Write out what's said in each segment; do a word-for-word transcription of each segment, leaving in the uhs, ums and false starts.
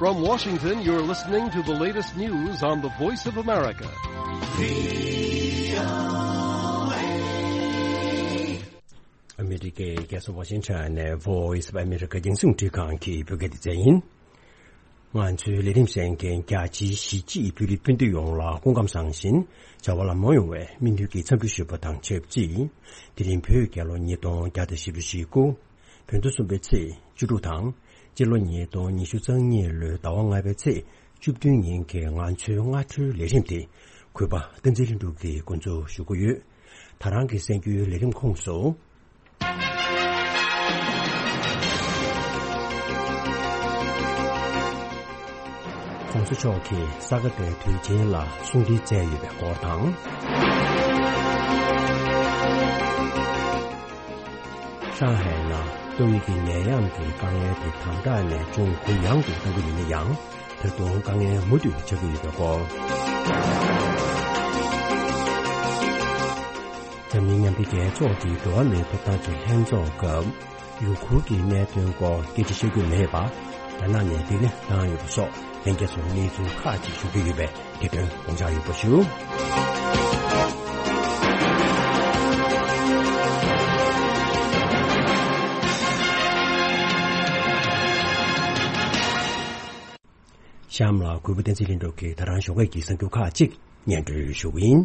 From Washington, you're listening to the latest news on the Voice of America. ཨ་མི་རི་ཀའི་རྒྱལ་ས་ཝ་ཤིང་ཊོན་ནས་Voice of America་རྒྱང་སྲིང་འཕྲིན་ཁང་གི་བོད་སྐད་སྡེ་ཚན་ཡིན། ང་ཚོའི་ལས་རིམ་གསན་མཁན་རྒྱ་ཆེའི་གཞིས་བྱེས་བོད་རིགས་སྤུན་ཟླ་ཡོངས་ལ་སྐུ་ཁམས་བཟང་ཞིང་བྱ་བ་ལམ་ལྷོང་ཡོང་བའི་སྨོན་འདུན་གྱི་འཚམས་འདྲི་ཞུས་པ་དང་ཆབས་ཅིག་དེ་རིང་བོད་རྒྱལ་ལོ་ཉིས་སྟོང་བརྒྱ་དང་བཞི་བཅུ་ཞེ་དགུ། བོད་ཟླ་གསུམ་པའི་ཚེས་བཅུ་དྲུག་དང་། སྤྱི་ལོ་ཉིས་སྟོང་ཉི་ཤུ་རྩ་གཉིས་ལོའི་ཟླ་བ་ལྔ་པའི་ཚེས་བཅུ་བདུན་ཉིན་གྱི་ང་ཚོའི་སྔ་དྲོའི་ལས་རིམ་དེ་གུས་པ་བསྟན་འཛིན་ལྷུན་གྲུབ་ཀྱིས་འགོ་འཛུགས་ཞུ་གི་ཡོད། ད་རང་གི་གསན་རྒྱུའི་ལས་རིམ་ཁོངས་སུ། ༸གོང་ས་མཆོག་གིས་ས་ག་ཟླའི་དུས་ཆེན་ལ་གསུང་འཕྲིན་བསྩལ་ཡོད་པའི་སྐོར་དང་། ཧྲང་ཧའེ་ནང་ཏོག་དབྱིབས་ཀྱི་ནད་ཡམས་ཀྱི་དཀའ་ངལ་དེ་དམ་དྲག་ནས་ཅུང་གུ་ཡངས་སུ་གཏོང་གི་ཡིན་ན་ཡང་། ད་དུང་དཀའ་ངལ་མུ་མཐུད་ཆགས་ཀྱི་ཡོད་པའི་སྐོར། འཛམ་གླིང་མཉམ་འབྲེལ་རྒྱལ་ཚོགས་ཀྱི་འགྲོ་བ་མིའི་ཐོབ་ཐང་གི་ལྷན་ཚོགས་སྐབས། ཡུ་གུར་གྱི་གནད་དོན་སྐོར་སྐད་ཆ་བཤད་རྒྱུ་མེད་པ། རྒྱ་ནག་ནས་བསྡད་ནས་བཏང་ཡོད་པ་སོགས་ལྷན་རྒྱས་ཚོར་གནས་ཚུལ་ཁག་ཅིག་ཞུ་རྒྱུ་ཡོད་པས་དེ་དོན་དགོངས་འཇགས་ཡོད་པ་ཞུ། གཤམ་ལ་གུས་པ་བསྟན་འཛིན་ལྷུན་གྲུབ་ཀྱིས་ད་རང་ཞོགས་ཀས་ཀྱི་གསར་འགྱུར་ཁག་ཅིག་སྙན་སྒྲོན་ཞུ་གི་ཡིན།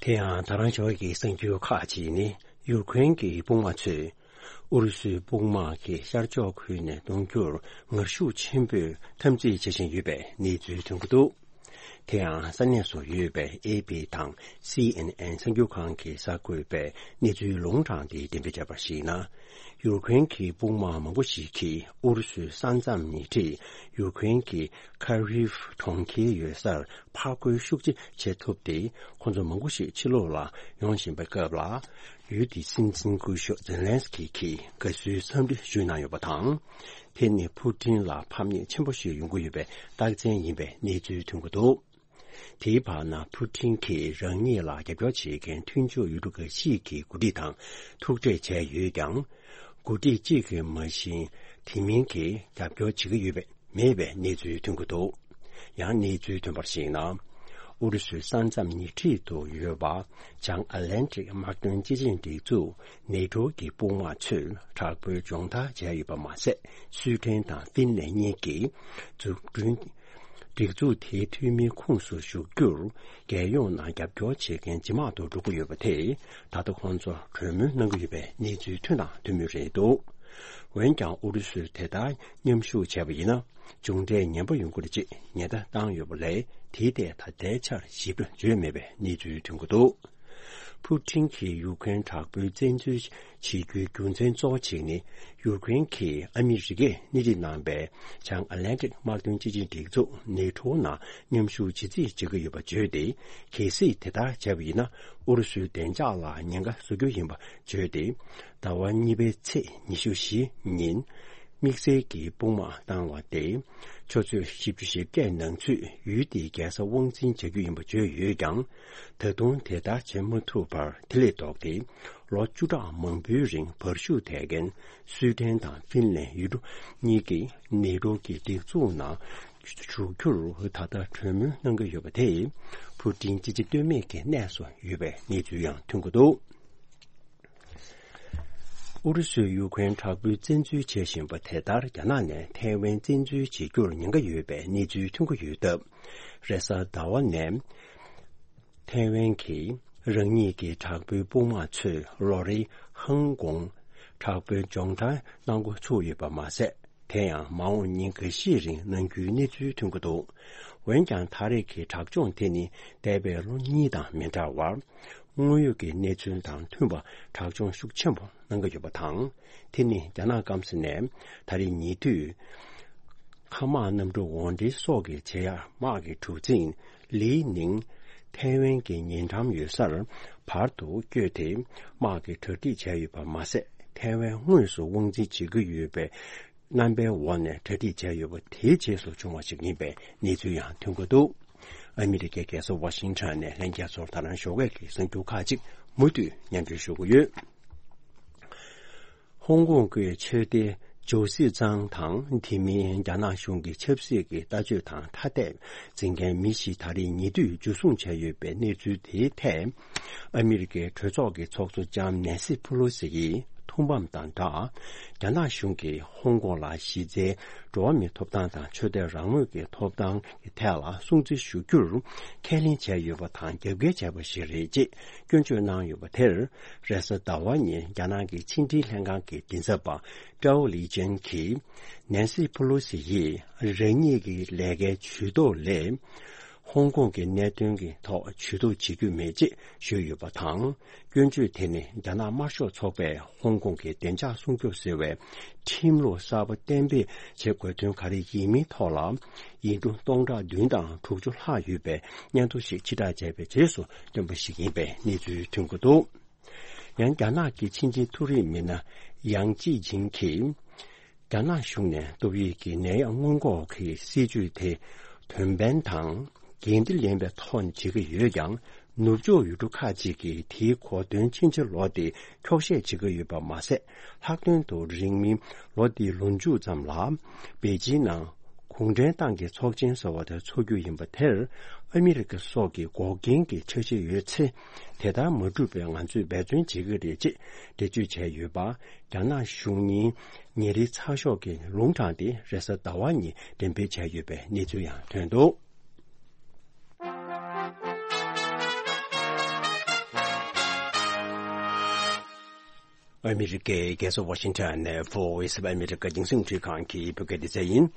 དེ་ཡང་ད་རང་ཞོགས་ཀས་ཀྱི་གསར་འགྱུར་ཁག་ཅིག་ནི། ཡུཀ་རེན་གྱི་དཔུང་དམག་ཚོས་ཨུ་རུ་སུའི་དཔུང་དམག་གི་ཤར་ཕྱོགས་ཁུལ་ནས་གཏོང་རྒྱུར་ངར་ཤུགས་ཆེན་པོས་འཐབ་འཛིང་བྱེད་བཞིན་ཡོད་པའི་གནས་ཚུལ་ཐོན་གྱི་འདུག་དེ་ཡང་ས་གནས་སུ་ཡོད་པའི་ཨེ་པི་དང་སི་ཨེན་ཨེན་གསར་འགྱུར་ཁང་གིས་གསར་འགོད་པའི་གནས་ཚུལ་ལུང་དྲངས་ཏེ་འགྲེམས་སྤེལ་བྱས་པར་གཞིགས་ན། ཡུཀ་རེན་གྱི་དཔུང་དམག་མང་པོ་ཞིག་གིས་ཨུ་རུ་སུའི་ས་མཚམས་ཉེ་འཁྲིས་ཡུཀ་རེན་གྱི་ཁ་རིབ་གྲོང་ཁྱེར་ཡོད་སར་ཕར་རྒོལ་ཤུགས་ཆེ་བྱེད་ཐུབ་སྟེ། ཁོ་ཚོ་མང་པོ་ཞིག་ཕྱི་ལོགས་ལ་ཡོང་བཞིན་པའི་སྐབས་ལ། ཡུལ་དེའི་སྲིད་འཛིན་སྐུ་ཞབས་ཛེ་ལན་སི་ཀི་གིས་དགའ་བསུའི་འཚམས་འདྲི་ཞུས་གནང་ཡོད་པ་དང་། དེ་ནི་ཕུ་ཊིན་ལ་ཕམ་ཉེས་ཆེན་པོ་ཞིག་ཡོང་གི་ཡོད་པའི་རྟགས་མཚན་ཡིན་པའི་གནས་ཚུལ་ཐོན་གྱི་འདུག་དེའི་བར་ན་ཕུ་ཊིན་གྱིས་རང་ཉིད་ལ་རྒྱབ་སྐྱོར་བྱེད་མཁན་མཐུན་ཕྱོགས་ཡུལ་གྲུ་འགའ་ཞིག་གི་འགོ་ཁྲིད་དང་ཐུག་འཕྲད་བྱས་ཡོད་ཀྱང་། འགོ་ཁྲིད་གཅིག་གིས་མ་གཞི་དེ་མིན་གྱི་རྒྱབ་སྐྱོར་བྱེད་ཀྱི་ཡོད་པའི་མེད་པའི་གནས་ཚུལ་ཐོན་གྱི་འདུག་ཡང་གནས་ཚུལ་ཐོན་པར་གཞིགས་ན། ཨུ་རུ་སུའི་ས་མཚམས་ཉེ་འཁྲིས་སུ་ཡོད་པ་བྱང་ཨ་ལན་ཊིག་དམག་དོན་སྤྱི་ཆིངས་སྒྲིག་འཛུགས་ནེ་ཊོ་གི་དཔུང་དམག་ཚོས་དྲག་པོའི་སྦྱོང་བརྡར་བྱས་ཡོད་པ་མ་ཟད། སུའེ་ཏེན་དང་ཧྥིན་ལན་གཉིས་ཀྱིས་འཛུགས་སྐྲུན། སྒྲིག་འཛུགས་དེའི་འཐུས་མིའི་ཁོངས་སུ་ཞུགས་རྒྱུར། རྒྱལ་ཡོངས་ནང་རྒྱབ་སྐྱོར་བྱེད་མཁན་ཇེ་མང་དུ་འགྲོ་གི་ཡོད་པ་དེས། ད་ལྟ་ཁོང་ཚོར་གྲོས་མོལ་གནང་གི་ཡོད་པའི་གནས་ཚུལ་ཐོན་དང་ཐོན་མུས་རེད་འདུག་འོན་ཀྱང་ཨུ་རུ་སུས་དེ་ལྟར་མཉམ་ཞུགས་བྱས་པ་ཡིན་ན། མཇུག་འབྲས་ངན་པ་ཡོང་གི་རེད་ཅེས་ཉེན་བརྡ་བཏང་ཡོད་པ་ལས། དེའི་ཐད་ད་ལྟའི་ཆར་ཞིབ་ཏུ་བརྗོད་མེད་པའི་གནས་ཚུལ་ཐོན་གྱི་འདུག་ཕུ་ཊིན་གྱིས་ཡུཀ་རེན་དྲག་པོའི་བཙན་འཛུལ་བྱེད་རྒྱུའི་རྒྱུ་མཚན་གཙོ་བོ་གཅིག་ནི། ཡུཀ་རེན་གྱིས་ཨ་མི་རི་ཀས་སྣེ་ཁྲིད་གནང་པའི་བྱང་ཨ་ལན་ཊིག་དམག་དོན་སྤྱི་ཆིངས་སྒྲིག་འཛུགས་ནེ་ཊོ་ནང་མཉམ་ཞུགས་བྱེད་རྩིས་བྱེད་ཀྱི་ཡོད་པ་བརྗོད་དེ། གལ་སྲིད་དེ་ལྟར་བྱས་པ་ཡིན་ན། ཨུ་རུ་སུའི་བདེ་འཇགས་ལ་ཉེན་ཁ་བཟོ་རྒྱུ་ཡིན་པ་བརྗོད་དེ། ཟླ་བ་གཉིས་པའི་ཚེས་ཉི་ཤུ་བཞི་ཉིན། དམིགས་བསལ་གྱི་དཔུང་དམག་བཏང་བ་སྟེ། ཆུ་ཚོད་བཞི་བཅུ་ཞེ་བརྒྱད་ནང་ཚུད་ཡུལ་དེའི་རྒྱལ་ས་དབང་འཛིན་བྱ་རྒྱུ་ཡིན་པ་བརྗོད་ཡོད་ཀྱང་། ད་དུང་དེ་ལྟར་བྱེད་མ་ཐུབ་པར། དེ་ལས་ལྡོག་སྟེ། ལོ་བཅུ་ཕྲག་མང་པོའི་རིང་བར་ཞུགས་བསྡད་མཁན་སུའེ་ཏེན་དང་ཧྥིན་ལན་ཡུལ་གྲུ་གཉིས་ཀྱིས་ནེ་ཊོ་གི་སྒྲིག་འཛུགས་ནང་ཞུགས་རྒྱུར་ད་ལྟ་གྲོས་མོལ་གནང་གི་ཡོད་པ་དེས། ཕུ་ཊིན་ཅི་བྱེད་གཏོལ་མེད་ཀྱི་གནས་སུ་ཡོད་པའི་གནས་ཚུལ་ཡང་ཐོན་གྱི་འདུག་ཨུ་རུ་སུས་ཡུཀ་རེན་དྲག་པོའི་བཙན་འཛུལ་བྱེད་བཞིན་པ་དེ་ལྟར། རྒྱ་ནག་ནས་ཐའེ་ཝན་བཙན་འཛུལ་བྱེད་རྒྱུར་ཉེན་ཁ་ཡོད་པའི་གནས་ཚུལ་ཐོན་གྱི་ཡོད་སྟབས། རེས་གཟའ་ཟླ་བ་ནས་ཐའེ་ཝན་གྱིས་རང་ཉིད་ཀྱི་དྲག་པོའི་དཔུང་དམག་ཚོས་ལོ་རེའི་ཧང་ཀོང་དྲག་པོའི་སྦྱོང་བརྡར་གནང་འགོ་ཚུགས་ཡོད་པ་མ་ཟད། དེ་ཡང་མ་འོངས་ཉིན་འགའ་ཤས་རིང་གནང་རྒྱུའི་གནས་ཚུལ་ཐོན་གྱི་འདུག་འོན་ཀྱང་། ད་རེས་ཀྱི་དྲག་སྦྱོང་དེ་ནི་འདས་པའི་ལོ་གཉིས་དང་མི་འདྲ་བར། དངོས་ཡོད་ཀྱི་གནས་ཚུལ་དང་མཐུན་པ་དྲག་སྦྱོང་ཤུགས་ཆེན་པོ་གནང་གི་ཡོད་པ་དང་། དེ་ནི་རྒྱ་ནག་སྐམ་ས་ནས་ད་རེས་ཉེ་དུས། མཁའ་དམག་གནམ་གྲུ་འོར་འདྲེན་སོགས་ཀྱི་ཆེད་ཡར་དམག་གི་གྲུ་གཟིངས་ལི་ནིང་ཐའེ་ཝན་གྱི་ཉེ་འགྲམ་ཡོད་སར་བར་དུ་བསྐྱོད་དེ། དམག་གི་གྲ་སྒྲིག་བྱས་ཡོད་པ་མ་ཟད། ཐའེ་ཝན་དངོས་སུ་དབང་འཛིན་བྱེད་ཀྱི་ཡོད་པའི་རྣམ་པའི་འོག་ནས་གྲ་སྒྲིག་བྱས་ཡོད་པ་དེའི་རྗེས་སུ་བྱུང་བ་ཞིག་ཡིན་པའི་གནས་ཚུལ་ཡང་ཐོན་གྱི་འདུག་ཨ་མི་རི་ཀའི་རྒྱལ་ས་ཝ་ཤིང་ཊོན་ནས་ལྷན་རྒྱས་ཚོར་ད་རང་ཞོགས་ཀས་ཀྱི་གསར་འགྱུར་ཁག་ཅིག་མུ་མཐུད་སྙན་སྒྲོན་ཞུ་གི་ཡོད། ཧོང་ཀོང་གི་ཆོས་སྡེ་ཇོ་སི་ཙང་དང་དེ་མིན་རྒྱ་ནག་གཞུང་གི་ཆབ་སྲིད་ཀྱི་ལྟ་སྤྱོད་དང་ཐ་དད་འཛིན་མཁན་མི་ཞིག་ད་རེས་ཉེ་དུས་འཇུ་བཟུང་བྱས་ཡོད་པའི་གནས་ཚུལ་དེའི་ཐད། ཨ་མི་རི་ཀའི་གྲོས་ཚོགས་ཀྱི་ཚོགས་གཙོ་ལྕམ་ནེན་སི་ཕུ་ལོ་སི་ཡིས་ཐུགས་ཕམ་དང་སྦྲགས། རྒྱ་ནག་གཞུང་གིས་ཧོང་ཀོང་ལ་གཞི་རྩའི་འགྲོ་བ་མིའི་ཐོབ་ཐང་དང་ཆོས་དད་རང་མོས་ཀྱི་ཐོབ་ཐང་གི་ཐད་ལ་སྲུང་བརྩི་ཞུ་རྒྱུར་ཁས་ལེན་བྱས་ཡོད་པ་དང་རྒྱབ་འགལ་བྱས་པ་ཞིག་རེད་ཅེས་སྐྱོན་བརྗོད་གནང་ཡོད་པ་དེར། རེས་གཟའ་ཟླ་བ་ཉིན་རྒྱ་ནག་གི་ཕྱི་འབྲེལ་ལྷན་ཁང་གི་མགྲིན་ཚབ་པ་ཀྲའོ་ལི་ཅན་གྱིས། ནན་སི་ཕུ་ལོ་སི་ཡིས་རང་ཉིད་ཀྱི་ལས་ཀའི་ཇུས་གཏོགས་ལས། ཧོང་ཀོང་གི་གནད་དོན་གྱི་ཐོག་ཇུས་གཏོགས་བྱེད་རྒྱུ་མེད་ཅེས་ཞུས་ཡོད་པ་དང་། སྐྱོན་བརྗོད་དེ་ནི་རྒྱ་ནག་དམར་ཤོག་ཚོགས་པས་ཧོང་ཀོང་གི་བདེ་འཇགས་སྲུང་སྐྱོབ་ཟེར་བའི་ཁྲིམས་ལུགས་གསར་པ་གཏན་འབེབས་བྱེད་དགོས་དོན་ག་རེ་ཡིན་མིན་ཐོག་ལ་ཡིག་འབྲུ་སྟོང་ཕྲག་བདུན་དང་དྲུག་ཅུ་ལྷག་ཡོད་པའི་སྙན་ཐོ་ཞིག་ཕྱིར་བསྒྲགས་བྱས་པའི་རྗེས་སུ་བཏོན་པ་ཞིག་ཡིན་པའི་གནས་ཚུལ་ཐོན་གྱི་འདུག། ཡང་རྒྱ་ནག་གི་ཕྱི་འབྲེལ་མཐོ་རིམ་མི་སྣ་ཡང་ཅི་ཅིང་གིས། རྒྱ་ནག་གཞུང་ནས་ཏོག་དབྱིབས་ཀྱི་ནད་ཡམས་སྔོན་འགོག་གི་སྲིད་ཇུས་དེ་དོན་ཕན་དང་འགན་འཁྲི་ལེན་པའི་ཐོག་ནས་བྱེད་ཀྱི་ཡོད་ཀྱང་། ནུབ་ཕྱོགས་ཡུལ་གྲུ་ཁག་ཅིག་གིས་དེའི་གོ་དོན་ཕྱིན་ཅི་ལོག་སྟེ་འཁྱོག་བཤད་བྱེད་ཀྱི་ཡོད་པ་མ་ཟད། ལྷག་དོན་དུ་རིང་མིན་ལོ་འདིའི་ལོ་མཇུག་ཙམ་ལ་པེ་ཅིན་ནང་གུང་ཁྲན་ཏང་གི་ཚོགས་ཆེན་ཟེར་བ་དེ་འཚོགས་རྒྱུ་ཡིན་པ་དེར་ཨ་མི་རི་ཀ་སོགས་ཀྱི་འགོག་རྐྱེན་གྱི་འཆར་གཞི་ཡོད་ཚེ། དེ་ལྟར་མ་འགྲུབ་པའི་ང་ཚོས་འབད་བརྩོན་བྱེད་ཀྱི་རེད་ཅེས་འགྲེལ་བརྗོད་བྱས་ཡོད་པ། རྒྱ་ནག་གཞུང་གཉིས་ཉིན་རེའི་ཚགས་ཤོག་གི་ལུང་དྲངས་ཏེ་རེས་གཟའ་ཟླ་བ་ཉིན་འགྲེམས་སྤེལ་བྱས་ཡོད་པའི་གནས་ཚུལ་ཡང་ཐོན་འདུག། ཨ་མི་རི་ཀའི་རྒྱལ་ས་ཝ་ཤིང་ཊོན་ནས་Voice of America་རྒྱང་སྲིང་འཕྲིན་ཁང་གི་བོད་སྐད་སྡེ་ཚན་ཡིན།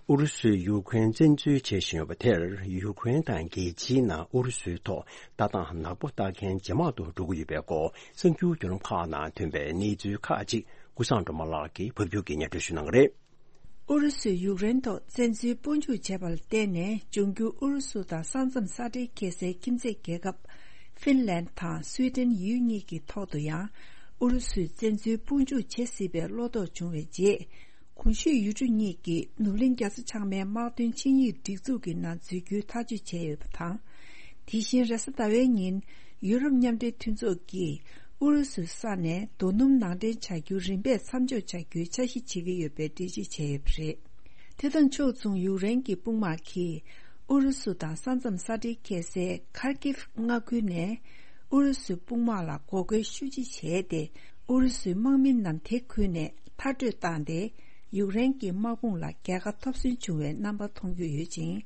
ཨུ་རུ་སུས་ཡུ་ཁུ་རེན་བཙན་འཛུལ་བྱེད་བཞིན་ཡོད་པ་དེར་ཡུ་ཁུ་རེན་དང་རྒྱལ་སྤྱིའི་ནང་ཨུ་རུ་སུའི་ཐོག་ལྟ་སྟངས་ནག་པོ་ལྟ་མཁན་ཇེ་མང་དུ་འགྲོ་གི་ཡོད་པའི་སྐོར་གསར་འགྱུར་བརྒྱུད་ལམ་ཁག་ནང་ཐོན་པའི་གནས་ཚུལ་ཁག་ཅིག་ཀུན་བཟང་སྒྲོལ་མ་ལགས་ཀྱིས་ཕབ་སྒྱུར་གྱིས་སྙན་སྒྲོན་ཞུ་གནང་གི་རེད། ཨུ་རུ་སུས་ཡུཀ་རེན་ཐོག་བཙན་འཛུལ་དཔུང་འཇུག་བྱས་པ་ལ་བརྟེན་ནས། འབྱུང་འགྱུར་ཨུ་རུ་སུ་དང་ས་མཚམས་ས་འབྲེལ་འཁེལ་སའི་ཁྱིམ་མཚེས་རྒྱལ་ཁབ་ཧྥིན་ལན་དང་སུའེ་ཏེན་ཡུལ་གཉིས་ཀྱི་ཐོག་ཏུ་ཡང་ཨུ་རུ་སུས་བཙན་འཛུལ་དཔུང་འཇུག་བྱེད་སྲིད་པའི་བློ་དོགས་བྱུང་བའི་རྗེས། གོང་ཞུས་ཡུལ་གྲུ་གཉིས་ཀྱིས་ནུབ་གླིང་རྒྱ་མཚོ་བྱང་མའི་དམག་དོན་ཆིངས་ཡིག་སྒྲིག་འཛུགས་ཀྱི་ནང་འཛུལ་རྒྱུའི་ཐག་གཅོད་བྱས་ཡོད་པ་དང་། དེ་བཞིན་རེས་གཟའ་ཟླ་བའི་ཉིན། ཡུ་རོབ་མཉམ་འབྲེལ་མཐུན་ཚོགས་ཀྱིས་ཨུ་རུ་སུའི་ས་ནས་རྡོ་སྣུམ་ནང་འདྲེན་བྱ་རྒྱུ་རིམ་པས་མཚམས་འཇོག་བྱ་རྒྱུའི་འཆར་གཞི་བྱེད་ཀྱི་ཡོད་པའི་འགྲེལ་བརྗོད་བྱས་ཡོད་པ་རེད། དེ་དང་ཕྱོགས་མཚུངས་ཡུཀ་རེན་གྱི་དཔུང་དམག་གིས་ཨུ་རུ་སུ་དང་ས་མཚམས་ས་འབྲེལ་འཁེལ་སའི་ཁར་ཀིབ་མངའ་ཁུལ་ནས་ཨུ་རུ་སུའི་དཔུང་དམག་ལ་འགོག་རྒོལ་ཤུགས་ཆེ་བྱས་ཏེ། ཨུ་རུ་སུའི་དམག་མི་རྣམས་དེ་ཁུལ་ནས་མཐར་སྐྲོད་བཏང་སྟེ། ཡུཀ་རེན་གྱི་དམག་དཔུང་ལ་རྒྱལ་ཁ་ཐོབ་སོན་བྱུང་བའི་རྣམ་པ་མཐོང་རྒྱུ་ཡོད་ཅིང་།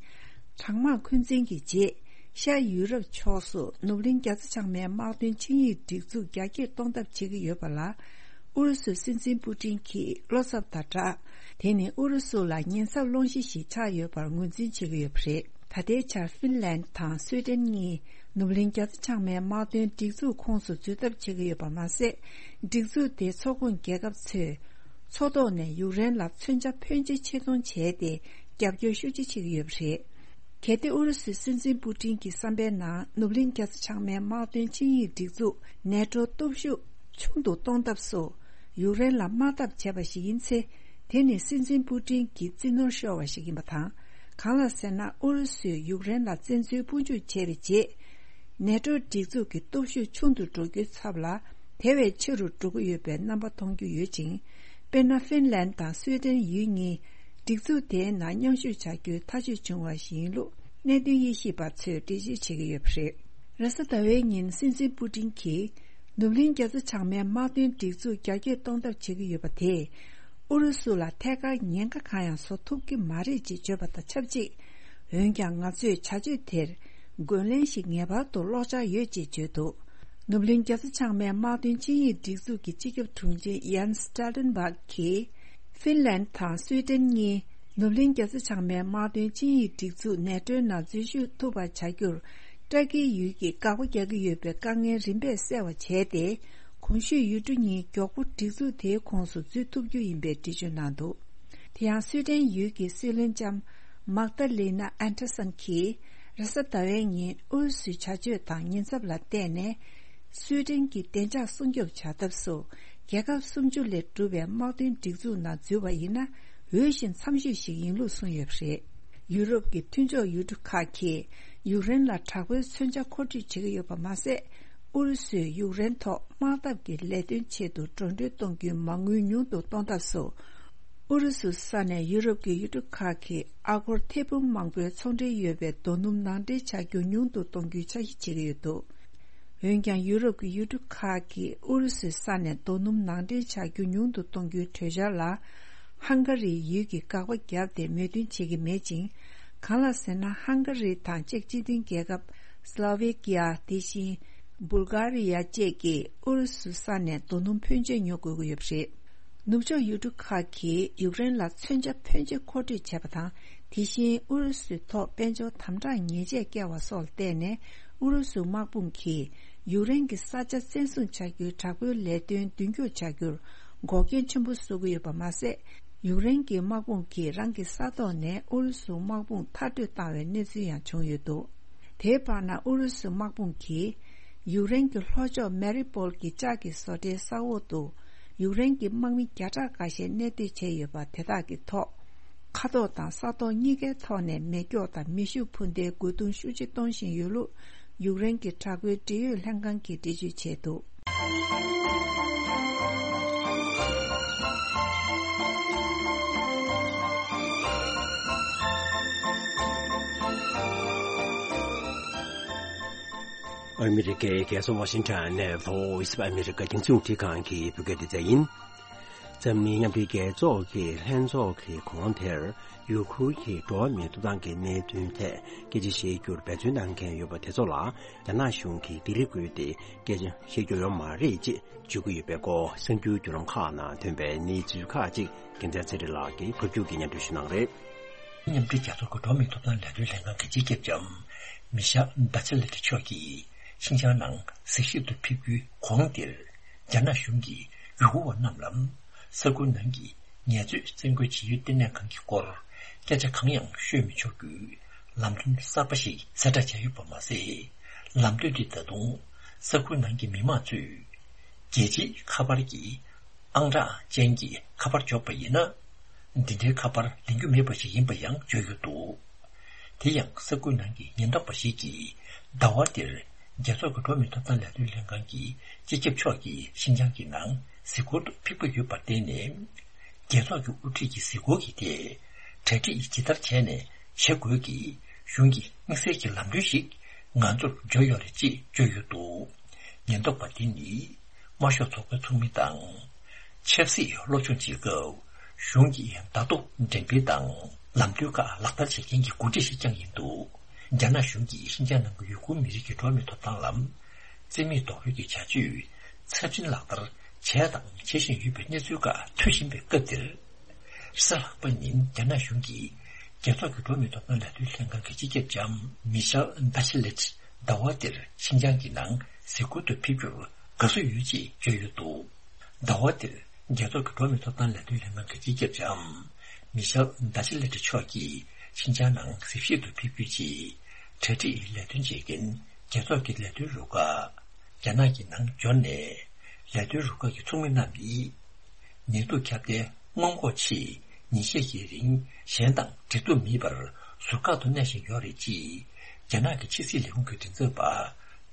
གྲང་དམག་འཁོན་འཛིན་གྱི་རྗེས། ཤར་ཡུ་རོབ་ཕྱོགས་སུ་ནུབ་གླིང་རྒྱ་མཚོ་བྱང་མའི་དམག་དོན་ཆིངས་ཡིག་སྒྲིག་འཛུགས་རྒྱ་སྐྱེད་གཏོང་ཐབས་བྱེད་ཀྱི་ཡོད་པ་ལ། ཨུ་རུ་སུའི་སྲིད་འཛིན་པུ་ཏིན་གྱིས་བློ་འཚབ་དང་སྦྲགས། དེ་ནི་ཨུ་རུ་སུ་ལ་ཉེན་ཚབས་སློང་གཞི་ཞིག་ཆགས་ཡོད་པར་ངོས་འཛིན་བྱེད་ཀྱི་ཡོད་པ་རེད། ད་ལྟའི་ཆར་ཧྥིན་ལན་དང་སུའེ་ཏེན་གཉིས་ནུབ་གླིང་རྒྱ་མཚོ་བྱང་མའི་དམག་དོན་སྒྲིག་འཛུགས་ཁོངས་སུ་འཛུལ་ཐབས་བྱེད་ཀྱི་ཡོད་པ་མ་ཟད། སྒྲིག་འཛུགས་དེའི་ཚོགས་ཁོངས་རྒྱལ་ཁབ་ཚོས་མཚོ་ཐོག་ནས་ཡུཀ་རེན་ལ་མཚོན་ཆ་ཕོན་ཆེ་ཕྱིར་གཏོང་བྱས་ཏེ། རྒྱབ་སྐྱོར་ཤུགས་ཆེ་བྱེད་ཀྱི་ཡོད་པ་རེད། གལ་ཏེ་ཨུ་རུ་སུའི་སྲིད་འཛིན་པུ་ཏིན་གྱི་བསམ་པའི་ནང་ནུབ་གླིང་རྒྱ་མཚོ་བྱང་མའི་དམག་དོན་ཆིངས་ཡིག་སྒྲིག་འཛུགས་ནེ་ཏྲོ་སྟོབས་ཤུགས་ཆུང་དུ་གཏོང་ཐབས་སུ། ཡུཀ་རེན་ལ་དམག་འཐབ་བྱས་པ་ཞིག་ཡིན་ཚེ། དེ་ནི་སྲིད་འཛིན་པུ་ཏིན་གྱི་རྩིས་ནོར་ཤོར་བ་ཞིག་ཡིན་པ་དང་། གང་ལགས་ཟེར་ན། ཨུ་རུ་སུས་ཡུཀ་རེན་ལ་བཙན་འཛུལ་དཔུང་འཇུག་བྱས་པའི་རྗེས། ནེ་ཏྲོ་སྒྲིག་འཛུགས་ཀྱི་སྟོབས་ཤུགས་ཆུང་དུ་འགྲོ་རྒྱུའི་ཚབ་ལ། དེ་བས་ཆེ་རུ་འགྲོ་གི་ཡོད་པའི་རྣམ་པ་མཐོང་རྒྱུ་ཡོད་ཅིང་། དཔེར་ན། ཧྥིན་ལན་དང་སུའེ་ཏེན་ཡུལ་གཉིས་སྒྲིག་འཛུགས་དེའི་ནང་མཉམ་ཞུགས་བྱ་རྒྱུའི་ཐག་གཅོད་བྱུང་བ་ཞིག་ཡིན་ལུགས་གནད་དོན་དབྱེ་ཞིབ་པ་ཚོས་འགྲེལ་བརྗོད་བྱེད་ཀྱི་ཡོད་པ་རེད། རེས་གཟའ་ཟླ་བའི་ཉིན་སྲིད་འཛིན་པུ་ཏིན་གྱིས། ནུབ་གླིང་རྒྱ་མཚོ་བྱང་མའི་དམག་དོན་སྒྲིག་འཛུགས་རྒྱ་སྐྱེད་གཏོང་ཐབས་བྱེད་ཀྱི་ཡོད་པ་དེས། ཨུ་རུ་སུ་ལ་ཐད་ཀར་ཉེན་ཁ་གང་ཡང་བཟོ་ཐུབ་ཀྱི་མ་རེད་ཅེས་བརྗོད་པ་དང་ཆབས་ཅིག་འོན་ཀྱང་། ང་ཚོས་བྱ་སྤྱོད་དེར་རྒོལ་ལན་ཞིག་ངེས་པར་དུ་སློག་འཆར་ཡོད་ཅེས་བརྗོད་འདུག་ནུབ་གླིང་རྒྱ་མཚོ་བྱང་མའི་དམག་དོན་ཆིངས་ཡིག་སྒྲིག་འཛུགས་ཀྱི་སྤྱི་ཁྱབ་དྲུང་ཆེ་ཡཱན་སི་ཊལ་ཊེན་བྷག་གིས། ཧྥིན་ལན་དང་སུའེ་ཏེན་གཉིས་ནུབ་གླིང་རྒྱ་མཚོ་བྱང་མའི་དམག་དོན་ཆིངས་ཡིག་སྒྲིག་འཛུགས་ནེ་ཏྲོའི་ནང་འཛུལ་ཞུགས་ཐུབ་པ་བྱ་རྒྱུར། ཏུར་ཀིའི་ཡུལ་གྱིས་དགག་པ་རྒྱག་གི་ཡོད་པའི་དཀའ་ངལ་རིམ་པས་སེལ་བ་བྱས་ཏེ། གོང་ཞུས་ཡུལ་གྲུ་གཉིས་མགྱོགས་པོ་སྒྲིག་འཛུགས་དེའི་ཁོངས་སུ་འཛུལ་ཐུབ་རྒྱུ་ཡིན་པའི་འགྲེལ་བརྗོད་གནང་འདུག་དེ་ཡང་སུའེ་ཏེན་ཡུལ་གྱི་སྲིད་བློན་ལྕམ་མཱག་ཏཱ་ལི་ན་ཨན་ཏར་སན་གྱིས་རེས་གཟའ་ཟླ་བའི་ཉིན་ཨུ་རུ་སུའི་བྱ་སྤྱོད་དང་ཉེན་ཚབས་ལ་བལྟས་ནས། སུའེ་ཏེན་གྱི་བདེ་འཇགས་སྲུང་སྐྱོབ་བྱ་ཐབས་སུ། རྒྱལ་ཁབ་སུམ་ཅུ་ལས་གྲུབ་པའི་དམག་དོན་སྒྲིག་འཛུགས་ནང་འཛུལ་བ་ཡིན་ན། འོས་ཤིང་འཚམ་ཤོས་ཤིག་ཡིན་ལུགས་གསུངས་ཡོད་པ་རེད། ཡུ་རོབ་ཀྱི་མཐུན་ཕྱོགས་ཡུལ་གྲུ་ཁག་གིས་ཡུཀ་རེན་ལ་དྲག་པོའི་མཚོན་ཆ་མཁོ་སྤྲོད་བྱེད་ཀྱི་ཡོད་པ་མ་ཟད། ཨུ་རུ་སུས་ཡུཀ་རེན་ཐོག་དམག་འཐབ་ཀྱི་ལས་དོན་ཆེད་དུ་འགྲོ་གྲོན་གཏོང་རྒྱུའི་མ་དངུལ་ཉུང་དུ་གཏོང་ཐབས་སུ། ཨུ་རུ་སུ་ས་ནས་ཡུ་རོབ་ཀྱི་ཡུལ་གྲུ་ཁག་གིས་ཨ་སྒོར་ཐེར་འབུམ་མང་པོའི་ཚོང་འབྲེལ་ཡོད་པའི་རྡོ་སྣུམ་ནང་འདྲེན་བྱ་རྒྱུ་ཉུང་དུ་གཏོང་རྒྱུའི་འཆར་གཞི་བྱེད་ཀྱི་ཡོད་འདུག་འོན་ཀྱང་ཡུ་རོབ་ཀྱི་ཡུལ་གྲུ་ཁག་གིས་ཨུ་རུ་སུའི་ས་ནས་རྡོ་སྣུམ་ནང་འདྲེན་བྱ་རྒྱུ་ཉུང་དུ་གཏོང་རྒྱུའི་གྲོས་འཆར་ལ། ཧང་ག་རིའི་ཡུལ་གྱིས་དགག་པ་བརྒྱབ་སྟེ་མོས་མཐུན་བྱེད་ཀྱི་མེད་ཅིང་། གང་ལགས་ཟེར་ན། ཧང་ག་རི་དང་ཅེཀ་སྤྱི་མཐུན་རྒྱལ་ཁབ། སི་ལོ་ཝེ་ཀི་ཡ། དེ་བཞིན་སྦུལ་གྷ་རི་ཡ་བཅས་ཀྱིས་ཨུ་རུ་སུའི་ས་ནས་རྡོ་སྣུམ་ཕོན་ཆེ་ཉོ་དགོས་ཀྱི་ཡོད་པ་རེད། ནུབ་ཕྱོགས་ཡུལ་གྲུ་ཁག་གིས་ཡུཀ་རེན་ལ་མཚོན་ཆ་ཕོན་ཆེ་མཁོ་སྤྲོད་བྱས་པ་དང་། དེ་བཞིན་ཨུ་རུ་སུའི་ཐོག་དཔལ་འབྱོར་དམ་དྲག་ཉེས་ཆད་བཀལ་བ་སོགས་ལ་བརྟེན་ནས། ཨུ་རུ་སུའི་དམག་དཔུང་གིས་ཡུཀ་རེན་གྱི་ས་ཆ་བཙན་བཟུང་བྱ་རྒྱུའི་དྲག་པོའི་ལས་དོན་མདུན་སྐྱོད་བྱ་རྒྱུར་འགོག་རྐྱེན་ཆེན་པོ་བཟོ་གི་ཡོད་པ་མ་ཟད། ཡུཀ་རེན་གྱི་དམག་དཔུང་གིས་རང་གི་ས་ཐོག་ནས་ཨུ་རུ་སུའི་དམག་དཔུང་མཐར་སྐྲོད་བཏང་བའི་གནས་ཚུལ་ཡང་བྱུང་ཡོད་འདུག་དེའི་བར་ན་ཨུ་རུ་སུའི་དམག་དཔུང་གིས་ཡུཀ་རེན་གྱི་ལྷོ་ཕྱོགས་མེ་རི་པོལ་གྱི་ལྕགས་ཀྱི་བཟོ་གྲྭའི་ས་འོག་ཏུ་ཡུཀ་རེན་གྱི་དམག་མི་བརྒྱ་ཕྲག་འགའ་ཤས་གནས་སྡོད་བྱས་ཡོད་པ་དེ་དག་གི་ཐོག་མཁའ་ཐོག་དང་ས་ཐོག་གཉིས་ཀའི་ཐོག་ནས་མེ་སྒྱོགས་དང་མེ་ཤུགས་འཕུར་མདེལ་རྒོལ་རྡུང་ཤུགས་ཆེ་གཏོང་བཞིན་ཡོད་ལུགས་ཡུཀ་རེན་གྱི་དྲག་པོའི་འབྲེལ་ཡོད་ལྷན་ཁང་གིས་འགྲེལ་བརྗོད་བྱས་འདུག་ཨ་མི་རི་ཀའི་རྒྱལ་ས་ཝ་ཤིང་ཊོན་ནས་Voice of America་རྒྱང་སྲིང་རླུང་འཕྲིན་ཁང་གི་བོད་སྐད་སྡེ་ཚན་ཡིན། འཛམ་གླིང་མཉམ་འབྲེལ་རྒྱལ་ཚོགས་ཀྱི་ལྷན་ཚོགས་ཀྱི་གོང་དེར་ཡུ་གུར་གྱི་འགྲོ་བ་མིའི་ཐོབ་ཐང་གི་གནད་དོན་ཐད་སྐད་ཆ་བཤད་རྒྱུར་འབད་བརྩོན་གནང་མཁན་ཡོད་པ་དེ་ཚོ་ལ་རྒྱ་ནག་གཞུང་གིས་སྡིགས་ར་བསྐུལ་ཏེ་སྐད་ཆ་བཤད་རྒྱུ་ཡོད་མ་རེད་ཅེས་བརྗོད་ཀྱི་ཡོད་པའི་སྐོར་གསར་འགྱུར་བརྒྱུད་ལམ་ཁག་ནང་ཐོན་པའི་གནས་ཚུལ་ཁག་ཅིག་རྒྱལ་མཚན་ཚེ་རིང་ལགས་ཀྱིས་ཕབ་སྒྱུར་གྱིས་སྙན་སྒྲོན་ཞུ་གནང་རེད། མཉམ་འབྲེལ་རྒྱལ་ཚོགས་ཀྱི་འགྲོ་བ་མིའི་ཐོབ་ཐང་ལས་དོན་ལྷན་ཁང་གི་སྤྱི་ཁྱབ་ལྕམ་མི་ཤེལ་བྷ་ཆེ་ལེ་ཏི་མཆོག་གིས་ཤིན་ཅང་ནང་གཟིགས་ཞིབ་ཏུ་ཕེབས་རྒྱུའི་གོང་དེར། རྒྱ་ནག་གཞུང་གིས་ཡུ་གུར་བ་རྣམས་ལ་ས་ཁུལ་ནང་གི་ངལ་རྩོལ་བཙན་རྒོལ་བྱེད་ཡུལ་ལྟེ་གནས་ཁང་གི་སྐོར་སྐད་ཆ་གང་ཡང་ཤོད་མི་ཆོག་རྒྱུའི་ལམ་སྟོན་གསར་པ་ཞིག་གསལ་བསྒྲགས་བྱས་ཡོད་པ་མ་ཟད། ལམ་སྟོན་དེ་ད་དུང་ས་ཁུལ་ནང་གི་མི་མང་ཚོས་རྒྱལ་སྤྱིའི་ཁ་པར་གྱི་ཨང་གྲངས་ཅན་གྱི་ཁ་པར་འབྱོར་པ་ཡིན་ན། འདི་འདྲའི་ཁ་པར་ལེན་རྒྱུ་མེད་པ་ཞིག་ཡིན་པ་ཡང་བརྗོད་ཡོད་འདུག་དེ་ཡང་ས་ཁུལ་ནང་གི་ཉེན་རྟོག་པ་ཞིག་གིས་ཟླ་བ་འདིར་རྒྱལ་ཚོགས་ཀྱི་འགྲོ་བ་མིའི་ཐོབ་ཐང་ལས་དོན་ལྷན་ཁང་གི་སྤྱི་ཁྱབ་མཆོག་གིས་ཤིན་ཅང་གི་ནང་གཟིགས་སྐོར་དུ་ཕེབས་ཀྱི་ཡོད་པར་བརྟེན་ནས། རྒྱལ་ཚོགས་ཀྱི་དབུ་ཁྲིད་ཀྱི་གཟིགས་སྐོར་གྱི་ཐད་གྲ་སྒྲིག་ཇི་ལྟར་བྱས་ནས་བྱེད་དགོས་ཀྱི་གཞུང་གི་དམིགས་བསལ་གྱི་ལམ་སྟོན་ཞིག་ང་ཚོར་འབྱོར་ཡོད་རེད་ཅེས་བརྗོད་ཡོད་འདུག་ཉེན་རྟོག་པ་དེ་ནི། དམར་ཤོག་ཚོགས་པའི་ཚོགས་མི་དང་། ཆབ་སྲིད་སློབ་སྦྱོང་བྱེད་སྐབས་གཞུང་གི་བརྡ་ཐོ་འགྲེམས་སྤེལ་དང་ལམ་སྟོན་ཁག་ལག་བསྟར་བྱེད་མཁན་གྱི་འགོ་ཁྲིད་ཞིག་ཀྱང་ཡིན་འདུག་རྒྱ་ནག་གཞུང་གིས་ཤིན་ཅང་ནང་གི་ཡུ་གུར་མི་རིགས་ཀྱི་འགྲོ་བ་མིའི་ཐོབ་ཐང་ལ་བརྩི་མེད་རྡོག་རོལ་གྱི་བྱ་སྤྱོད་ཚབས་ཆེན་ལག་བསྟར་བྱས་དང་བྱེད་བཞིན་ཡོད་པའི་གནས་ཚུལ་ཁག་ཐོན་བཞིན་པའི་སྐབས་འདིར། རེས་གཟའ་ལྷག་པ་ཉིན་རྒྱ་ནག་གཞུང་གིས་རྒྱལ་ཚོགས་ཀྱི་འགྲོ་བ་མིའི་ཐོབ་ཐང་ལས་དོན་ལྷན་ཁང་གི་སྤྱི་ཁྱབ་ལྕམ་མི་ཤེལ་བྷ་ཆེ་ལེ་ཏི་ཟླ་བ་འདིར་ཤིན་ཅང་གི་ནང་གཟིགས་སྐོར་དུ་ཕེབས་རྒྱུར་དགའ་བསུ་ཡོད་ཅེས་བརྗོད་ཡོད་འདུག་ཟླ་བ་འདིར་རྒྱལ་ཚོགས་ཀྱི་འགྲོ་བ་མིའི་ཐོབ་ཐང་ལས་དོན་ལྷན་ཁང་གི་སྤྱི་ཁྱབ་ལྕམ་མི་ཤེལ་བྷ་ཆེ་ལེ་ཏི་མཆོག་གིས་ཤིན་ཅང་ནང་གཟིགས་ཞིབ་ཏུ་ཕེབས་རྒྱུའི་ཆེད་གྲ་སྒྲིག་ལས་དོན་བྱེད་མཁན་རྒྱལ་ཚོགས་ཀྱི་ལས་དོན་རུ་ཁག་རྒྱ་ནག་གི་ནང་འབྱོར་ནས་ལས་དོན་རུ་ཁག་གི་ཚོགས་མི་རྣམས་ནི། ནད་དུག་ཁྱབ་གདལ་སྔོན་འགོག་ཆེད་ཉིན་ཤས་ཀྱི་རིང་གཞན་དང་འབྲེལ་གཏུག་མེད་པར་ཟུར་བཀག་ཏུ་གནས་བཞིན་ཡོད་རེད་ཅེས་རྒྱ་ནག་གི་ཕྱི་སྲིད་ལས་ཁུངས་ཀྱི་མགྲིན་ཚབ་པ་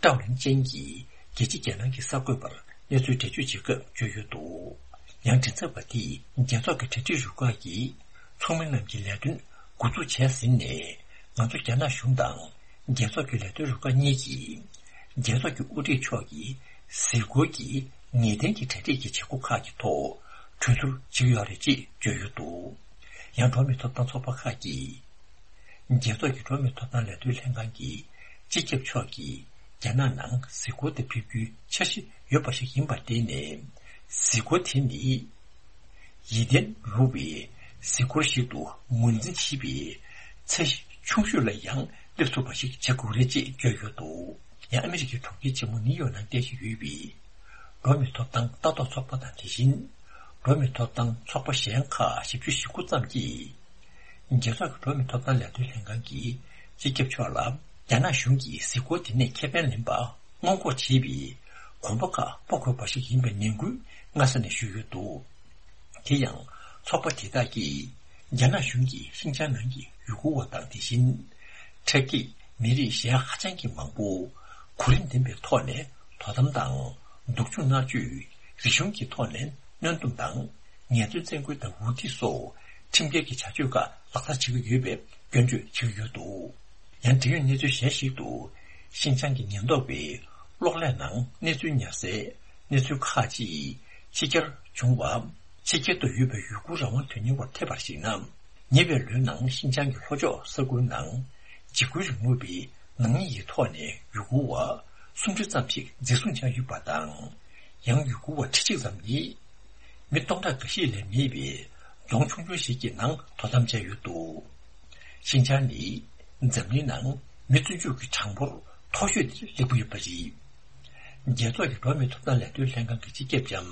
ཀྲའོ་ལིན་ཅན་གྱིས་རྒྱལ་སྤྱི་རྒྱལ་ནང་གི་གསར་འགོད་པར་གནས་ཚུལ་འགྲེལ་བརྗོད་བྱེད་སྐབས་བརྗོད་ཡོད་འདུག་ཡང་མགྲིན་ཚབ་པ་དེས་རྒྱལ་ཚོགས་ཀྱི་གྲ་སྒྲིག་རུ་ཁག་གི་ཚོགས་མི་རྣམས་ཀྱི་ལས་དོན་འགོ་འཛུགས་བྱས་ཟིན་ནས་ང་ཚོ་རྒྱ་ནག་གཞུང་དང་རྒྱལ་ཚོགས་ཀྱི་ལས་དོན་རུ་ཁག་གཉིས་ཀྱིས་རྒྱལ་ཚོགས་ཀྱི་དབུ་ཁྲིད་མཆོག་གིས་གཟིགས་སྐོར་གྱི་ངེས་གཏན་གྱི་གྲ་སྒྲིག་གི་བྱེད་སྒོ་ཁག་གི་ཐོག་གྲོས་བསྡུར་བྱེད་ཀྱི་ཡོད་རེད་ཅེས་བརྗོད་ཡོད་འདུག་ཡང་འགྲོ་བ་མིའི་ཐོབ་ཐང་ཚོགས་པ་ཁག་གིས་རྒྱལ་ཚོགས་ཀྱི་འགྲོ་བ་མིའི་ཐོབ་ཐང་ལས་དོན་ལྷན་ཁང་གི་སྤྱི་ཁྱབ་མཆོག་གིས་རྒྱ་ནག་ནང་གཟིགས་སྐོར་དུ་ཕེབས་རྒྱུའི་འཆར་གཞི་ཡོད་པ་ཞིག་ཡིན་པར་བརྟེན་ནས་གཟིགས་སྐོར་དེ་ནི། ཡིད་བརྟན་རུང་བའི་གཟིགས་སྐོར་ཞིག་ཏུ་ངོས་འཛིན་བྱེད་པའི་ཚད་གཞི་ཆུང་ཤོས་ལ་ཡང་སླེབས་ཐུབ་པ་ཞིག་བྱེད་དགོས་རེད་ཅེས་བརྗོད་ཡོད་འདུག་ཡང་ཨ་མི་རི་ཀའི་གྲོང་ཁྱེར་ཆེན་མོ་ནིའུ་ཡོག་ནང་རྟེན་གཞི་ཡོད་པའི་འགྲོ་བ་མིའི་ཐོབ་ཐང་ལྟ་རྟོག་ཚོགས་པ་དང་དེ་བཞིན་འགྲོ་བ་མིའི་ཐོབ་ཐང་ཚོགས་པ་གཞན་ཁག་བཞི་བཅུ་ཞེ་དགུ་ཙམ་གྱིས་རྒྱལ་ཚོགས་ཀྱི་འགྲོ་བ་མིའི་ཐོབ་ཐང་ལས་དོན་ལྷན་ཁང་གི་སྤྱི་ཁྱབ་མཆོག་ལ་རྒྱ་ནག་གཞུང་གིས་གཟིགས་སྐོར་དེ་ནས་ཁེ་ཕན་ལེན་པ་སྔོན་འགོག་བྱེད་པའི་གོམ་པ་ཁག་སྤོ་དགོས་པ་ཞིག་ཡིན་པའི་ནན་སྐུལ་སྔ་ས་ནས་ཞུས་ཡོད་འདུག་དེ་ཡང་ཚོགས་པ་དེ་དག་གིས་རྒྱ་ནག་གཞུང་གིས་ཤིན་ཅང་ནང་གི་ཡུ་གུར་བ་དང་དེ་བཞིན་ཁྲ་རྒྱས་མི་རིགས་གཞན་ཧ་ཅང་གི་མང་པོ་གོ་རིམ་ལྡན་པའི་ཐོག་ནས་ དོ་དམ་དང་། སྡུག་སྦྱོང་མནར་གཅོད། རིག་གཞུང་གི་ཐོག་ནས་གནོན་སྡོམ་དང་། ངལ་རྩོལ་བཙན་རྒོལ་དང་འུར་སྡེ་སོགས་ཁྲིམས་འགལ་གྱི་བྱ་སྤྱོད་ཁག་ལག་བསྟར་བྱེད་ཀྱི་ཡོད་པའི་སྐྱོན་བརྗོད་བྱེད་ཀྱི་ཡོད་འདུག་ཡང་འབྲེལ་ཡོད་གནས་ཚུལ་གཞན་ཞིག་ཏུ། ཤིན་ཅང་གི་ཉེན་རྟོག་པས་གློག་ཀླད་ནང་གནས་ཚུལ་ཉར་སའི་གནས་ཚུལ་ཁག་ཅིག་ཕྱི་གྱར་བྱུང་བ། ཕྱི་རྒྱལ་དུ་ཡོད་པའི་ཡུ་གུར་རང་དབང་དོན་གཉེར་བར་ཐེབས་པར་གཞིགས་ན། ཉེ་བའི་ལོའི་ནང་ཤིན་ཅང་གི་ལྷོ་ཕྱོགས་ས་ཁུལ་ནང་འཇིགས་སྐུལ་རིང་ལུགས་པའི་ནག་ཉེས་ཀྱི་ཐོག་ནས་ཡུ་གུར་བ་སུམ་ཅུ་ཙམ་ཞིག་འཛིན་བཟུང་བྱས་ཡོད་པ་དང་། ཡང་ཡུ་གུར་བ་ཁྲི་གཅིག་ཙམ་ནི། མི་སྟོང་ཕྲག་འགའ་ཤས་ལས་མེད་པའི་རྫོང་ཆུང་ཆུང་ཞིག་གི་ནང་དོ་དམ་བྱས་ཡོད་འདུག་ཤིན་ཅང་ནི་འཛམ་གླིང་ནང་མི་བཙོན་འཇུག་གི་གྲངས་འབོར་མཐོ་ཤོས་དེར་སླེབས་ཀྱི་ཡོད་པ་རེད། རྒྱལ་ཚོགས་ཀྱི་འགྲོ་བ་མིའི་ཐོབ་ཐང་ལས་དོན་ལྷན་ཁང་གི་སྤྱི་ཁྱབ་ལྕམ་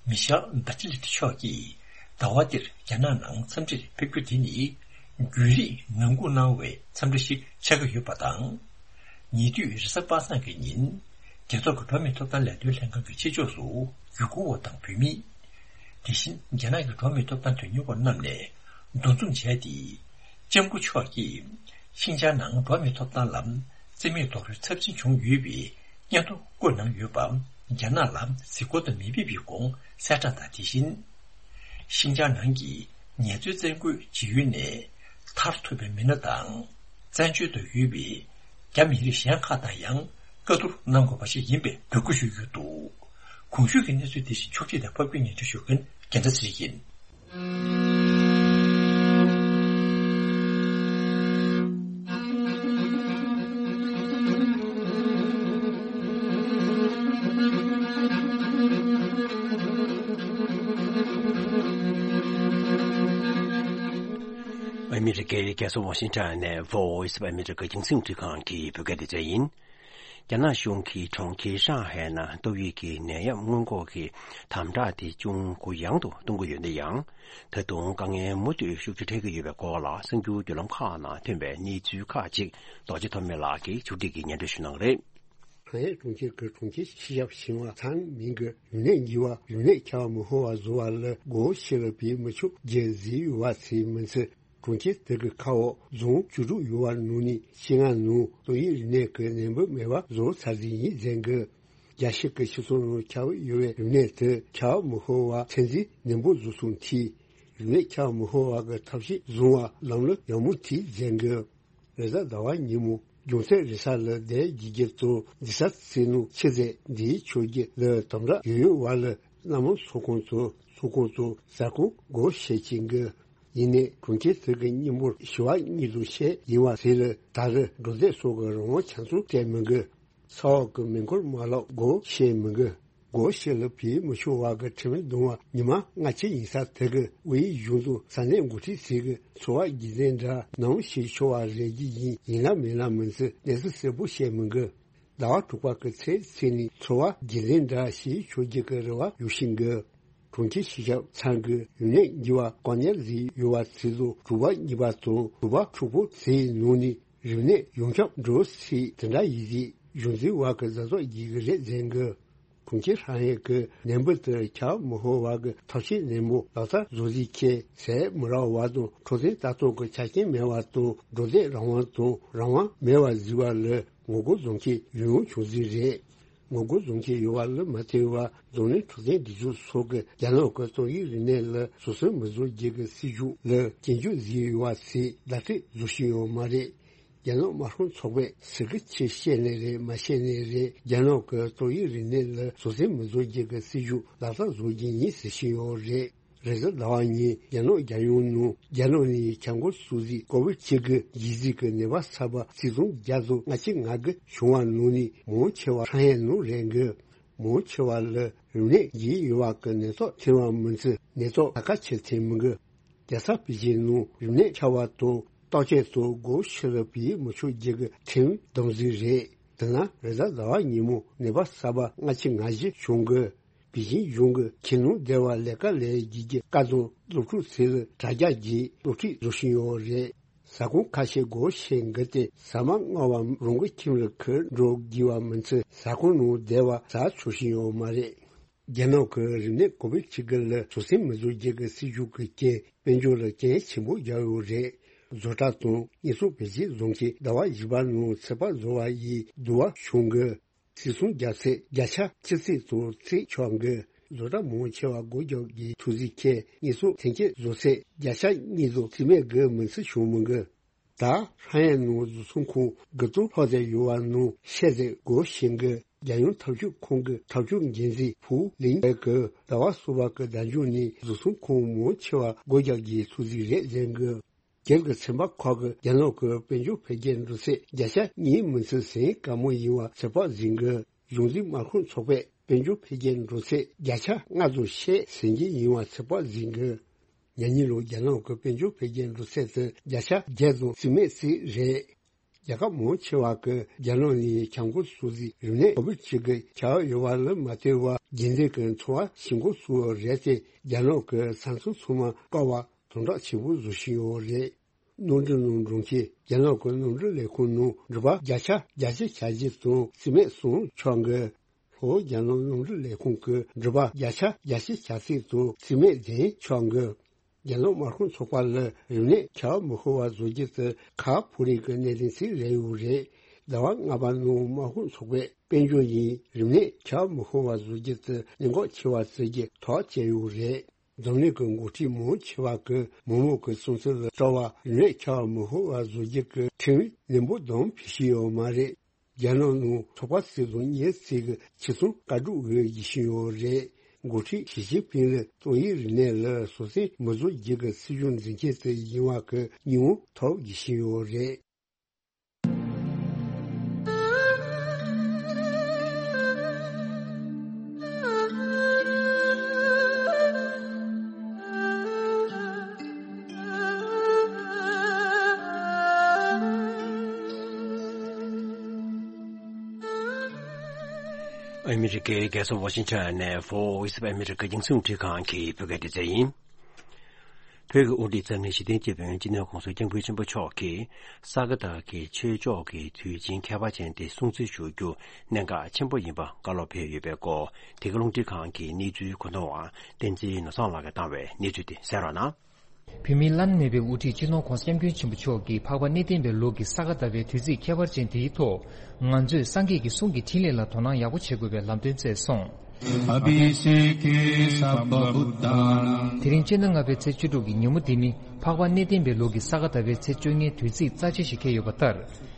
མི་ཤེལ་བྷ་ཅི་ལེ་ཏི་མཆོག་གིས་ཟླ་བ་འདིར་རྒྱ་ནག་ནང་འཚམས་འདྲིར་ཕེབས་རྒྱུ་དེ་ནི་བརྒྱུད་རིམ་ངང་སྒུག་གནང་བའི་འཚམས་འདྲི་ཞིག་ཆགས་ཀྱི་ཡོད་པ་དང་། ཉེ་དུས་རེས་གཟའ་པ་སངས་ཀྱི་ཉིན་རྒྱལ་ཚོགས་ཀྱི་འགྲོ་བ་མིའི་ཐོབ་ཐང་ལས་དོན་ལྷན་ཁང་གི་ཕྱི་ཕྱོགས་སུ་ཡུ་གུར་བ་དང་བོད་མི། དེ་བཞིན་རྒྱ་ནག་གི་འགྲོ་བ་མིའི་ཐོབ་ཐང་དོན་གཉེར་བ་རྣམས་ནས་འདུ་འཛོམས་བྱས་ཏེ། ལྕམ་སྐུ་མཆོག་གིས་ཤིན་ཅང་ནང་འགྲོ་བ་མིའི་ཐོབ་ཐང་ལ་རྩིས་མེད་རྡོག་རོལ་ཚབས་ཆེན་བྱུང་ཡོད་པའི་སྙན་ཐོ་བཀོད་གནང་ཡོད་པ། རྒྱ་ནག་ལ་གཟིགས་སྐོར་དུ་མི་ཕེབས་པའི་དགོངས་གསལ་བསྒྲགས་དང་། དེ་བཞིན་ཤིན་ཅང་ནང་གི་ངལ་རྩོལ་བཙན་རྒོལ་བྱེད་ཡུལ་ནས་ཐར་ཐུབ་པའི་མི་སྣ་དང་། བཙན་བྱོལ་དུ་ཡོད་པའི་རྒྱ་མི་རིགས་གཞན་ཁག་དང་ཡང་བཀའ་བསྡུར་གནང་དགོས་པ་ཞིག་ཡིན་པའི་འབོད་སྐུལ་ཞུས་ཡོད་འདུག་གོང་ཞུས་ཀྱི་གནས་ཚུལ་དེ་བཞིན་ཕྱོགས་སྒྲིག་དང་ཕབ་སྒྱུར་སྙན་སྒྲོན་ཞུ་མཁན་རྒྱལ་མཚན་ཚེ་རིང་ཡིན། ཨ་མི་རི་ཀའི་རྒྱལ་ས་ཝ་ཤིང་ཊོན་ནས་Voice of America་རྒྱང་སྲིང་རླུང་འཕྲིན་ཁང་གི་བོད་སྐད་སྡེ་ཚན་ཡིན། རྒྱ་ནག་གཞུང་གིས་གྲོང་ཁྱེར་ཧྲང་ཧའེ་ནང་ཏོག་དབྱིབས་ཀྱི་ནད་ཡམས་སྔོན་འགོག་གི་དམ་དྲག་དེ་ཅུང་གུ་ཡངས་དུ་གཏོང་གི་ཡོད་ན་ཡང་། ད་དུང་དཀའ་ངལ་མུ་མཐུད་ཤུགས་ཆེ་འཕྲད་ཀྱི་ཡོད་པའི་སྐོར་ལ་གསར་འགྱུར་བརྒྱུད་ལམ་ཁག་ནང་ཐོན་པའི་གནས་ཚུལ་ཁག་ཅིག་རྡོ་རྗེ་ཐོགས་མེད་ལགས་ཀྱིས་ཕྱོགས་སྒྲིག་གིས་སྙན་སྒྲོན་ཞུ་གནང་གི་རེད། ཧྲང་ཧའེ་གྲོང་ཁྱེར་གྱི་གྲོང་ཁྱེར་སྤྱི་ཁྱབ་ཞིང་པ་ཚང་མིང་གིས་རིམས་ནད་འགོས་པ་རིམས་ནད་ཁྱབ་པ་མི་ཤོར་བ་བཟོ་བ་ལ་སྒོ་ཕྱེ་ལ་ཕུད་མི་ཆོག་རྒྱུ་ཟེར་ཡོད་པ་དེ་མིན་ཚེ། གྲོང་ཁྱེར་དེ་གི་ཁ་འོག་རྫོང་བཅུ་དྲུག་ཡོད་པ་ནང་ནས་བཞི་ལྔ་ནང་ཏོག་དབྱིབས་རིམས་ནད་ཀྱི་ནད་འབུ་མེད་པ་བཟོ་ཚར་ཟིན་ཡིན་ཟེར་གི། རྒྱལ་སྤྱི་གི་སྤྱི་ཚོགས་ནང་ཁྱབ་ཡོད་པའི་རིམས་ནད་དེ་ཁྱབ་མི་ཤོར་བ་ཚོད་འཛིན་ནན་པོ་བཟོ་སོང་དུས། རིམས་ནད་ཁྱབ་མི་ཤོར་བ་གི་ཐབས་ཤེས་བཟུང་བ་ལམ་ལུགས་ཡག་མོ་དེ་ཟེར་གི། རེས་གཟའ་ཟླ་བ་ཉིན་མོ་རྒྱུ་མཚན་རེད་ས་ལ་བསྡད་རྒྱུ་རྒྱུ་དང་འདི་ས་ཚེ་ནང་ཆེ་ཟད་འདིའི་ཆོས་རྒྱུ་ལ་དམ་དྲག་ཡོད་ཡོད་བ་ལ་སྣ་མང་ཚོགས་ཁང་དང་ཚོགས་ཁང་དང་ཟ་ཁང་སྒོ་ཕྱེ་ཅིང་གི། ཡིན་ནའི་གྲོང་ཁྱེར་དེ་གི་སྙིང་པོར་ཞི་བ་གཉིས་དང་ཕྱེད་ཡིན་བ་དེ་ལ་ད་རེས་འགྲོ་སྡོད་སོགས་ཀྱི་རང་དབང་ཆ་ཚང་སྤྲད་མི་དགོས། ས་འོག་གི་མེ་འཁོར་མ་ལག་སྒོ་ཕྱེ་མི་དགོས། སྒོ་ཕྱེ་ལ་ཕུད་མི་ཆོག་པ་གི་ཁྲིམས་བརྡུང་བ་ཉི་མ་ལྔ་བཅུ་ཡིན་ས་དེ་གི་དབུས་གཞུང་དང་ས་གནས་འགོ་ཁྲིད་ཚོས་གི་འཚོ་བ་རྒྱུན་འཛིན་འདྲ་ནམ་བྱེད་ཆོག་པ་རེད་ཀྱི་ཡིན། ཡིན་ན་མིན་ན་མིན་ཚེ་གནས་ཚུལ་གསལ་པོ་བཤད་མི་དགོས། ཟླ་བ་དྲུག་པ་གི་ཚེས་ཚེས་ནས་འཚོ་བ་རྒྱུན་འཛིན་འདྲ་བྱེད་ཆོག་རྒྱུ་གི་རེ་བ་ཡོད་བཞིན་གི། གྲོང་ཁྱེར་སྤྱི་ཁྱབ་ཚང་གི་རིམས་ནད་འགོས་པ་གང་ཉར་ཟིན་ཡོད་པ་ཚོ་ཚོ་དྲུག་པ་གཉིས་པ་དང་དྲུག་པ་དྲུག་པོ་ཚོའི་ནང་ནས་རིམས་ནད་ཡོངས་ཁྱབ་འགྲོ་སྲིད་དེ་འདྲ་ཡིན་ཟིག་གཞུང་འཛིན་བ་གི་བཟའ་ཚོགས་བགྱིས་གི་རེད་ཟེར་གི། གྲོང་ཁྱེར་ཧྲང་ཧའེ་གི་ནད་འབུ་དེ་ཁྱབ་མི་ཤོར་བ་གི་ཐབས་ཤེས་ནན་པོ་ལག་བསྟར་བཟོ་ཟིག་ཁྱེད་ཟས་མི་རག་བ་དང་འཕྲོད་བསྟེན་ལྟ་རྟོག་གི་ཆ་རྐྱེན་མེད་བ་དང་འགྲོ་སྡོད་རང་དབང་དང་རང་དབང་མེད་བ་ཟིག་བ་ལ་ངོ་རྒོལ་བཟོ་མཁན་ཡོང་ཡོང་བྱུང་ཟིག་རེད། ངོ་རྒོལ་བཟོ་མཁན་ཡོད་བ་ལ་མ་ཐེ་བ་འཛམ་གླིང་འཕྲོད་བསྟེན་སྒྲིག་འཛུགས་སོགས་ཀྱི་རྒྱ་ནག་གི་ཏོག་དབྱིབས་རིམས་ནད་ལ་བཟོད་བསྲན་མི་བཟོ་རྒྱུ་གི་སྲིད་ཇུས་ལ་སྐྱོན་བརྗོད་ཟིག་ཡོད་བ་ཟིག་བརྡ་སྤྲོད་བཟོ་བཞིན་ཡོད་མ་རེད། རྒྱ་ནག་དམར་ཤོག་ཚོགས་པས་ཟེར་གི་ཆེ་བཤད་ནས་རེད་མ་བཤད་ནས་རེད། རྒྱ་ནག་གི་ཏོག་དབྱིབས་རིམས་ནད་ལ་བཟོད་བསྲན་མི་བཟོ་རྒྱུ་གི་སྲིད་ཇུས་ལག་བསྟར་བཟོ་རྒྱུ་ཡིན་ཟེར་བཞིན་ཡོད་རེད། རེས་གཟའ་ཟླ་བ་ཉིན་རྒྱ་ནག་རྒྱལ་ཡོངས་ནང་རྒྱ་ནག་ནས་ཁྱབ་འགོ་ཚུགས་ཟིག་ཀོ་བིད་གཅིག་གི་ལྗིད་ཟིག་གི་ནད་པ་གསར་པ་ཆིག་སྟོང་བརྒྱ་དང་ལྔ་བཅུ་ང་དགུ་བྱུང་བ་ནང་ནས་མང་ཆེ་བ་ཧྲང་ཧའེ་ནང་རེད་འགི། མང་ཆེ་བ་ལ་རིམས་ནད་འགོས་ཡོད་པ་གི་ནད་ཐོག་ཐོན་པ་མིན་ཚེ་ནད་ཐོག་ད་ག་ཆེ་ཐོན་མི་འགི། རྒྱལ་ས་པེ་ཅིན་ནང་རིམས་ནད་ཁྱབ་པ་དང་བརྟག་དཔྱད་དང་སྒོ་ཕྱེ་ལ་ཕུད་མི་ཆོག་རྒྱུ་གི་ཁྲིམས་བསྡམས་ཟིག་རེད། དེ་ན་རེས་གཟའ་ཟླ་བ་ཉིན་མོ་ནད་པ་གསར་པ་ལྔ་བཅུ་ང་བཞི་བྱུང་གི། པེ་ཅིན་གཞུང་གི་ཁྱིམ་ནང་བསྡད་པ་ལས་ཀ་ལས་རྒྱུ་གི་བཀའ་དང་སློབ་ཕྲུག་ཚོ་ལ་དྲ་རྒྱ་བརྒྱུད་སློབ་ཁྲིད་བཟོ་བཞིན་ཡོད་རེད། ཟ་ཁང་ཁ་ཤས་སྒོ་ཕྱེ་འགི་སྟེ་ཟ་མ་བརྔ་བ་རང་གི་ཁྱིམ་ལ་ཁུར་འགྲོ་དགོས་པ་མིན་ཚེ་ཟ་ཁང་ནང་བསྡད་པ་ཟ་ཆོག་བཞིན་ཡོད་མ་རེད། རྒྱ་ནག་གི་རིམས་ནད་ཀོ་བིད་བཅུ་དགུ་ལ་བཟོད་བསྲན་མི་བཟོ་རྒྱུ་གི་སྲིད་ཇུས་ཀྱི་རྐྱེན་དཔལ་འབྱོར་ལ་རྐྱེན་ཆེན་པོ་རྒྱག་ཡོད་རེད། བཟོ་གྲྭ་དང་དངོས་ཟོག་བེད་སྤྱོད་བཟོ་མཁན་ཟླ་བ་བཞི་པ་ནང་ཚོད་དཔག་བཟོ་བ་ཡི་བསྡུར་བ་བྱུང་གི། ཚིག་ཟུང་བརྒྱ་ཚེག་བརྒྱ་ཆ་གཅིག་ཚེག་ཙམ་ཚེག་ཆོག་གི། བཟོ་གྲྭ་མང་ཆེ་བ་སྒོ་རྒྱག་གི་ཐུགས་བརྩེ་ཁྱེད་ཉེས་གསོག་ཐེན་ཁྱེད་བཟོ་ཚེག་བརྒྱ་ཆ་གཉིས་ཙམ་རྩིས་མེད་གི་མི་ཚེ་བྱུང་མི་འགི། ད་ཧྲ་ཡན་ནང་བཟོ་ཚོང་ཁང་དགུ་སྟོང་ལྷག་ཙམ་ཡོད་པ་ནང་བཤད་ཚེ་སྒོ་ཕྱེ་གི། རྒྱལ་ཡོངས་འཐབ་ཕྱུག་ཁང་གི་འཐབ་ཕྱུག་འགན་འཛིན་ཕུའུ་ལིང་ཨེ་གིས་ཟླ་བ་གསུམ་པ་གི་ཟླ་མཇུག་ནས་བཟོ་ཚོང་ཁང་མང་ཆེ་བ་སྒོ་རྒྱག་རྒྱུའི་ཐུགས་བརྩེ་རེད་ཟེར་གི། སྒེར་གྱི་ཚན་པ་ཁག་གིས་རྒྱ་ནག་གི་དཔལ་འབྱོར་འཕེལ་རྒྱས་འགྲོ་ཚད་བརྒྱ་ཆ་གཉིས་མི་ཚད་ཟིན་དཀའ་མོ་ཡིན་པ་ཚོད་དཔག་ཟིན་གི། གཞུང་འཛིན་དམག་ཁོངས་ཚོགས་པས་དཔལ་འབྱོར་འཕེལ་རྒྱས་འགྲོ་ཚད་བརྒྱ་ཆ་ལྔ་ཙམ་ཤས་ཟིན་གྱི་ཡིན་པ་ཚོད་དཔག་ཟིན་གི། ཉེ་ལོ་རྒྱ་ནག་གི་དཔལ་འབྱོར་འཕེལ་རྒྱས་འགྲོ་ཚད་དེ་བརྒྱ་ཆ་བརྒྱད་ཙམ་རྩིས་མེད་བརྩིས་རེད། རྒྱལ་ཁབ་མང་ཆེ་བ་གིས་རྒྱ་ནག་ནས་བྱ་འགོ་ཚུགས་རྗེས་རིམས་ནད་ཁོ་བིད་བཅུ་དགུ་ཁྱབ་ཡོད་པ་ལ་མ་ལྟོས་པར་རྒྱུན་ལྡན་གྱི་འཚོ་བ་བྱེད་འགོ་ཚུགས་པ་རེད་དེ་རྒྱ་ནག་གི་ས་མཚམས་ཚང་མ་བཀག་པ་དམ་དྲག་ཆེན་པོ་བཟོ་བཞིན་ཡོད་རེད། གནམ་གྲུ་ནང་འགྲོ་མཁན་རྒྱ་ནག་གི་གནམ་གྲུ་ལས་ཁུངས་ནང་འགྲུལ་པ་བརྒྱ་ཆ་བརྒྱད་ཅུ་གྱ་གཅིག་ཙམ་རྩིས་མེད་སོང་ཆོག་གི། ལྷོ་རྒྱ་ནག་གནམ་གྲུ་ལས་ཁུངས་ཀྱི་འགྲུལ་པ་བརྒྱ་ཆ་བརྒྱད་ཅུ་གྱ་གཅིག་ཙམ་རྩིས་མེད་འཛིན་ཆོག་གི། རྒྱ་ནག་དམག་ཁོངས་ཚོགས་པ་ལ་རིམས་ནད་ཁྱབ་མི་ཤོར་བ་བཟོ་རྒྱུ་དེ་ཁག་ཕོག་རིགས་ཀྱི་གནད་དོན་ཞིག་རེད་ཡོད་རེད། ཟླ་བ་ལྔ་པ་ནང་དམག་ཁོངས་ཚོགས་པས་དཔལ་འབྱོར་ཡིན་རིམས་ནད་ཁྱབ་མི་ཤོར་བ་བཟོ་རྒྱུ་དེ་གནད་འགག་ཆེ་བ་ཞིག་གི་ཐག་བཅད་ཡོད་རེད། འཛམ་གླིང་གི་འགོ་ཁྲིད་མང་ཆེ་བ་གིས་མི་མང་གི་བསམ་ཚུལ་ལ་ལྟ་བར་རིམས་ནད་ཁྱབ་མི་ཤོར་བ་བཟོ་རྒྱུ་གི་ཁྲིམས་ནན་པོ་དང་ཕྱིར་བཤོལ་ཡོད་མ་རེད། རྒྱ་ནག་ནང་ཚོགས་པ་སྲིད་དང་གཉེར་ཚིག་གི་ཆེད་སོང་བཀའ་སྒྲུབ་འོས་བཞེས་བཞིན་ཡོད་རེད། འགོ་ཁྲིད་ཞི་ཅིན་ཕིང་ལ་ཏོག་དབྱིབས་རིམས་ནད་ལ་སོ་སོའི་མི་བཟོ་རྒྱུ་གི་སྲིད་བྱུས་འཛིན་མཁན་དེ་ཡིན་པ་གི་སྙིང་བོ་ཐོབ་བཞེས་བཞིན་ཡོད་རེད། ཨ་མི་རི་ཀའི་རྒྱལ་ས་ཝ་ཤིང་ཊོན་ནས་Voice of America རྒྱང་སྲིང་རླུང་འཕྲིན་ཁང་གི་བོད་སྐད་སྡེ་ཚན་ཡིན། བོད་ཀྱི་དབུ་ཁྲིད་གཙང་ནས་ཞི་བདེའི་སྐྱབས་མགོན་སྤྱི་ནོར་༸གོང་ས་༸སྐྱབས་མགོན་ཆེན་པོ་མཆོག་གིས་ས་ག་ཟླ་བའི་ཆོས་ཕྱོགས་ཀྱི་དུས་ཆེན་ཁྱད་པར་ཅན་དེ་སྲུང་བརྩི་ཞུ་རྒྱུ་གནད་འགག་ཆེན་པོ་ཡིན་པ་བཀའ་སློབ་ཕེབས་ཡོད་པའི་སྐོར། དེ་ག་རླུང་འཕྲིན་ཁང་གི་གནས་ཚུལ་གོ་བསྡུར་བ་བསྟན་འཛིན་ནོར་བཟང་ལགས་ཀྱིས་བཏང་བའི་གནས་ཚུལ་དེ་གསན་རོགས་གནང་། བོད་མིའི་བླ་ན་མེད་པའི་དབུ་ཁྲིད་སྤྱི་ནོར་༸གོང་ས་༸སྐྱབས་མགོན་ཆེན་པོ་མཆོག་གིས་འཕགས་པ་གནས་བརྟན་པའི་ལོ་གི་ས་ག་ཟླ་བའི་དུས་ཚིགས་ཁྱད་པར་ཅན་དེའི་ཐོག་ང་ཚོས་སངས་རྒྱས་ཀྱི་གསུང་གི་འཕྲིན་ལས་ལ་དོ་སྣང་ཡག་པོ་བྱེད་དགོས་པའི་ལམ་སྟོན་བསྩལ་སོང་། ཨ་བྷི་ཤེ་ཀེ་སརྦ་བུ་ཏཱ་ནང་། དེ་རིང་སྤྱི་ཟླ་ལྔ་པའི་ཚེས་བཅུ་དྲུག་གི་ཉིན་མོ་འདི་ནི་འཕགས་པ་གནས་བརྟན་པའི་ལོ་གི་ས་ག་ཟླ་བའི་ཚེས་བཅོ་ལྔའི་དུས་ཚིགས་རྩ་ཆེ་ཞིག་འཁེལ་ཡོད་པ་ལྟར།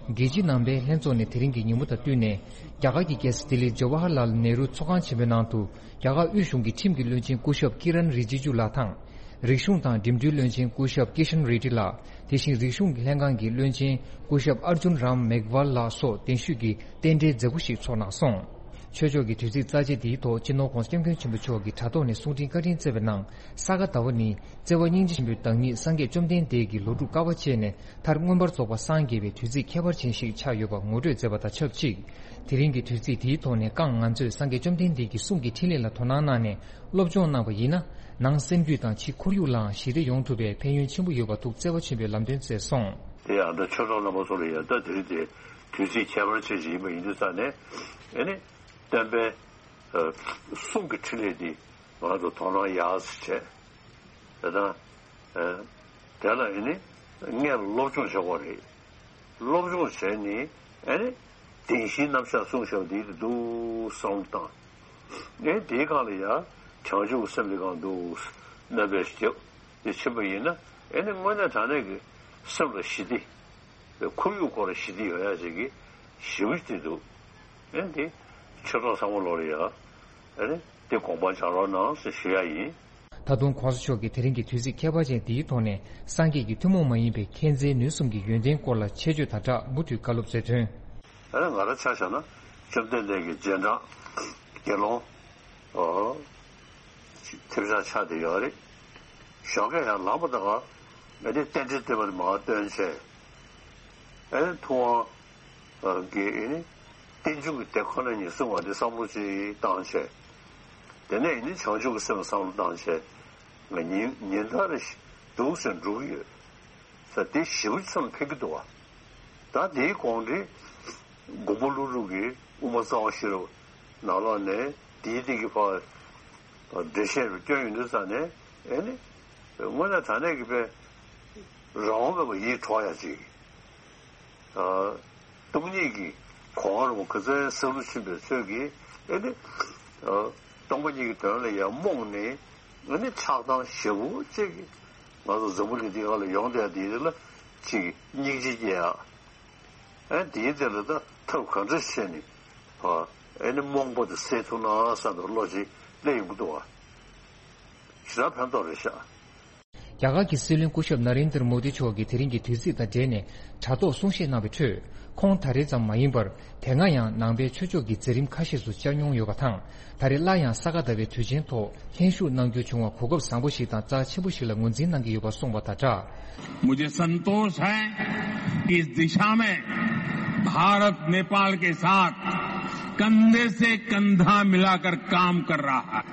རྒྱལ་སྤྱི་ནང་པའི་ལྷན་ཚོགས་ནས་དེ་རིང་གི་ཉིན་མོ་དང་བསྟུན་ནས། རྒྱ་གར་གྱི་རྒྱལ་ས་ལྡི་ལིའི་ཇོ་ཝ་ཧར་ལཱལ་ནེ་རུ་ཚོགས་ཁང་ཆེན་པོའི་ནང་དུ། རྒྱ་གར་དབུས་གཞུང་གི་ཁྲིམས་ཀྱི་བློན་ཆེན་སྐུ་ཞབས་ཀི་རན་རི་ཇི་ཇུ་ལགས་དང་། རིག་གཞུང་དང་འགྲིམ་འགྲུལ་བློན་ཆེན་སྐུ་ཞབས་ཀི་ཤན་རེ་ཌི་ལགས། དེ་བཞིན་རིག་གཞུང་གི་ལྷན་ཁང་གི་བློན་ཆེན་སྐུ་ཞབས་ཨར་ཇུན་རམ་མེག་ཝལ་ལགས་སོགས་གདན་ཞུས་ཀྱིས་རྟེན་འབྲེལ་མཛད་སྒོ་ཞིག་ཚོགས་གནང་སོང་། ཆོས་ཕྱོགས་ཀྱི་དུས་ཚིགས་རྩ་ཆེ་འདིའི་ཐོག་སྤྱི་ནོར་༸གོང་ས་༸སྐྱབས་མགོན་ཆེན་པོ་མཆོག་གིས་དྲ་ཐོག་ནས་གསུང་འཕྲིན་བཀའ་དྲིན་བསྩལ་བའི་ནང་། ས་ག་ཟླ་བ་ནི་བརྩེ་བ་སྙིང་རྗེ་ཆེན་པོའི་བདག་ཉིད་སངས་རྒྱས་བཅོམ་ལྡན་འདས་ཀྱི་ལོ་དྲུག་དཀའ་བ་སྤྱད་ནས་མཐར་མངོན་པར་རྫོགས་པར་སངས་རྒྱས་པའི་དུས་ཚིགས་ཁྱད་པར་ཅན་ཞིག་ཆགས་ཡོད་པ་ངོ་སྤྲོད་མཛད་པ་དང་ཆབས་ཅིག་དེ་རིང་གི་དུས་ཚིགས་འདིའི་ཐོག་ནས་རྐང་ང་ཚོས་སངས་རྒྱས་བཅོམ་ལྡན་འདས་ཀྱི་གསུང་གི་འཕྲིན་ལས་ལ་དོ་སྣང་གནང་ནས་སློབ་སྦྱོང་གནང་བ་ཡིན་ན། ནང་སེམས་རྒྱུད་དང་ཕྱི་ཁོར་ཡུག་ལའང་ཞི་བདེ་ཡོང་ཐུབ་པའི་ཕན་ཡོན་ཆེན་པོ་ཡོད་པ་འདུག་བརྩེ་བ་ཆེན་པོས་ལམ་སྟོན་མཛད་སོང་། དེ་ཡང་ད་ཆོས་གྲོགས་རྣམ་པ་ཚོ་ལ་ཡང་ད་དེ་རིང་དེ་དུས་ཚིགས་ཁྱད་པར་ཅན་ཞིག་ཡིན་པ་ཡིན་དུས་ཙང་ནས་ཨེ་ནི་སྟོན་པའི་གསུང་གི་འཕྲིན་ལས་འདི་ང་ཚོ་དོ་སྣང་ཡག་ཙམ་བྱས། དེ་དང་། དེ་ལ་ཨེ་ནི་སྔོན་ལ་སློབ་སྦྱོང་བྱེད་དགོས་རེད། སློབ་སྦྱོང་བྱས་ནས་ཨེ་ནི་བདེན་བཞིའི་རྣམ་གཞག་གསུངས་བཞག་འདི་འདུག་བསམ་བློ་བཏང་། ཨེ་འདིའི་སྒང་ལ་ཡང་བྱང་ཆུབ་སེམས་འདི་གང་འདུག་སྨོན་པའི་ཞབས་འདི་ཕྱིན་པ་ཡིན་ན་ཨེ་ནི་དངོས་གནས་དྲང་གནས་ཀྱི་སེམས་ལ་ཞི་བདེ། ཁོར་ཡུག་སྐོར་ལ་ཞི་བདེ་ཡོང་ཡ་ཅིག་གི་ཞི་བ་ཞིག་འདུག་ཨེ་འདི་ཆོས་གྲོགས་ཚང་མ་ལོག་ལ་ཡ། ཨེ་ནི་དེ་དགོངས་པ་འཇགས་རོགས་གནང་ཞེས་ཞུ་ཡ་ཡིན། ད་དུང་༸གོང་ས་མཆོག་གིས་དེ་རིང་གི་དུས་ཚིགས་ཁྱད་པར་ཅན་འདིའི་ཐོག་ནས་སངས་རྒྱས་ཀྱི་ཐུན་མོང་མ་ཡིན་པའི་མཁྱེན་བརྩེའི་ནུས་གསུམ་གྱི་ཡོན་ཏན་སྐོར་ལ་ཆེད་བརྗོད་དང་སྦྲགས་མུ་མཐུད་བཀའ་སློབ་སྩལ་དོན། ཨེ་ནི་ང་རང་ཆ་བཞག་ན་བཅོམ་ལྡན་འདས་ཀྱི་རྗེས་འབྲང་དགེ་སློང་། ཨོ། ཐེབས་ཆག་ཆགས་བསྡད་ཡོད་རེད། ཞོགས་ཀས་ཡང་ལངས་པ་དང་ཨེ་ནི་རྟེན་འབྲེལ་བསྟེན་པ་དེ་མར་བཏོན་བྱས། ཨེ་ནི་ཐུབ་དབང་གི་ཨེ་ནི་རྟེན་འབྱུང་གི་དེ་ཁོ་ན་ཉིད་གསུངས་པ་དེ་བསམ་བློ་ཅིག་བཏང་བྱས། དེ་ནས་ཨེ་ནི་བྱང་ཆུབ་ཀྱི་སེམས་བསམ་བློ་བཏང་བྱས། ང་ཉིན་ཉིན་ལྟར་རེ་འདུག་སེ་འགྲོ་གི་ཡོད། ས་དེ་ཞེ་པོ་ཙམ་ཕན་གྱི་འདུག་བ། ད་དེའི་གོང་འདྲི། མགོན་པོ་ཀླུ་སྒྲུབ་ཀྱི་དབུ་མ་རྩ་བ་ཤེས་རབ་ནང་ལོགས་ནས་དེའི་སྟེང་གི་ཕར་འགྲེལ་བཤད་རུ་བསྐྱོན་ཡོང་དུས་ཙང་ནས་ཨེ་ནི་དངོས་གནས་དྲང་གནས་ཀྱི་དཔེ་རང་དབང་མེད་པ་ཡིད་འཕྲོག་ཡ་ཅིག་ཨ། སྟོང་ཉིད་ཀྱི་ གོང་རིན་པོ་ཆེ་སེང་ལུ་ཆེན་པོའི་ཚོས་ཀྱིས་ཨེ་ནི་སྟོང་པ་ཉིད་ཀྱི་དོན་ལ་ཡང་རྨོངས་ནས་ཨེ་ནི་ཆགས་སྡང་ཞེ་པོ་ཅིག་ང་ཚོ་འཛམ་བུ་གླིང་འདི་སྒང་ལ་ཡོང་བསྡད་དེ་ལ་ཅིག་སྙིང་རྗེ་སྐྱེ་ཡ། ཨེ་དེའི་དེ་ལ་ད་ཐབས་ག་འདྲ་བྱས་ནས་ཨེ་ནི་རྨོངས་པ་དེ་སེལ་ཐུབ་ན་བསམ་པའི་བློ་ཅིག་སླེབས་ཡོང་གི་འདུག་བ། ཞེ་དྲག་ཕན་ཐོགས་རེད་ཤག། རྒྱ་གར་གྱི་སྲིད་བློན་སྐུ་ཞབས་ན་རེན་དར་མོ་དི་མཆོག་གིས་དེ་རིང་གི་དུས་ཚིགས་དང་འབྲེལ་ནས་དྲ་ཐོག་གསུང་བཤད་གནང་བའི་ཁྲོད། ཁོང་ད་རེས་ཙམ་མ་ཡིན་པར། དེ་སྔ་ཡང་ནང་པའི་ཆོས་ཕྱོགས་ཀྱི་མཛད་རིམ་ཁ་ཤས་སུ་བཅར་མྱོང་ཡོད་པ་དང་། ད་རེས་སླར་ཡང་ས་ག་ཟླ་བའི་དུས་ཆེན་ཐོག་ལྷན་ཞུགས་གནང་རྒྱུ་བྱུང་བ་གོ་སྐབས་བཟང་པོ་ཞིག་དང་རྩ་ཆེན་པོ་ཞིག་ལ་ངོས་འཛིན་གནང་གི་ཡོད་པ་གསུངས་པ་དང་སྦྲགས། मुझे संतोष है कि इस दिशा में भारत नेपाल के साथ कंधे से कंधा मिलाकर काम कर रहा है।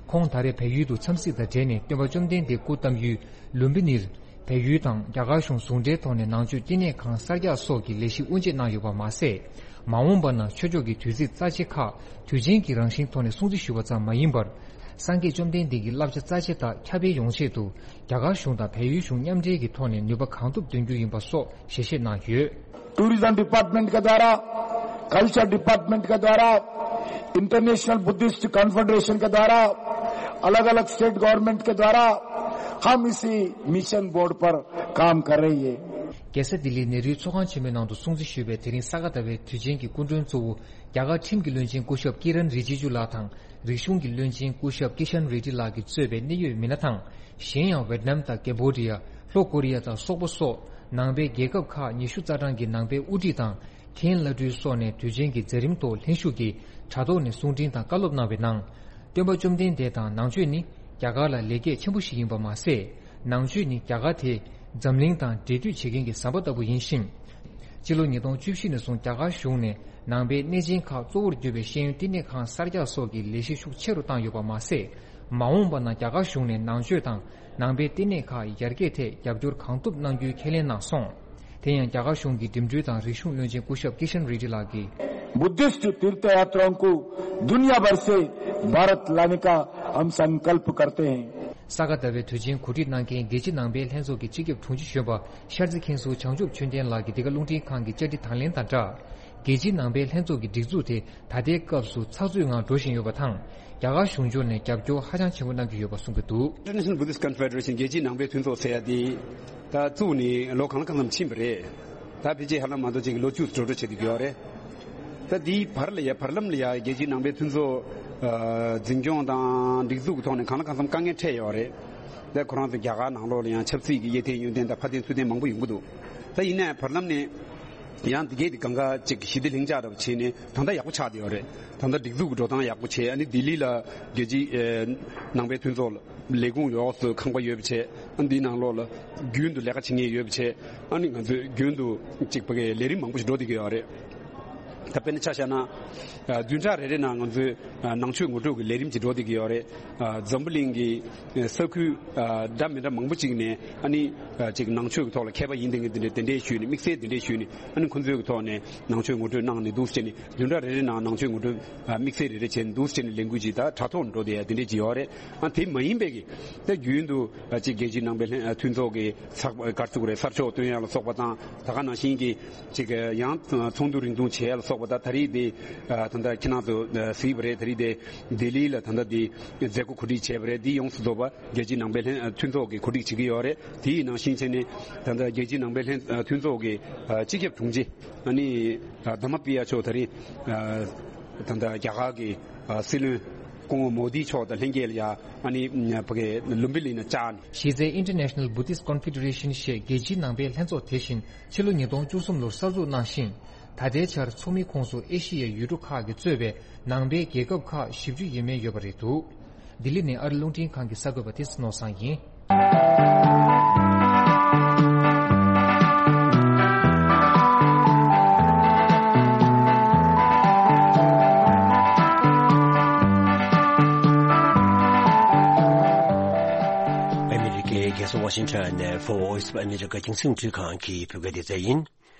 ཁོང་ད་རེས་བལ་ཡུལ་དུ་འཚམས་གཟིགས་དང་འབྲེལ་ནས་སྟོན་པ་བཅོམ་ལྡན་འདས་སྐུ་བལྟམས་ཡུལ་ལུམ་བི་ནིར། བལ་ཡུལ་དང་རྒྱ་གར་གཞུང་ཟུང་འབྲེལ་ཐོག་ནས་ནང་ཆོས་བསྟི་གནས་ཁང་གསར་རྒྱག་སོགས་ཀྱི་ལས་གཞི་དབུ་འབྱེད་གནང་ཡོད་པ་མ་ཟད། མ་འོངས་པ་ན་ཆོས་ཕྱོགས་ཀྱི་དུས་ཚིགས་རྩ་ཆེ་ཁག་དུས་ཆེན་གྱི་རང་བཞིན་ཐོག་ནས་སྲུང་བརྩི་ཞུ་བ་ཙམ་མ་ཡིན་པར། སངས་རྒྱས་བཅོམ་ལྡན་འདས་ཀྱི་བསླབ་བྱ་རྩ་ཆེ་དག་ཁྱབ་སྤེལ་ཡོང་ཆེད་དུ། རྒྱ་གར་གཞུང་དང་བལ་ཡུལ་གཞུང་མཉམ་འབྲེལ་གྱི་ཐོག་ནས་ནུས་པ་གང་ཐུབ་འདོན་རྒྱུ་ཡིན་པ་སོགས་ཞལ་བཞེས་གནང་ཡོད། टूरिज्म डिपार्टमेंट के द्वारा, कल्चर डिपार्टमेंट के द्वारा, इंटरनेशनल बुद्धिस्ट कॉन्फेडरेशन के द्वारा, अलग-अलग स्टेट गवर्नमेंट के द्वारा हम इसी मिशन बोर्ड पर काम कर रही है। རྒྱལ་ས་ལྡི་ལིའི་ནེ་རུའི་ཚོགས་ཁང་ཆེན་མོའི་ནང་དུ་སྲུང་བརྩི་ཞུས་པའི་དེ་རིང་ས་ག་ཟླ་བའི་དུས་ཆེན་གྱི་སྐུ་མགྲོན་གཙོ་བོ་རྒྱ་གར་ཁྲིམས་ཀྱི་བློན་ཆེན་སྐུ་ཞབས་ཀི་རན་རི་ཇི་ཇུ་ལགས་དང་། རིག་གཞུང་གི་བློན་ཆེན་སྐུ་ཞབས་ཀི་ཤན་རེ་ཌི་ལགས་ཀྱིས་གཙོས་པའི་གནད་ཡོད་མི་སྣ་དང་། གཞན་ཡང་ཝེད་ནམ་དང་ཀེམ་བོ་ཌི་ཡ། ལྷོ་ཀོ་རི་ཡ་དང་སོག་པོ་སོགས་ནང་པའི་རྒྱལ་ཁབ་ཁག་ཉི་ཤུ་རྩ་གྲངས་ཀྱི་ནང་པའི་དབུ་ཁྲིད་དང་། མཁན་བླ་སྤྲུལ་སོགས་ནས་དུས་ཆེན་གྱི་མཛད་རིམ་ཐོག་ལྷན་ཞུགས་ཀྱིས་དྲ་ཐོག་ནས་གསུང་འཕྲིན་དང་བཀའ་སློབ་གནང་བའི་ནང་། སྟོན་པ་བཅོམ་ལྡན་འདས་དང་ནང་ཆོས་ནི་རྒྱ་གར་ལ་ལེགས་སྐྱེས་ཆེན་པོ་ཞིག་ཡིན་པ་མ་ཟད། ནང་ཆོས་ནི་རྒྱ་གར་དེ་འཛམ་གླིང་དང་འབྲེལ་མཐུད་བྱེད་མཁན་གྱི་ཟམ་པ་ལྟ་བུ་ཡིན་ཞིང་། སྤྱི་ལོ་ཉིས་སྟོང་བཅུ་བཞི་ནས་བཟུང་རྒྱ་གར་གཞུང་ནས་ནང་པའི་གནས་ཆེན་ཁག་གཙོ་བོར་གྱུར་པའི་ཤེས་ཡོན་བསྟི་གནས་ཁང་གསར་རྒྱག་སོགས་ཀྱི་ལས་གཞི་ཤུགས་ཆེ་རུ་བཏང་ཡོད་པ་མ་ཟད། མ་འོངས་པ་ན་རྒྱ་གར་གཞུང་ནས་ནང་ཆོས་དང་ནང་པའི་བསྟི་གནས་ཁག་ཡར་རྒྱས་ཐད་རྒྱབ་སྐྱོར་གང་ཐུབ་གནང་རྒྱུའི་ཁས་ལེན་གནང་སོང་། དེ་ཡང་རྒྱ་གར་གཞུང་གི་འགྲིམ་འགྲུལ་དང་རིག་གཞུང་བློན་ཆེན་སྐུ་ཞབས་ཀི་ཤན་རེ་ཌི་ལགས་ཀྱིས། बुद्धिस्ट तीर्थयात्रियों को दुनिया भर से भारत लाने का हम संकल्प करते हैं। ས་ག་ཟླ་བའི་དུས་ཆེན་གོ་སྒྲིག་གནང་མཁན་རྒྱལ་སྤྱིའི་ནང་པའི་ལྷན་ཚོགས་ཀྱི་སྤྱི་ཁྱབ་དྲུང་ཆེ་གཞོན་པ་ཤར་རྩེ་མཁན་ཟུར་བྱང་ཆུབ་ཆོས་ལྡན་ལགས་ཀྱིས་འདི་ག་རླུང་འཕྲིན་ཁང་གི་བཅར་འདྲི་དང་ལེན་དང་སྦྲགས། རྒྱལ་སྤྱིའི་ནང་པའི་ལྷན་ཚོགས་ཀྱི་སྒྲིག་འཛུགས་དེ་ད་ལྟའི་སྐབས་སུ་ཚགས་ཚུད་ངང་འགྲོ་བཞིན་ཡོད་པ་དང་། རྒྱ་གར་གཞུང་ཕྱོགས་ནས་རྒྱབ་སྐྱོར་ཧ་ཅང་ཆེན་པོ་གནང་གི་ཡོད་པ་གསུང་གི་འདུག། International Buddhist Confederation རྒྱལ་སྤྱིའི་ནང་པའི་མཐུན་ཚོགས་ཟེར་ཡ་དེ་ད་བཙུགས་ནས་ལོ་གང་ལ་གང་འཚམ་ཕྱིན་པ་རེད། ད་ཕལ་ཆེར་ཧ་ལམ་མ་གཏོགས་ཅིག་ལོ་བཅུ་འགྲོ་འགྲོ་བྱེད་ཀྱི་ཡོད་རེད། ད་དེའི་བར་ལ་ཡ་བར་ལམ་ལ་ཡ་རྒྱལ་སྤྱིའི་ནང་པའི་མཐུན་ཚོགས་ཨ་འཛིན་སྐྱོང་དང་སྒྲིག་འཛུགས་ཀྱི་ཐོག་ནས་གང་ལ་གང་འཚམ་དཀའ་ངལ་འཕྲད་ཡོད་རེད། ད་ཁོ་རང་ཚོ་རྒྱ་གར་ནང་ལོགས་ལ་ཡང་ཆབ་སྲིད་ཀྱི་གཡས་འཐེན་གཡོན་འཐེན་དང་ཕར་འཐེན་ཚུར་འཐེན་མང་པོ་ཡོང་གི་འདུག། ད་ཡིན་ནའི་བར་ལམ་ནས་ཡང་འདི་གས་དེ་གང་ག་ཅིག་ཞི་བདེ་ལྷིང་འཇགས་འདྲ་བོ་བྱས་ནས་ད་ལྟ་ཡག་པོ་ཆགས་བསྡད་ཡོད་རེད། ད་ལྟ་སྒྲིག་འཛུགས་ཀྱི་འགྲོ་སྟངས་ཡག་པོ་བྱས། ཨ་ནི་ལྡི་ལི་ལ་རྒྱལ་སྤྱིའི་ཨེ་ནང་པའི་མཐུན་ཚོགས་ལ་ལས་ཁུངས་ཡོངས་སུ་ཁང་པ་ཡོད་པ་བྱས། ཨ་འདིའི་ནང་ལོགས་ལ་རྒྱུན་དུ་ལས་ཀ་བྱེད་མཁན་ཡོད་པ་བྱས། ཨ་ནི་ང་ཚོས་རྒྱུན་དུ་ཅིག་ཕ་གིའི་ལས་རིམ་མང་པོ་ཞིག་འགྲོ་བསྡད་ཀྱི་ཡོད་རེད། ད་དཔེར་ན་ཆ་བཞག་ན་ཨ་བདུན་ཕྲག་རེ་རེ་ནང་ང་ཚོས་ཨ་ནང་ཆོས་ངོ་སྤྲོད་ཀྱི་ལས་རིམ་ཅིག་འགྲོ་བསྡད་ཀྱི་ཡོད་རེད། ཨ་འཛམ་བུ་གླིང་གི་ས་ཁུལ་ཨ་འདྲ་མི་འདྲ་མང་པོ་ཅིག་ནས་ཨ་ནི་ཨ་ཅིག་ནང་ཆོས་ཀྱི་ཐོག་ལ་མཁས་པ་ཡིན་བསྡད་མཁན་དེ་འདྲས་དེ་འདྲས་ཞུས་ནས་དམིགས་བསལ་དེ་འདྲས་ཞུས་ནས་ཨ་ནི་ཁོང་ཚོའི་གི་ཐོག་ནས་ནང་ཆོས་ངོ་སྤྲོད་གནང་ནས་འདུག་སེ་བྱས་ནས་བདུན་ཕྲག་རེ་རེ་ནང་ནང་ཆོས་ངོ་སྤྲོད་ཨ་དམིགས་བསལ་རེ་རེ་བྱས་ནས་འདུག་སེ་བྱས་ནས་ལས་འགུལ་ཅིག་ད་དྲ་ཐོག་འགྲོ་བསྡད་ཡ་དེ་འདྲས་ཅིག་ཡོད་རེད། ཨ་དེ་མ་ཡིན་པའི་གི་ད་རྒྱུན་དུ་ཨ་ཅིག་རྒྱལ་སྤྱིའི་ནང་པའི་ལྷན་ཨ་མཐུན་ཚོགས་ཀྱི་ཚགས་ག་རེ་ཟེར་དགོས་རེད། གསར་ཤོག་བཏོན་ཡ་ལ་སོགས་པ་དང་། ད་ག་ནང་བཞིན་གྱི་ཅིག་ཡང་ཚོགས་འདུ་རིང་ཐུང་བྱེད་ཡ་ལ་སོགས་པ་དང་། ད་རེས་དེ་ཨ་ད་ལྟ་ཁྱེད་རང་ཚོ་གཟིགས་པ་རེད། ད་རེས་དེ་ལྡི་ལི་ལ་ད་ལྟ་དེ་མཛད་སྒོ་གོ་སྒྲིག་བྱས་པ་རེད། དེ་ཡོངས་སུ་རྫོགས་པ་རྒྱལ་སྤྱིའི་ནང་པའི་ལྷན་ཨ་མཐུན་ཚོགས་ཀྱིས་གོ་སྒྲིག་བྱེད་ཀྱི་ཡོད་རེད། དེ་ཡི་ནང་བཞིན་བྱས་ནས་ད་ལྟ་རྒྱལ་སྤྱིའི་ནང་པའི་ལྷན་ཨ་མཐུན་ཚོགས་ཀྱི་ཨ་སྤྱི་ཁྱབ་དྲུང་ཆེ་ཨ་ནི་ཨ་དྷརྨ་པི་ཡ་མཆོག་ད་རེས་ཨ་ད་ལྟ་རྒྱ་གར་གྱི་ཨ་སྲིད་བློན་སྐུ་ངོ་མོ་དི་མཆོག་དང་ལྷན་རྒྱས་ལ་ཡ་ཨ་ནི་ཕ་གི་ལུམ་བི་ནི་ལ་བཅར་ནས། གཞི་རྩའི་International Buddhist Confederation ཞེས་རྒྱལ་སྤྱིའི་ནང་པའི་ལྷན་ཚོགས་དེ་བཞིན་ཕྱི་ལོ་ཉིས་སྟོང་བཅུ་གསུམ་ལོར་གསར་འཛུགས་གནང་ཞིང་། ད་ལྟའི་ཆར་ཚོགས་མིའི་ཁོངས་སུ་ཨེ་ཤི་ཡའི་ཡུལ་གྲུ་ཁག་གིས་གཙོས་པའི་ནང་པའི་རྒྱལ་ཁབ་ཁག་བཞི་བཅུ་ཡས་མས་ཡོད་པ་རེད་འདུག། ལྡི་ལི་ནས་ཨ་རི་རླུང་འཕྲིན་ཁང་གི་གསར་འགོད་པ་ཏེ་སི་ནོར་བཟང་ཡིན། ཨ་མི་རི་ཀའི་རྒྱལ་ས་ཝ་ཤིང་ཊོན་ནས་Voice of America རྒྱང་སྲིང་འཕྲིན་ཁང་གི་བོད་སྐད་སྡེ་ཚན་ཡིན།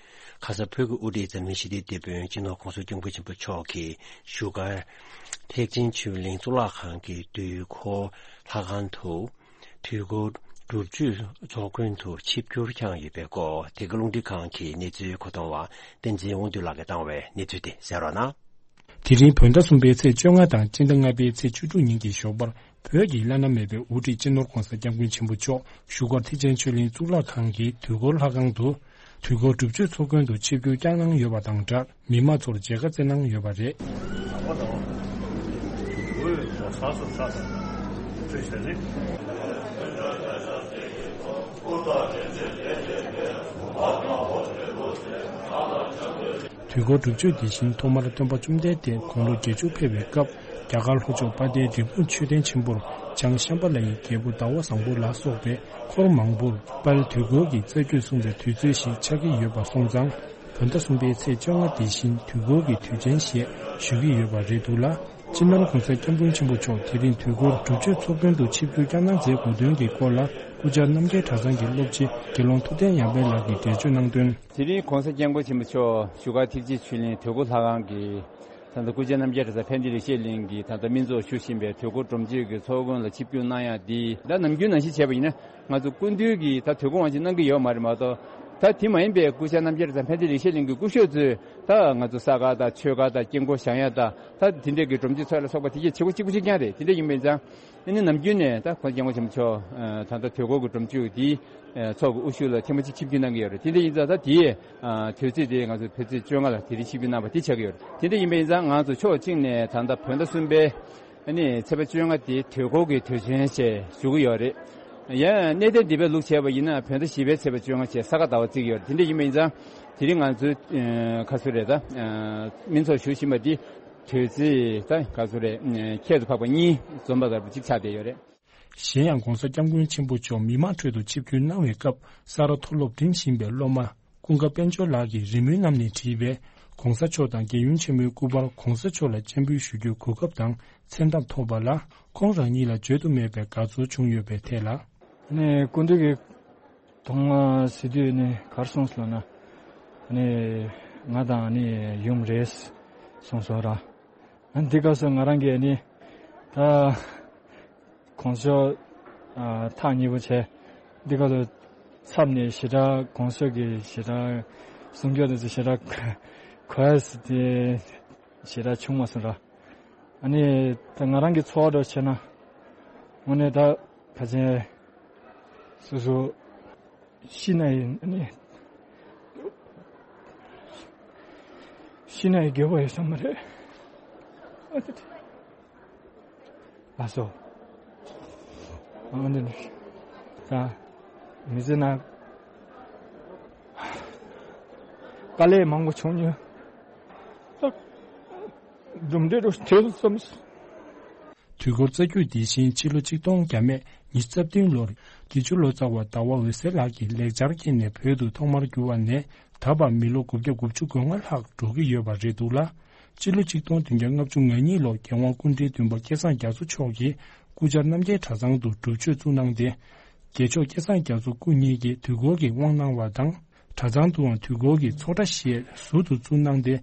ཁ་ས་བོད་ཀྱི་དབུ་ཁྲིད་འཛམ་གླིང་ཞི་བདེའི་དེད་དཔོན་སྤྱི་ནོར་ྋགོང་ས་ྋསྐྱབས་མགོན་ཆེན་པོ་མཆོག་གི་བཞུགས་སྒར་ཐེག་ཆེན་ཆོས་གླིང་གཙུག་ལག་ཁང་གི་དུས་འཁོར་ལྷ་ཁང་དུ་དུས་འཁོར་ སྒྲུབ་མཆོད་ཚོགས་མགོན་དུ་ཆིབས་བསྒྱུར་བསྐྱངས་ཡོད་པའི་སྐོར། དེ་ག་རླུང་འཕྲིན་ཁང་གི་གནས་ཚུལ་མཁོ་གཏོང་བ་བསྟན་འཛིན་དབང་འདུས་ལགས་ཀྱིས་བཏང་བའི་གནས་ཚུལ་དེ་གསན་རོགས་གནང་། དེ་རིང་བོད་ཟླ་གསུམ་པའི་ཚེས་བཅོ་ལྔ་དང་སྤྱི་ཟླ་ལྔ་པའི་ཚེས་བཅུ་དྲུག་ཉིན་གྱི་ཞོགས་པར། བོད་ཀྱི་བླ་ན་མེད་པའི་དབུ་ཁྲིད་སྤྱི་ནོར་༧གོང་ས་༧སྐྱབས་མགོན་ཆེན་པོ་མཆོག་བཞུགས་སྒར་ཐེག་ཆེན་ཆོས་གླིང་གཙུག་ལག་ཁང་གི་དུས་འཁོར་ལྷ་ཁང་དུ། དུས་འཁོར་སྒྲུབ་མཆོད་ཚོགས་མགོན་དུ་ཆིབས་བསྒྱུར་བསྐྱངས་གནང་ཡོད་པ་དང་སྦྲགས། མི་མང་ཚོར་མཇལ་ཁ་བསྩལ་གནང་ཡོད་པ་རེད། དུས་འཁོར་སྒྲུབ་མཆོད་དེ་བཞིན་ཐོག་མར་སྟོན་པ་བཅོམ་ལྡན་འདས་དགུང་ལོ་བརྒྱད་ཅུ་ཕེབས་པའི་སྐབས། རྒྱ་གར་ལྷོ་ཕྱོགས་དཔལ་ལྡན་འབྲས་སྤུངས་མཆོད་རྟེན་ཆེན་པོར་བྱང་ཤམ་བྷ་ལ་ཡི་རྒྱལ་པོ་ཟླ་བ་བཟང་པོ་ལ་སོགས་པའི་འཁོར་མང་པོར་དཔལ་དུས་འཁོར་གྱི་རྩ་རྒྱུད་གསུངས་པའི་དུས་ཚོད་ཞིག་ཆགས་ཀྱི་ཡོད་པ་སོང་ཙང་། བོད་ཟླ་གསུམ་པའི་ཚེས་བཅོ་ལྔ་དེ་བཞིན་དུས་འཁོར་གྱི་དུས་ཆེན་ཞེས་ཞུ་གི་ཡོད་པ་རེད་འདུག་ལ། སྤྱི་ནོར་༧གོང་ས་༧སྐྱབས་མགོན་ཆེན་པོ་མཆོག་དེ་རིང་དུས་འཁོར་སྒྲུབ་མཆོད་ཚོགས་མགོན་དུ་ཆིབས་བསྒྱུར་བསྐྱངས་གནང་མཛད་དགོས་དོན་གྱི་སྐོར་ལ། སྐུ་བཅར་རྣམ་རྒྱལ་གྲྭ་ཚང་གི་སློབ་སྤྱི་དགེ་སློང་ཐུབ་བསྟན་ཡར་འཕེལ་ལགས་ཀྱིས་འགྲེལ་བརྗོད་གནང་དོན། དེ་རིང་༧གོང་ས་༧སྐྱབས་མགོན་ཆེན་པོ་མཆོག་བཞུགས་སྒར་ཐེག་ཆེན་ཆོས་གླིང་དུས་འཁོར་ལྷ་ཁང་གི་ད་ལྟ་སྐུ་བཅར་རྣམ་རྒྱལ་གྲྭ་ཚང་ཕན་བདེ་ལེགས་བཤད་གླིང་གི་ད་ལྟ་སྨན་ཚོགས་ཞུ་བཞིན་པའི་དུས་འཁོར་སྒྲུབ་མཆོད་ཀྱི་ཚོགས་མགོན་ལ་ཆིབས་བསྒྱུར་གནང་ཡག་འདི། ད་ནམ་རྒྱུན་ནང་བཞིན་བྱས་པ་ཡིན་ན་ང་ཚོ་སྐུ་མདུན་གྱིས་ད་དུས་འཁོར་དབང་ཆེན་གནང་གི་ཡོད་མ་རེད་མ་གཏོགས། ད་དེ་མ་ཡིན་པའི་སྐུ་བཅར་རྣམ་རྒྱལ་གྲྭ་ཚང་ཕན་བདེ་ལེགས་བཤད་གླིང་གི་སྐུ་ཞབས་ཚོས་ད་ང་ཚོ་ས་དཀར་དང་ཆོས་དཀར་དང་དཀྱིལ་འཁོར་བཞེངས་ཡག་དང་། ད་དེ་འདྲས་ཀྱི་སྒྲུབ་མཆོད་ཚོགས་ལ་སོགས་པ་དེ་གའི་བྱེད་སྒོ་གཅིག་པུ་གཅིག་རྐྱང་རེད། དེ་འདྲས་ཡིན་པ་ཡིན་ཙང་། ཨ་ནི་ནམ་རྒྱུན་ནས་ད་༧གོང་ས་༧སྐྱབས་མགོན་ཆེན་པོ་མཆོག་ད་ལྟ་དུས་འཁོར་གྱི་སྒྲུབ་མཆོད་དེའི་ཚོགས་ཀྱི་དབུ་བཞུགས་ལ་ཐེངས་མ་གཅིག་ཆིབས་བསྒྱུར་གནང་གི་ཡོད་རེད། དེ་འདྲ་ཡིན་ཙང་ད་དེའི་དུས་ཚོད་དེ་ང་ཚོ་བོད་ཚེས་བཅོ་ལྔ་ལ་དེ་རིང་ཆིབས་བསྒྱུར་གནང་བ་དེ་ཆགས་ཀྱི་ཡོད་རེད། དེ་འདྲ་ཡིན་པ་ཡིན་ཙང་ང་ཚོ་ཕྱོགས་གཅིག་ནས་ད་ལྟ་བོད་ཟླ་གསུམ་པའི་ཨ་ནི་ཚེས་པ་བཅོ་ལྔ་དེ་དུས་འཁོར་གྱི་དུས་ཆེན་ཞེས་ཞུ་གི་ཡོད་རེད། ཡང་གནས་བརྟན་སྡིངས་པའི་ལུགས་བྱས་པ་ཡིན་ན་བོད་ཟླ་བཞི་པའི་ཚེས་པ་བཅོ་ལྔ་བཅས་ས་ག་ཟླ་བ་བརྩི་གི་ཡོད་རེད། དེ་འདྲ་ཡིན་པ་ཡིན་ཙང་དེ་རིང་ང་ཚོའི་ཁ་སུ་རེད་ད་སྨན་ཚོགས་ཞུ་བཞིན་པ་འདི། དུས་ཚོད་ད་ག་ཚོད་རེད། ཁྱད་དུ་འཕགས་པ་གཉིས་འཛོམས་པ་ལྟ་བུ་གཅིག་ཆགས་བསྡད་ཡོད་རེད། གཞན་ཡང་༧གོང་ས་༧སྐྱབས་མགོན་ཆེན་པོ་མཆོག་མི་མང་ཁྲོད་དུ་ཆིབས་བསྒྱུར་གནང་བའི་སྐབས་ས་རཱ་མཐོ་སློབ་འགྲིམ་བཞིན་པའི་སློབ་མ་ཀུན་དགའ་དཔལ་འབྱོར་ལགས་ཀྱིས་རི་མོའི་གནམ་ནས་བྲིས་པའི་༧གོང་ས་མཆོག་དང་རྒྱལ་ཡུམ་ཆེན་མོའི་སྐུ་པར་༧གོང་ས་མཆོག་ལ་སྤྱན་འབུལ་ཞུ་རྒྱུའི་གོ་སྐབས་དང་མཚན་ཐབས་ཐོབ་པ་ལ་ཁོང་རང་ཉིད་ལ་བརྗོད་དུ་མེད་པའི་དགའ་ཚོར་བྱུང་ཡོད་པའི་ཐད་ལ། ནས་སྐུ་མདུན་གྱི་ཐོག་མ་ཟེར་དུས་ནི་གར་སོང་ཟེར་ལ་ན། ནི་ང་དང་ནི་ཡུམ་རེད་སོང་སོང་ར། འདི་སྐབས་སུ་ང་རང་གིས་ནི་ད་གོང་ཞོ་ཐག་ཉེ་པོ་བྱས། འདི་སྐབས་སུ་ཚབ་ནས་ཞེ་དྲག་གོང་ཞོ་གི་ཞེ་དྲག་གསུང་སྐྱོ་དེ་ཚོ་ཞེ་དྲག་གོ་ཡ་ཟེར་དེ་ཞེ་དྲག་བྱུང་མ་སོང་ར། ཨ་ནི་ད་ང་རང་གི་ཚོར་བ་འདྲ་བྱས་ན་དངོས་གནས་ད་ཕལ་ཆེར་སོ་སོ་ཤི་ན་ཡི་ཨ་ནི་ཤི་ན་ཡི་དགེ་བ་ཡོད་ས་མ་རེད། ཨ་ཙི་ཙི། ལགས་སོ། ཨ་འདི་ནི་ད་མི་ཚེ་ན་དཀའ་ལས་མང་པོ་བྱུང་མྱོང་། གྲུབ་འབྲས་རུ་དེ་རུ་བརྩམས། དུས་འཁོར་རྩ་རྒྱུད་འདི་བཞིན་ཕྱི་ལོ་ཆིག་སྟོང་བརྒྱ་མེད་ཉི་ཤུ་རྩ་བདུན་ལོར་དགེ་བཅུ་ལོ་ཙཱ་བ་ཟླ་བ་འོད་ཟེར་ལགས་ཀྱིས་ལེགས་སྦྱར་སྐྱེས་ནས་བོད་དུ་ཐོག་མར་བསྒྱུར་བ་ནས་ད་བར་མི་ལོ་དགུ་བརྒྱ་དགུ་བཅུ་གོ་ལྔ་ལྷག་འགྲོ་གི་ཡོད་པ་རེད་འདུག་ལ། སྤྱི་ལོ་ཆིག་སྟོང་བདུན་བརྒྱ་ལྔ་བཅུ་ང་གཉིས་ལོར་རྒྱལ་དབང་སྐུ་ཕྲེང་བདུན་པ་སྐལ་བཟང་རྒྱ་མཚོ་མཆོག་གིས་སྐུ་བཅར་རྣམ་རྒྱལ་གྲྭ་ཚང་དུ་སྒྲུབ་མཆོད་བཙུགས་གནང་སྟེ། རྒྱལ་མཆོག་སྐལ་བཟང་རྒྱ་མཚོ་སྐུ་ཉིད་ཀྱིས་དུས་འཁོར་གྱི་དབང་གནང་བ་དང་། གྲྭ་ཚང་དུའང་དུས་འཁོར་གྱི་ཚོགས་གྲྭ་ཞེས་ཟུར་དུ་བཙུགས་གནང་སྟེ།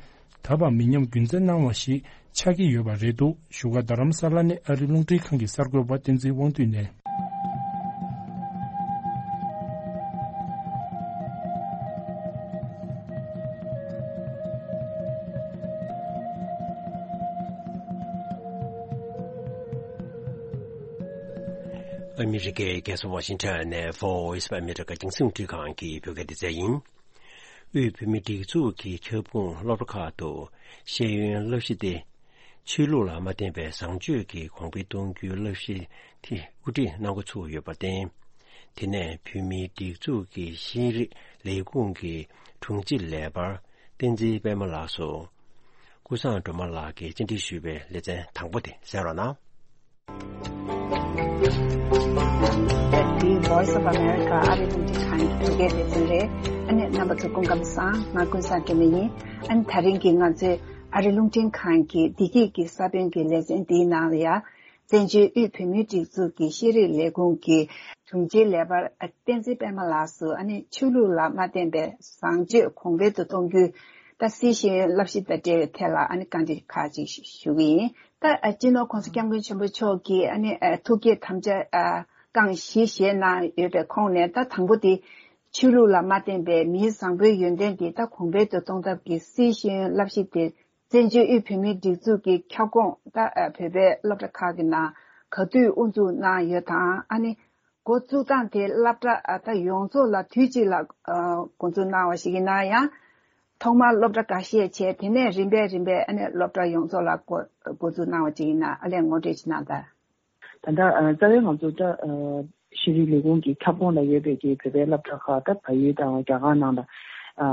ད་བར་མི་ཉམས་རྒྱུན་འཛིན་གནང་བ་ཞིག་ཆགས་ཀྱི་ཡོད་པ་རེད་འདུག་བཞུགས་སྒར་རྡ་རམ་ས་ལ་ནས་ཨ་རི་རླུང་འཕྲིན་ཁང་གི་གསར་འགོད་པ་བསྟན་འཛིན་དབང་འདུས་ནས། ཨ་མི་རི་ཀའི་རྒྱལ་ས་ཝ་ཤིང་ཊོན་ནས་Voice of America་རྒྱང་སྲིང་རླུང་འཕྲིན་ཁང་གི་བོད་སྐད་སྡེ་ཚན་ཡིན། དབུས་བོད་མིའི་སྒྲིག་འཛུགས་ཀྱི་ཁྱབ་ཁོངས་སློབ་གྲྭ་ཁག་ཏུ་ཤེས་ཡོན་བསླབ་གཞི་སྟེ། ཆོས་ལུགས་ལ་མ་བརྟེན་པའི་བཟང་སྤྱོད་ཀྱི་གོང་འཕེལ་གཏོང་རྒྱུའི་བསླབ་གཞི་དེ་དབུ་ཁྲིད་གནང་འགོ་ཚུགས་ཡོད་པར་བརྟེན། དེ་ནས་བོད་མིའི་སྒྲིག་འཛུགས་ཀྱི་ཤེས་རིག་ལས་ཁུངས་ཀྱི་དྲུང་ཆེ་ལས་འཕར་བསྟན་འཛིན་པད་མ་ལགས་སུ། ཀུན་བཟང་སྒྲོལ་མ་ལགས་ཀྱིས་བཅར་འདྲི་ཞུས་པའི་ལེ་ཚན་དང་པོ་དེ་གསན་རོགས་གནང་། འདི་Voice of America་ཨ་རི་རླུང་འཕྲིན་ཁང་གི་བོད་སྐད་ལེ་ཚན་རེད། ཨ་ནི་རྣམ་པ་ཚོ་སྐུ་ཁམས་བཟང་། ང་ཀུན་བཟང་སྒྲོལ་མ་ཡིན། ཨ་ནི་ད་རིང་གི་ང་ཚོའི་ཨ་རི་རླུང་འཕྲིན་ཁང་གི་བདེ་སྐྱིད་ཀྱི་ས་བོན་གྱི་ལེ་ཚན་འདིའི་ནང་ལ་ཡ། བཙན་བྱོལ་དབུས་བོད་མིའི་སྒྲིག་འཛུགས་ཀྱི་ཤེས་རིག་ལས་ཁུངས་ཀྱི་དྲུང་ཆེ་ལས་འཕར་བསྟན་འཛིན་པད་མ་ལགས་སུ་ཨ་ནི་ཆོས་ལུགས་ལ་མ་བརྟེན་པའི་བཟང་སྤྱོད་གོང་འཕེལ་དུ་གཏོང་རྒྱུའི་ད་སྲིད་ཤེས་ཡོན་བསླབ་གཞི་དང་འབྲེལ་བའི་ཐད་ལ་ཨ་ནི་བཀའ་འདྲི་ཁག་ཅིག་ཞུ་གི་ཡིན། ད་ཨ་སྤྱི་ནོར་༧གོང་ས་༧སྐྱབས་མགོན་ཆེན་པོ་མཆོག་གིས་ཨ་ནི་ཨ་ཐུགས་བསྐྱེད་དམ་བཅའ་ཨ་ རྐང་བཞི་བཞེས་གནང་ཡོད་པའི་ཁོངས་ནས། ད་དང་པོ་དེ་ཆོས་ལུགས་ལ་མ་བརྟེན་པའི་མིའི་བཟང་པོའི་ཡོན་ཏན་དེ་ད་གོང་འཕེལ་དུ་གཏོང་ཐབས་ཀྱི་སིའི་ཤེས་ཡོན་བསླབ་གཞི་དེ་བཙན་བྱོལ་དབུས་བོད་མིའི་སྒྲིག་འཛུགས་ཀྱི་ཁྱབ་ཁོངས། ད་བོད་པའི་སློབ་གྲྭ་ཁག་གི་ནང་ག་དུས་དབུ་འཛུགས་གནང་ཡོད་དང་། ཨ་ནི་འགོ་བཙུགས་སྟངས་དེ་སློབ་གྲྭ་ད་ཡོངས་རྫོགས་ལ་དུས་གཅིག་ལ་འགོ་འཛུགས་གནང་བ་ཞིག་ཡིན་ན་ཡང་། ཐོག་མར་སློབ་གྲྭ་འགའ་ཤས་བྱས། དེ་ནས་རིམ་པས་རིམ་པས་ཨ་ནི་སློབ་གྲྭ་ཡོངས་རྫོགས་ལ་འགོ་འགོ་འཛུགས་གནང་བ་ཅིག་ཡིན་ན། ཨ་ལས་ངོ་སྤྲོད་ཅིག་གནང་དང་། ད་ལྟ་ཨ་རྩ་བའི་ང་ཚོ་ད་ཨ་ཤེས་རིག་ལས་ཁུངས་ཀྱི་ཁྱབ་ཁོངས་ལ་ཡོད་པའི་གི་བོད་པའི་སློབ་གྲྭ་ཁག་ད་བལ་ཡུལ་དང་རྒྱ་གར་ནང་ལ་ཨ་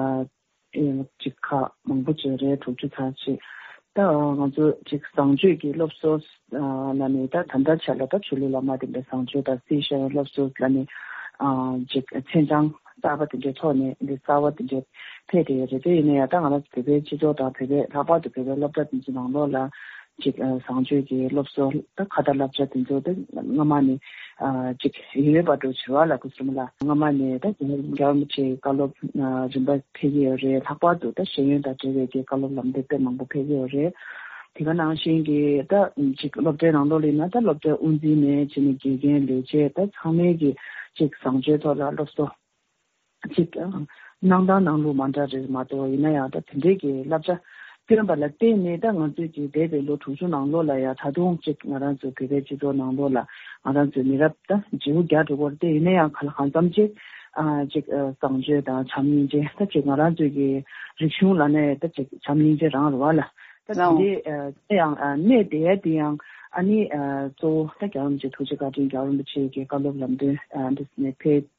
ཨེ་ཅིག་ཁག་མང་པོ་ཅིག་རེད། དྲུག་ཅུ་ཚར་ཅིག་ད་ང་ཚོ་ཅིག་བཟང་སྤྱོད་ཀྱི་སློབ་གསོ་ཨ་ལ་ནི་ད་ད་ལྟ་ཆ་ལ་ད་ཆོས་ལུགས་ལ་མ་བརྟེན་པའི་བཟང་སྤྱོད་དང་སྲིད་ཤེས་སློབ་གསོ་ལ་ནི་ཨ་ཅིག་མཚན་བྱང་གསར་པ་དེ་འདྲའི་ཐོག་ནས་འདི་གསར་པ་དེ་འདྲའི་ཕེབས་བསྡད་ཡོད་རེད། དེ་ཡིན་ན་ཡང་ད་ང་རང་ཚོ་བོད་པའི་སྤྱི་ཚོགས་དང་བོད་པའི་ལྷག་པར་དུ་བོད་པའི་སློབ་གྲྭ་དེ་ཚོ་ནང་ལོགས་ལ་ཅིག་ཨ་བཟང་སྤྱོད་ཀྱི་སློབ་གསོ་ད་ཁ་ཏ་བསླབ་བྱ་དེ་ཚོ་ད་སྔ་མ་ནས་ཨ་ཅིག་ཡོད་པ་འགྲོ་བྱེད་པ་ལ་སྐུ་གསུམ་ལ་སྔ་མ་ནས་ད་རྒྱལ་བ་རིན་པོ་ཆེའི་བཀའ་སློབ་ཨ་རིམ་པ་ཕེབས་ཀྱི་ཡོད་རེད། ལྷག་པར་དུ་ད་ཤེས་ཡོན་དང་འབྲེལ་བའི་གི་བཀའ་སློབ་ལམ་སྟོན་དཔེ་མང་པོ་ཕེབས་ཀྱི་ཡོད་རེད། དེ་ག་ནང་བཞིན་གྱི་ད་ཅིག་སློབ་གྲྭའི་ནང་ལོགས་ལ་ཡིན་ན་ད་སློབ་གྲྭའི་དབུ་འཛིན་ནས་བྱས་ནས་དགེ་རྒན་ལས་བྱེད་ད་ཚང་མས་ཀྱི་ཅིག་བཟང་སྤྱོད་ཐོག་ལ་སློབ་གསོ་ཅིག་གནང་སྟངས་གནང་ལུགས་མ་འདྲ་རེད་མ་གཏོགས། ཡིན་ན་ཡང་ད་དེ་འདྲའི་གི་བསླབ་བྱ་བཏོན་པ་ལ་བརྟེན་ནས་ད་ང་ཚོས་ཀྱི་འདས་པའི་ལོ་དྲུག་ཅུ་ནང་ལོགས་ལ་ཡང་ད་དུང་ཅིག་ང་རང་ཚོའི་བོད་པའི་སྤྱི་ཚོགས་ནང་ལོགས་ལ་ང་རང་ཚོའི་མི་རབས་ད་བརྗེ་པོ་རྒྱག་འགྲོ་གི་ཡོད་རེད། དེ་ཡིན་ན་ཡང་ག་ལ་གང་འཚམ་ཅིག་ཨ་ཅིག་ཨ་བཟང་སྤྱོད་དང་བྱམས་སྙིང་རྗེ་ད་ཅིག་ང་རང་ཚོའི་གི་རིག་གཞུང་ལབ་ན་ད་ཅིག་བྱམས་སྙིང་རྗེ་རང་རེད་བ་ལ། ད་དེ་ལའོ། འདྲའི་ཨ་དེ་ཡང་ཨ་གནས་བསྡད་ཡ་དེ་ཡང་ཨ་ནི་ཨ་གཙོ་བོ་ད་རྒྱལ་བ་རིན་པོ་ཆེ་ཐུགས་རྗེ་བཀའ་དྲིན། རྒྱལ་བ་རིན་པོ་ཆེ་གི་བཀའ་སློབ་ལམ་སྟོན་ཨ་འདི་ནས་ཕེབས་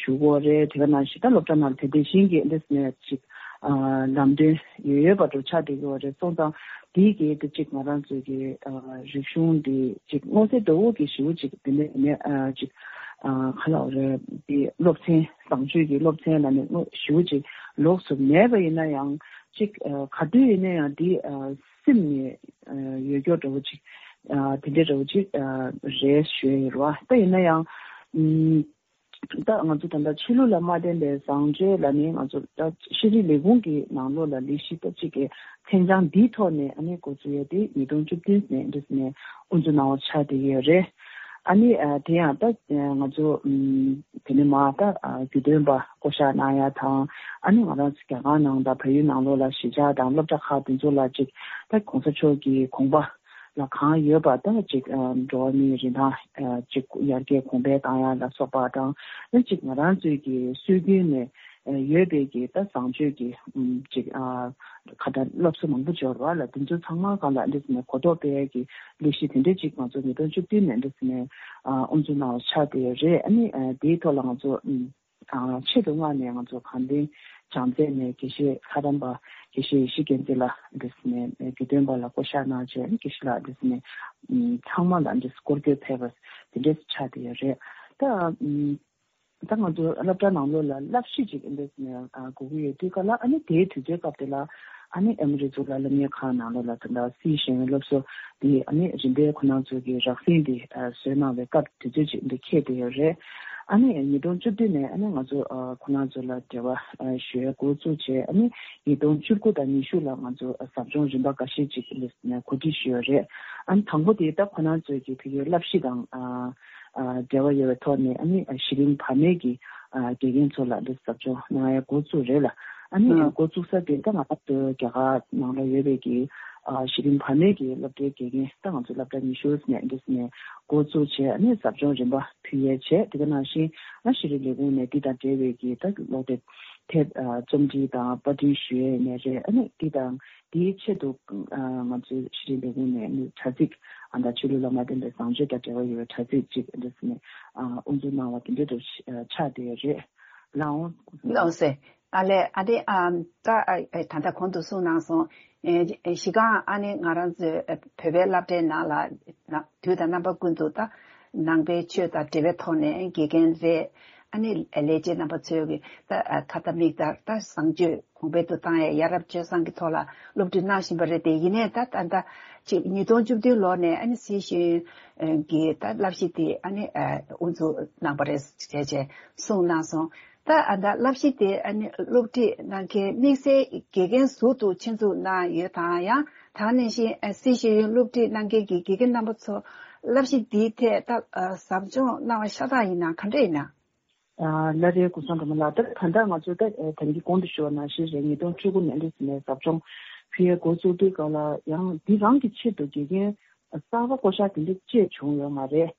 ཞུ་གི་ཡོད་རེད། དེ་ག་ནང་བཞིན་ད་སློབ་གྲྭ་ནང་དེ་དེ་བཞིན་གྱི་འདི་ནས་ཅིག་ཨ་ལམ་སྟོན་ཡོད་ཡོད་པ་འདྲ་ཆགས་བསྡད་ཀྱི་ཡོད་རེད། སོང་ཙང་དེའི་གི་དེ་ཅིག་ང་རང་ཚོའི་གི་ཨ་རིག་གཞུང་འདི་ཅིག་མངོན་གསལ་དོད་པོ་གི་ཞེ་པོ་ཅིག་དེ་ནས་ནས་ཨ་ཅིག་ཨ་ག་ལབ་རེད། དེ་སློབ་ཚན་བཟང་སྤྱོད་ཀྱི་སློབ་ཚན་ལ་ནི་ཞེ་པོ་ཅིག་ལོགས་སུ་མེད་པ་ཡིན་ན་ཡང་། ཅིག་ཨ་ག་དུས་ཡིན་ན་ཡང་འདི་ཨ་སེམས་ནས་ཨ་ཡོད་སྐྱོ་འདྲ་བོ་ཅིག་ཨ་དེ་འདྲའི་འདྲ་བོ་ཅིག་ཨ་རེད་ཞུ་ཡ་ཡོད་རེད་བ། ད་ཡིན་ན་ཡང་ཨམ་ད་ང་ཚོ་ད་ལྟ་ཆོས་ལུགས་ལ་མ་བརྟེན་པའི་བཟང་སྤྱོད་ལ་ནི་ང་ཚོ་ད་ཤེས་རིག་ལས་ཁུངས་ཀྱི་ནང་ལོགས་ལ་ལས་གཞི་ད་ཅིག་གི་མཚན་བྱང་འདིའི་ཐོག་ནས་ཨ་ནི་འགོ་འཛུགས་ཡ་དེ་ཉིས་སྟོང་བཅུ་བདུན་ནས་འདི་ནས་དབུ་འཛུགས་གནང་བ་ཆགས་བསྡད་ཡོད་རེད། ཨ་ནི་ཨ་དེ་ཡང་ད་ང་ཚོ་ཨམ་དེ་ནས་མར་ད་ཨ་རྒྱུས་སྟོན་པ་བསྐོ་གཞག་གནང་ཡ་དང་། ཨ་ནི་ང་རང་ཚོ་རྒྱ་གར་ནང་དང་བལ་ཡུལ་ནང་ལོགས་ལ་གཞིས་ཆགས་དང་སློབ་གྲྭ་ཁག་དེ་ཚོ་ལ་ཅིག་ད་གོང་ས་མཆོག་གི་དགོངས་པ་ལ་གང་ཡོད་པ་ད་ཅིག་ཨ་འགྲོ་བ་མིའི་རིན་ཐང་ཨ་ཅིག་ཡར་རྒྱས་གོང་འཕེལ་བཏང་ཡ་ལ་སོགས་པ་དང་། ཨ་ཅིག་ང་རང་ཚོའི་གི་སྲོལ་རྒྱུན་ནས་ཨ་ཡོད་པའི་གི་ད་བཟང་སྤྱོད་ཀྱི་ཨམ་ཅིག་ཨ་ཁ་ཏ་སློབ་གསོ་མང་པོ་འབྱོར་བ་ལ། དེ་ཚོ་ཚང་མ་སྒང་ལ་འདི་ནས་གོ་རྟོགས་སྤེལ་ཡ་གི་ལས་གཞི་དེ་འདྲ་ཅིག་ང་ཚོ་ཉིས་སྟོང་བཅུ་བདུན་ནས་འདི་ནས་ཨ་དབུ་འཛུགས་གནང་བ་ཆགས་བསྡད་ཡོད་རེད། ཨ་ནི་ཨ་དེའི་ཐོག་ལ་ང་ཚོ་ཨམ་ཨ་ཆེད་དུ་མངགས་ནས་ང་ཚོ་དགའ་ལྡན་བྱམས་བརྩེ་ནས་དགེ་བཤེས་ལྷ་རམས་པ་དགེ་བཤེས་ཡེ་ཤེས་རྒྱལ་མཚན་ལགས་འདི་ནས་རྒྱུས་སྟོན་པ་ལ་བསྐོ་གཞག་གནང་བྱས། ཨ་ནི་དགེ་བཤེས་ལགས་འདི་ནས་ཨམ་ཚང་མ་ལ་འདི་སྐོར་སྐྱོད་ཕེབས་པ་དེ་འདྲ་ཆགས་བསྡད་ཡོད་རེད། ད་ཨམ་ད་ང་ཚོ་སློབ་གྲྭ་ནང་ལོགས་ལ་བསླབ་གཞི་ཅིག་འདི་ནས་ཨ་དགོས་ཀྱི་ཡོད་དུས་ག་ལ། ཨ་ནི་དེའི་དུས་ཚོད་སྐབས་དེ་ལ་ཨ་ནི་ཨེ་མོ་རི་གཙུག་ལག་སློབ་གཉེར་ཁང་ནང་ལོགས་ལ་ད་ལྟ་སིའི་ཤེས་ཡོན་སློབ་གསོ་འདི་ཨ་ནི་རིམ་པས་ཁོ་རང་ཚོ་གི་རགས་ཟིན་འདི་ཨ་བཟོས་གནང་བའི་སྐབས་དུས་ཚོད་ཅིག་འདི་འཁེལ་བསྡད་ཡོད་རེད། ཨ་ནི་ཉིས་སྟོང་བཅུ་བདུན་ནས་ཨ་ནི་ང་ཚོ་ཨ་ཁོ་རང་ཚོ་ལ་འབྲེལ་བ་ཨ་ཞུ་ཡ་འགོ་བཙུགས་བྱས། ཨ་ནི་ཉིས་སྟོང་བཅུ་དགུ་དང་ཉི་ཤུ་ལ་ང་ཚོ་ཨ་ཟབ་སྦྱོང་རིམ་པ་འགའ་ཤས་ཅིག་འདི་ནས་གོ་སྒྲིག་ཞུས་ཡོད་རེད། ཨ་ནི་དང་པོ་དེ་ད་ཁོ་རང་ཚོའི་གི་ཕ་གིའི་བསླབ་གཞི་དང་ཨ་ཨ་འབྲེལ་བ་ཡོད་པའི་ཐོག་ནས་ཨ་ནི་གཞི་རིམ་བར་མའི་གི་ཨ་དགེ་རྒན་ཚོ་ལ་འདི་ཟབ་སྦྱོང་གནང་ཡ་འགོ་བཙུགས་རེད་ལ། ཨ་ནི་ཨ་འགོ་བཙུགས་ས་དེ་ད་ང་ཚོ་རྒྱ་གར་ནང་ལ་ཡོད་པའི་གི་ཨ་གཞི་རིམ་བར་མའི་གི་སློབ་གྲྭའི་དགེ་རྒན་ད་ང་ཚོ་སློབ་གྲྭ་ཉི་ཤུ་ནས་འདི་ནས་འགོ་བཙུགས་བྱས། ཨ་ནི་ཟབ་སྦྱོང་རིམ་པ་ཕུལ་ཡས་བྱས། དེ་ག་ནང་བཞིན་ཨ་ཤེས་རིག་ལས་ཁུངས་ནས་འདི་དང་འབྲེལ་བའི་གི་ད་ཀློག་དེབ་དེབ་ཨ་རྩོམ་སྒྲིག་དང་པར་སྐྲུན་ཞུ་ཡས་ནས་རེད། ཨ་ནི་འདི་དང་དེའི་ཆེད་དུ་ཨ་ང་ཚོའི་ཤེས་རིག་ལས་ཁུངས་ནས་ནི་དྲ་ཚིགས་ཨ་ད་ཆོས་ལུགས་ལ་མ་བརྟེན་པའི་བཟང་སྤྱོད་དང་འབྲེལ་བ་ཡོད་པའི་དྲ་ཚིགས་ཅིག་འདི་ནས་ཨ་དབུ་འཛུགས་གནང་བ་དེ་འདྲ་དུ་ཆགས་བསྡད་ཡོད་རེད། ལའོ། ལགས་སེ། ཨ་ལས། ཨ་དེ་ཨ་ད་ཨ་ད་ལྟ་གོང་དུ་གསུངས་གནང་སོང་། ཨེ་གཞི་རྐང་ཨ་ནི་ང་རང་ཚོའི་བོད་པའི་སློབ་གྲྭའི་ནང་ལ་ན་དུས་དང་རྣམ་པ་ཀུན་ཏུ་ད་ནང་པའི་ཆོས་དང་འབྲེལ་བའི་ཐོག་ནས་དགེ་རྒན་རེད། ཨ་ནི་ལས་བྱེད་རྣམ་པ་ཚོས་ཀྱི་ད་ཁ་ཏ་མིག་ལྟར་ད་བཟང་སྤྱོད་གོང་འཕེལ་དུ་བཏང་ཡ་ཡ་རབས་སྤྱོད་བཟང་གི་ཐོག་ལ་སློབ་ཁྲིད་གནང་བཞིན་པ་རེད་དེ། ཡིན་ནའི་ད་ད་ད་ཅིག་ཉིས་སྟོང་བཅུ་བདུན་ལོ་ནས་ཨ་ནི་སིའི་ཤེས་ཡོན་གྱི་ད་བསླབ་གཞི་དེ་ཨ་ནི་དབུ་འཛུགས་གནང་པ་རེད་ཅེས་ཅེས་གསུངས་གནང་སོང་། ད་ཨ་ད་བསླབ་གཞི་དེ་ཨ་ནི་སློབ་ཁྲིད་གནང་མཁན་དམིགས་བསལ་དགེ་རྒན་ཟུར་དུ་ཆེད་འཛུགས་གནང་ཡོད་དང་། ཡང་དེ་ནང་བཞིན་ཨ་སིའི་ཤེས་ཡོན་སློབ་ཁྲིད་གནང་མཁན་གྱི་དགེ་རྒན་རྣམ་པ་ཚོ་ བསླབ་གཞི་འདིའི་ཐད་ད་ཨ་ཟབ་སྦྱོང་གནང་བ་ཤ་སྟག་ཡིན་ན་ག་འདྲ་ཡིན་ན། ཨ་ལ་རེ་སྐུ་སྲུང་སྒྲོལ་མ་ལགས། ད་ད་ལྟ་ང་ཚོ་ད་ཨ་ད་གིན་གོང་དུ་ཞུས་པ་ནང་བཞིན་རེད། ཉིས་སྟོང་བཅུ་དགུ་ནས་འདི་ནས་ཟབ་སྦྱོང་ཕུལ་ཡས་འགོ་བཙུགས་དུས་སྐབས་ལ་ཡང་འདི་རང་གི་ཆེད་དུ་དགེ་རྒན་གསར་པ་བསྐོ་གཞག་དེ་འདྲ་ཅིག་བྱུང་ཡོད་མ་རེད།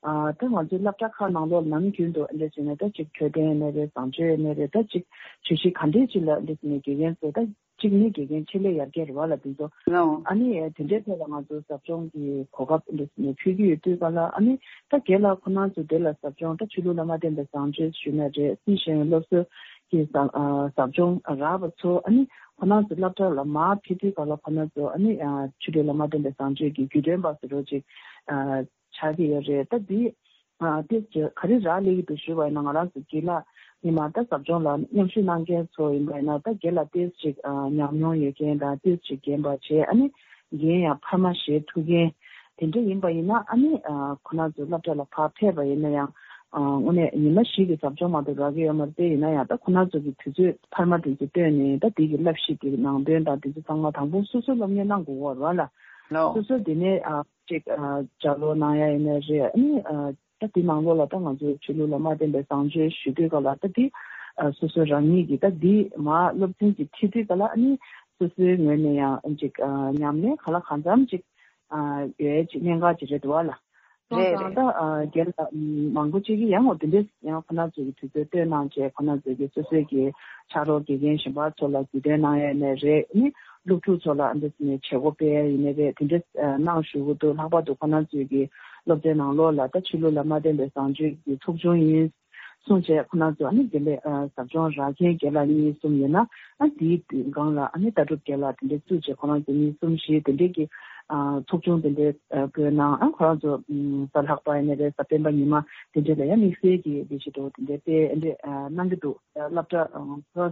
ཨ་ད་ང་ཚོའི་སློབ་གྲྭ་ཁག་ནང་ལོགས་ནམ་རྒྱུན་དུ་འདི་བྱས་ནས་ད་ཅིག་འཕྲོད་བསྟེན་ནས་རེད། བཟང་སྤྱོད་ནས་རེད། ད་ཅིག་བརྗོད་གཞི་ག་འདྲས་ཅིག་ལ་འདི་ནས་དགེ་རྒན་ཚོ་ད་གཅིག་ནི་དགེ་རྒན་ཆེད་ལས་ཡར་རྒྱས་རེད་བ་ལ། དེ་ཚོ་ལའོ། ཨ་ནི་དེ་འདྲའི་ཐད་ལ་ང་ཚོ་ཟབ་སྦྱོང་གི་གོ་སྐབས་འདི་ནས་ཕུལ་གྱི་ཡོད་དུས་ག་ལ། ཨ་ནི་ད་རྒན་ལགས་ཁོ་རང་ཚོ་དེ་ལ་ཟབ་སྦྱོང་ད་ཆོས་ལུགས་ལ་མ་བརྟེན་པའི་བཟང་སྤྱོད་ཞུས་ན་རེད། སྲིད་ཤེས་ཡོན་སློབ་གསོ་གི་ཟབ་ཨ་ཟབ་སྦྱོང་རག་པ་ཚོ་ཨ་ནི་ཁོ་རང་ཚོ་སློབ་གྲྭ་ལ་མར་ཕེབས་དུས་ག་ལ་ཁོ་རང་ཚོ་ཨ་ནི་ཨ་ཆོས་ལུགས་ལ་མ་བརྟེན་པའི་བཟང་སྤྱོད་ཀྱི་རྒྱུད་སྟོན་པ་ཟེར་རོ་ཅིག་ཨ་ཆགས་ཀྱི་ཡོད་རེད། ད་འདི་ཨ་ཏོག་ཙམ་ག་རེ་རག་ལས་ཀྱི་འདུག་ཞུས་པ་ཡིན་ན། ང་རང་ཚོ་དགེ་ལགས་ཉི་མ་ད་ཟབ་སྦྱོང་ལ་མཉམ་ཞུགས་གནང་མཁན་ཚོ་ཡིན་པ་ཡིན་ན། ད་དགེ་ལགས་ཏོག་ཙམ་ཅིག་ཨ་ཉམས་མྱོང་ཡོད་མཁན་དང་ཏོག་ཙམ་ཅིག་རྒན་པ་བྱས། ཨ་ནི་རྒན་ཡང་འཕར་མ་བཞེས་ཐུབ་མཁན་དེ་འདྲ་ཡིན་པ་ཡིན་ན། ཨ་ནི་ཨ་ཁོ་རང་ཚོ་སློབ་གྲྭ་ལ་ཕར་ཕེབས་པ་ཡིན་ན་ཡང་ཨ་དངོས་གནས་ཉི་མ་བཞི་གི་ཟབ་སྦྱོང་མ་གཏོགས་རག་གི་ཡོད་མ་རེད། དེ་ཡིན་ན་ཡང་ད་ཁོ་རང་ཚོ་གི་དུས་ཚོད་འཕར་མ་དེ་ཚོ་བཏོན་ནས་ད་དེ་གི་བསླབ་གཞི་དེ་གི་ནང་དོན་དང་དེ་ཚོ་ཚང་མ་དང་པོ་སོ་སོའི་སློབ་གཉེར་གནང་དགོས་ཀྱི་ཡོད་རེད་བ་ལ། ལའོ། སོ་སོ་དེ་ནས་ཨ་ཅིག་ཨ་ལྗགས་ཀློག་གནང་ཡ་ཡིན་ན་རེད། ཨ་ནི་ཨ་ད་དེ་ནང་ལོགས་ལ་ད་ང་ཚོའི་ཆོས་ལུགས་ལ་མ་བརྟེན་པའི་བཟང་སྤྱོད་ཞུ་དུས་སྐབས་ལ་ད་དེ་ཨ་སོ་སོ་རང་ཉིད་ཀྱིས་ད་དེ་མར་སློབ་ཚན་ཅིག་ཁྲིད་དུས་སྐབས་ལ། ཨ་ནི་སོ་སོའི་ངོས་ནས་ཡང་ཅིག་ཨ་ཉམས་ལེན་ག་ལ་གང་འཚམ་ཅིག་ཨ་ཡོད་ཅིག་གནད་འགག་ཅིག་རེད་འདུག་བ་ལ། སོང་རེད་ཙང་རེད། ད་ཨ་རྒན་ལགས་མང་པོ་ཅིག་གིས་ཡང་འོ་དེ་འདྲས་ཡང་ཁོ་ན་ཚོ་གི་དུས་ཚོད་བཏོན་གནང་བྱས། ཁོ་ན་ཚོ་གི་སོ་སོའི་གི་ཕྱག་རོགས་དགེ་རྒན་གཞན་པ་ཚོ་ལ་རྒྱུས་སྟོན་གནང་ཡས་ནས་རེད། ཨ་ནི་སློབ་ཕྲུག་ཚོ་ལ་འདི་ནས་བྱེད་སྒོ་སྤེལ་ཡས་ཡིན་ནའི་རེད། དེ་འདྲ་ཨ་གནང་ཞུ་གི་འདུག་ལྷག་པར་དུ་ཁོ་རང་ཚོའི་གི་སློབ་ཚན་ནང་ལོགས་ལ་ད་ཆོས་ལུགས་ལ་མ་བརྟེན་པའི་བཟང་སྤྱོད་ཀྱི་ཚོགས་ཆུང་ཡིན་གསུངས་བྱས། ཁོ་རང་ཚོ་ཨ་ནི་དེ་འདྲའི་ཨ་ཟབ་སྦྱོང་རག་མཁན་རྒན་ལགས་གཉིས་གསུམ་ཡོད་ན། ཨ་དེའི་སྒང་ལ་ཨ་ནི་ལྟ་གྲུབ་རྒན་ལགས་དེ་འདྲ་བཙུགས་བྱས། ཁོ་རང་ཚོ་གཉིས་གསུམ་བཞི་དེ་འདྲའི་གི་ཨ་ཚོགས་ཆུང་དེ་འདྲའི་ཨ་བསྐོས་གནང་། ཨ་ཁོ་རང་ཚོ་ཨ་གཟའ་ལྷག་པ་ཡིན་ནའི་རེད། གཟའ་སྤེན་པ་ཉི་མ་དེ་འདྲ་ལ་ཡང་དམིགས་བསལ་གྱི་ལས་གཞི་འདྲ་བོ་དེ་འདྲ་སྤེལ་འདྲ་ཨ་གནང་གི་འདུག་སློབ་གྲྭ་ཨ་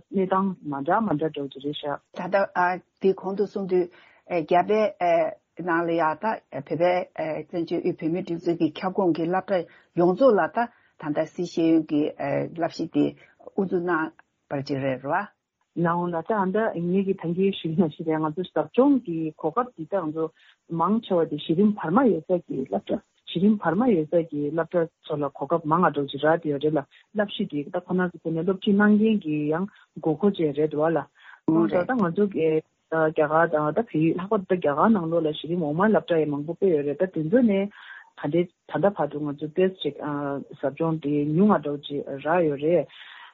གནས་སྟངས་མ་འདྲ་མ་འདྲ་འདྲ་བོ་ཅིག་རེད་ཤག་ད་ལྟ་ཨ་དེ་གོང་དུ་གསུངས་དུས་ཨ་རྒྱ་བལ་ཨ་ནང་ལ་ཡ་ད་བོད་པའི་ཨ་བཙན་བྱོལ་དབུས་བོད་མིའི་སྒྲིག་འཛུགས་ཀྱི་ཁྱབ་ཁོངས་ཀྱི་སློབ་གྲྭ་ཡོངས་རྫོགས་ལ་ད་ད་ལྟ་སྲིད་ཤེས་ཡོན་གྱི་ཨ་བསླབ་གཞི་དེ་དབུ་འཛུགས་གནང་བར་ཅིག་རེད་རེད་བ། ལའང་ལ་ད་ཨ་ད་ངེད་ཀྱི་ད་གིན་ཞུས་ན་ཞིག་རེད། ང་ཚོ་ཟབ་སྦྱོང་གི་གོ་སྐབས་འདི་ད་ང་ཚོ་མང་ཆེ་བ་དེ་གཞི་རིམ་བར་མ་ཡོད་ས་གི་སློབ་གྲྭ། གཞི་རིམ་བར་མ་ཡོད་ས་གི་སློབ་གྲྭ་ཚོ་ལ་གོ་སྐབས་མང་ང་འགྲོ་ཅིག་རག་དེ་ཡོད་རེད་ལ། བསླབ་གཞི་དེ་ད་ཁོ་ན་ཚོ་ཁོ་ནས་སློབ་ཁྲིད་གནང་མཁན་གྱི་ཡང་དགོས་མཁོ་ཅན་རེད་འདུག་བ་ལ། ཨོ་སོང་ཙང་རེད། ད་ང་ཚོ་གི་ད་རྒྱ་གར་དང་ད་བལ་ཡུལ། ལྷག་པར་དུ་ད་རྒྱ་གར་ནང་ལོགས་ལ་གཞི་རིམ་འོག་མའི་སློབ་གྲྭ་ཡང་མང་པོ་སྤེལ་ཡོད་རེད། ད་དེ་ཚོ་ནས་ད་ལྟའི་ད་ལྟ་བར་དུ་ང་ཚོ་ཏོག་ཙམ་ཅིག་ཨ་ཟབ་སྦྱོང་དེ་ཉུང་ང་འདྲ་བོ་ཅིག་རག་ཡོད་རེད།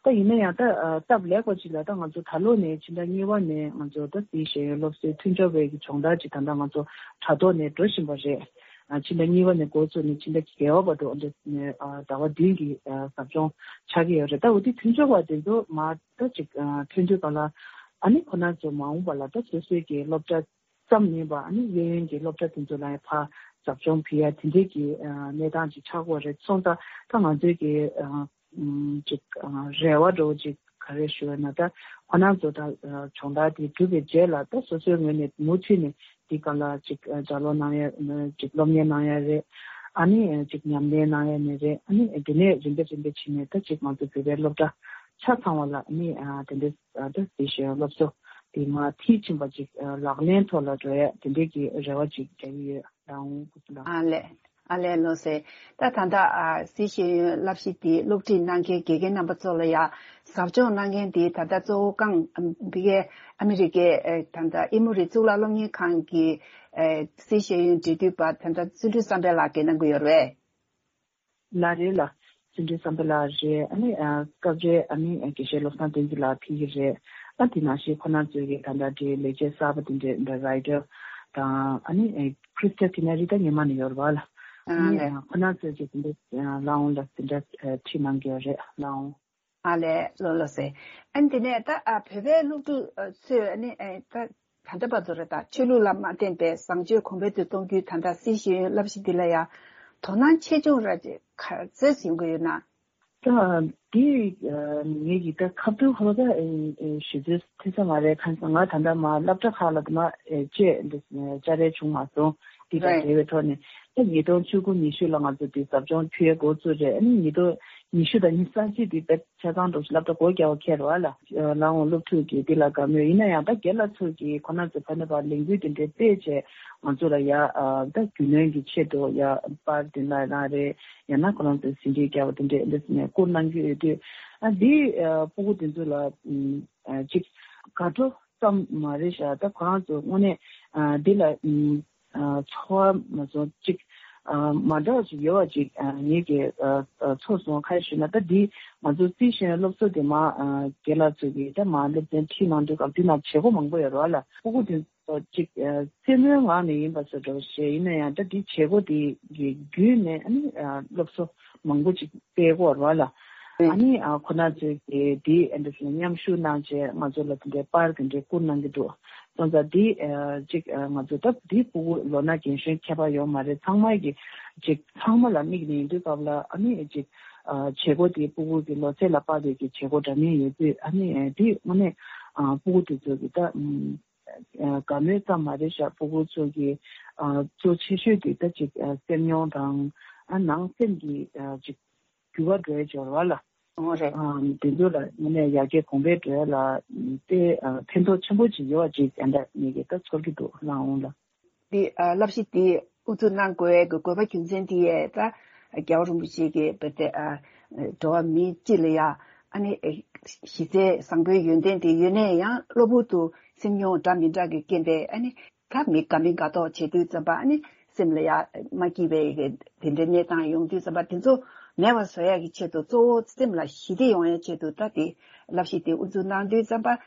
ད་ཡིན་ན་ཡང་ད་ཨ་སྟབས་ལེགས་པ་ཅིག་ལ་ད་ང་ཚོ་ད་ལོ་ནས་ཕྱི་ཟླ་གཉིས་པ་ནས་ང་ཚོ་ད་སྲིད་ཤེས་ཡོན་སློབ་གསོའི་མཐུན་སྦྱོར་བའི་གི་སྦྱོང་བརྡར་ཅིག་ད་ལྟ་ང་ཚོ་དྲ་ཐོག་ནས་འགྲོ་བཞིན་པ་རེད། ཨ་ཕྱི་ཟླ་གཉིས་པ་ནས་འགོ་བཙུགས་ནས་ཕྱི་ཟླ་བརྒྱད་པ་བར་དུ་འདི་ནས་ཨ་ཟླ་བ་བདུན་གྱི་ཨ་ཟབ་སྦྱོང་ཆགས་ཀྱི་ཡོད་རེད། ད་འོ་དེ་མཐུན་སྦྱོར་བ་དེ་ཚོ་མར་ད་ཅིག་ཨ་ཐོན་དུས་ག་ལ། ཨ་ནི་ཁོ་ན་ཚོ་མ་འོངས་པ་ལ་ད་སོ་སོའི་གི་སློབ་གྲྭ་ཙམ་མིན་པ་ཨ་ནི་གཡས་གཡོན་གྱི་སློབ་གྲྭ་དེ་ཚོ་ལ་ཡང་ཕར་ཟབ་སྦྱོང་ཕུལ་ཡ་དེ་འདྲའི་གི་ཨ་གནས་སྟངས་ཅིག་ཆགས་ཀྱི་ཡོད་རེད། སོང་ཙང་ད་ང་ཚོའི་གི་ཨ་ཨམ་ཅིག་ཨ་རེ་བ་འདྲ་བོ་ཅིག་ག་རེ་ཞུ་བ་ན། ད་ཁོ་ན་ཚོ་ད་ཨ་སྦྱོང་བརྡར་དེ་གྲུབ་པའི་རྗེས་ལ་ད་སོ་སོའི་ངོས་ནས་མུ་མཐུད་ནས་འདི་ག་ལ་ཅིག་ཨ་ལྗགས་ཀློག་གནང་ཡ་ཅིག་སློབ་གཉེར་གནང་ཡ་རེད། ཨ་ནི་ཅིག་ཉམས་ལེན་གནང་ཡ་ནི་རེད། ཨ་ནི་དེ་ནས་རིམ་པས་རིམ་པས་ཕྱིན་ནས་ད་ཅིག་ང་ཚོ་བོད་པའི་སློབ་གྲྭ་ཆ་ཚང་བ་ལ་ཨ་ནི་ཨ་དེ་འདྲའི་ཨ་ད་སྲིད་ཤེས་ཡོན་སློབ་གསོ་དེ་མར་མཐིལ་ཕྱིན་པ་ཅིག་ཨ་ལག་ལེན་ཐོག་ལ་འགྲོ་ཡ་དེ་འདྲའི་གི་རེ་བ་ཅིག་རྒྱག་གི་ཡོད། ལའང་སྐུ་ཚེ་ལ། ཨ་ལས། ཨ་ལས་ལགས་སེ། ད་ད་ལྟ་ཨ་སྲིད་ཤེས་ཡོན་བསླབ་གཞི་དེ་སློབ་ཁྲིད་གནང་མཁན་དགེ་རྒན་རྣམ་པ་ཚོ་ལ་ཡ་ཟབ་སྦྱོང་གནང་མཁན་དེ་ད་ལྟ་གཙོ་བོ་རྐང་འདི་གའི་ཨ་མི་རི་ཀའི་ཨེ་ད་ལྟ་ཨེ་མོ་རི་གཙུག་ལག་སློབ་གཉེར་ཁང་གི་ཨེ་སྲིད་ཤེས་ཡོན་འབྲེལ་མཐུད་པ་ད་ལྟ་བརྩོན་འགྲུས་བསམ་འཕེལ་ལགས་ཀྱིས་གནང་གི་ཡོད་རེད། ལགས་རེད་ལ། བརྩོན་འགྲུས་བསམ་འཕེལ་ལགས་རེད། ཨ་ནི་ཨ་སྐབས་རེ་ཨ་ནི་དགེ་བཤེས་བློ་བཟང་བསྟན་འཛིན་ལགས་ཕེབས་ཀྱི་རེད། ཨ་དེ་ནང་བཞིན་ཁོ་རང་ཚོའི་གི་ད་ལྟ་འདྲའི་ལས་བྱེད་གསར་པ་དེ་འདྲའི་ད་རའི་ཊར་དང་། ཨ་ནི་ཨེ་ཁྲི་སྟ་ཏི་ན་རི་ད་ཉི་མ་ནས་ཡོད་རེད་བ་ལ། ཨ་ཨ་ནི་ལས། ཨ་ཁོ་རང་ཚོའི་གི་དེ་འདྲ་ཨ་ལའང་ལ་དེ་འདྲ་ཨ་ཁྲིད་གནང་གི་ཡོད་རེད་ལའང་། ཨ་ལས་ལགས་ལགས་སེ། ཨ་ནི་དེ་ནས་ད་ཨ་བོད་པའི་སློབ་ཕྲུག་ཨ་ཚོས་ཨ་ནི་ཨེ་ད་ད་ལྟ་བར་དུ་རེད། ད་ཆོས་ལུགས་ལ་མ་བརྟེན་པའི་བཟང་སྤྱོད་གོང་འཕེལ་དུ་གཏོང་རྒྱུའི་ད་ལྟ་སྲིད་ཤེས་ཡོན་བསླབ་གཞི་འདི་ལ་ཡང་དོ་སྣང་ཆེ་ཆུང་ར་ཅིག་ག་ཚོད་ཡོང་གི་ཡོད་ན། ད་འདི་ཨ་ངེད་ཀྱི་ད་ཁ་ཐུག་ཧོ་ད་ཨེ་ཨེ་ཞུ་རྒྱུ་ཐུབ་ས་མ་རེད། གང་ཟེར་ང་ད་ལྟ་མ་སློབ་གྲྭ་ཁག་ལ་དུ་མ་ཨེ་བཅས་འདི་བཅར་རེ་བྱུང་མ་སོང་། འདི་དང་རེད། འབྲེལ་བའི་ཐོག་ནས་ད་ཉིས་སྟོང་བཅུ་དགུ་ཉི་ཤུ་ལ་ང་ཚོ་འདི་ཟབ་སྦྱོང་ཕུལ་ཡས་འགོ་བཙུགས་རེད། ཨ་ནི་ཉིས་སྟོང་ ཉི་ཤུ་དང་ཉི་ཤུ་རྩ་གཅིག་དེ་དཔེ་ཆ་ཚང་འགྲོ་ཞིག་སློབ་གྲྭ་སྒོ་རྒྱག་པ་ཁེལ་བ་ལ། ལའང་སློབ་ཕྲུག་གིས་འདི་ལ་དགའ་མོས་ཡིན་ན་ཡང་ད་རྒན་ལགས་ཚོ་གིས་ཁོ་ན་ཚོ་ཕ་ནས་ཕར་ལས་འགུལ་དེ་འདྲའི་སྤེལ་བྱས་ང་ཚོ་ལ་ཡ་ད་རྒྱུས་ལོན་གྱི་ཆེད་དུ་ཡ་པར་དེ་འདྲ་རང་རེད། ཡང་ན་ཁོ་རང་ཚོས་ཟིན་བྲིས་རྒྱག་པ་དེ་འདྲས་འདི་ནས་བསྐུར་གནང་གི་ཡོད་དུས། ཨ་འདི་ཕྲུ་གུ་དེ་ཚོ་ལ་ཅིག་དགའ་སྤྲོ་ཙམ་མ་རེད་ཤག་ད་ཁོ་རང་ཚོ་དངོས་གནས་འདི་ལ་ཚོར་བ་མ་སོང་ཅིག་མ་འདྲ་བ་ཅིག་ཡོད་པ་ཅིག་ངེད་ཀྱིས་ཚོར་སོང་། ག་རེ་ཞུ་ན་ད་འདི་ང་ཚོ་རྩིས་ཞན་སློབ་གསོ་དེ་མ་རྒན་ལགས་ཚོ་གིས་ད་མ་སློབ་ཚན་ཁྲིད་གནང་དུས་སྐབས་འདི་ནང་བྱེད་སྒོ་མང་པོ་ཡོད་རེད་བ་ལ། ཕྲུ་གུ་དེ་ཚོ་ཅིག་རྩེད་མོའི་ངང་ནས་ཡིན་པ་བཟོ་འདྲ་བོ་ཞིག་ཡིན་ན་ཡང་ད་འདི་བྱེད་སྒོ་དེ་གི་བརྒྱུད་ནས་ཨ་ནི་སློབ་གསོ་མང་པོ་ཅིག་སྤེལ་དགོས་རེད་བ་ལ། ཨ་ནི་ཁོ་ན་ཚོས་དེ་དེ་ཨ་འདྲ་ཞིག་མཉམ་ཞུགས་གནང་བྱས་ང་ཚོ་ལ་དེ་འདྲའི་པར་དེ་འདྲའི་བསྐུར་གནང་གི་འདུག་སོང་ཙང་དེ་ཅིག་ང་ཚོ་ད་དེ་ཕྲུ་གུ་ལོ་ན་རྒན་གཞོན་ཁྱད་པར་ཡོད་མ་རེད། ཚང་མ་གི་ཅིག་ཚང་མ་ལ་དམིགས་ནས་ཡིན་དུས་སྐབས་ལ་ཨ་ནི་ཅིག་བྱེད་སྒོ་དེ་ཕྲུ་གུ་གི་ལོ་ཚད་ལ་དཔག་པའི་གི་བྱེད་སྒོ་འདྲ་མིན་ཡོད་དུས་ཨ་ནི་དེ་དངོས་གནས་ཕྲུ་གུ་དེ་ཚོ་གི་ད། དགའ་མོས་ཙམ་མ་རེད་ཤག་ཕྲུ་གུ་ཚོ་གི་གཙོ་ཆེ་ཤོས་དེ་ད་ཅིག་སེམས་མྱོང་དང་ནང་སེམས་ཀྱི་ཅིག་འགྱུར་བ་འགྲོ་ཡ་འབྱོར་བ་ལ། འོ་རེད། དེ་ཚོ་ལ་དངོས་གནས་ཡར་རྒྱས་གོང་འཕེལ་འགྲོ་ཡ་ལ་དེ་ཕན་ཐོགས་ཆེན་པོ་ཅིག་ཡོད་པ་ཅིག་ད་ལྟ་ངེད་ཀྱིས་ད་ཚོར་གྱི་འདུག་ལགས་འོང་ལ། འདི་ཨ་བསླབ་གཞི་འདི་དབུ་འཛུགས་གནང་དགོས་ཀྱི་དགོས་པ་རྒྱུ་མཚན་འདི་ཡས་ད་རྒྱལ་བ་རིན་པོ་ཆེ་གིས་བོད་དེ་ཨ་འགྲོ་བ་མི་སྤྱི་ལ་ཡ་ཨ་ནི་གཞི་རྩའི་བཟང་པོའི་ཡོན་ཏན་དེ་ཡོད་ནའི་ཡང་གློ་བུར་དུ་སེམས་མྱོང་འདྲ་མི་འདྲ་གི་རྐྱེན་པས་ཨ་ནི་ད་མི་དགའ་མི་དགའ་མདོག་བྱེད་དུས་ཙམ་པ་ཨ་ནི་སེམས་ལ་ཡ་མ་སྐྱིད་པའི་གི་དེ་འདྲའི་གནས་སྟངས་ཡོང་དུས་ཙམ་པ་དེ་ཚོ་མེད་པ་བཟོ་ཡ་གི་ཆེད་དུ་གཙོ་བོ་སེམས་ལ་ཞི་བདེ་ཡོང་ཡ་ཆེད་དུ་ད་དེ་བསླབ་གཞི་དེ་དབུ་འཛུགས་གནང་དུས་ཙམ་པ།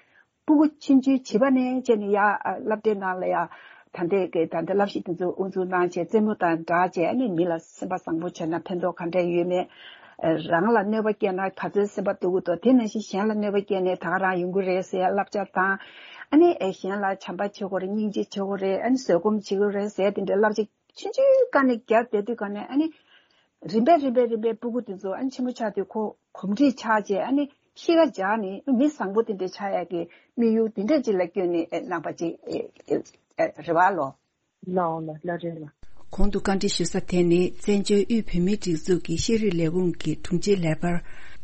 ཕྲུ་གུ་ཆུང་ཆུང་བྱིས་པ་ནས་བྱས་ནས་ཡ་སློབ་གྲྭའི་ནང་ལ་ཡ་ད་ལྟའི་གི་ད་ལྟ་བསླབ་གཞི་དེ་ཚོ་དབུ་འཛུགས་གནང་བྱས་རྩེད་མོ་དང་སྦྲགས་བྱས་ཨ་ནི་མི་ལ་སེམས་པ་བཟང་པོ་བྱས་ན་ཕན་ཐོགས་ག་འདྲ་ཡོད་མེད། རང་ལ་གནོད་པ་སྐྱེལ་ན་ག་ཚོད་སེམས་པ་སྡུག་གི་འདུག་དེ་ནང་བཞིན་གཞན་ལ་གནོད་པ་སྐྱེལ་ནས་ད་ག་རང་ཡོང་གི་རེད་ཟེར་ཡ་བསླབ་བྱ་དང་། ཨ་ནི་གཞན་ལ་བྱམས་པ་བྱེད་དགོས་རེད། སྙིང་རྗེ་བྱེད་དགོས་རེད། ཨ་ནི་བཟོད་སྒོམ་བྱེད་དགོས་རེད་ཟེར་ཡ་དེ་འདྲའི་བསླབ་བྱ་ཆུང་ཆུང་སྒང་ནས་བརྒྱབ་བསྡད་དུས་སྒང་ནས་ཨ་ནི། རིམ་པས་རིམ་པས་རིམ་པས་ཕྲུ་གུ་དེ་ཚོ་ཨ་ནི་ཆེན་པོ་ཆགས་དུས་ཁོ་གོམས་འདྲིས་ཆགས་རྗེས་ཨ་ནི་གཤིས་ཀ་འཇགས་ནས་མི་བཟང་པོ་དེ་འདྲ་ཆགས་ཡག་གི་དམིགས་ཡུལ་དེ་འདྲ་ཅིག་ལ་བསྐྱོན་ནས་གནང་པ་ཅིག་རེད་བ་ལོ། ལའོ་ལ་ལ་རེད་ལ། གོང་དུ་བཀའ་འདྲི་ཞུ་ས་དེ་ནི་བཙན་བྱོལ་དབུས་བོད་མིའི་སྒྲིག་འཛུགས་ཀྱི་ཤེས་རིག་ལས་ཁུངས་ཀྱི་དྲུང་ཆེ་ལས་འཕར་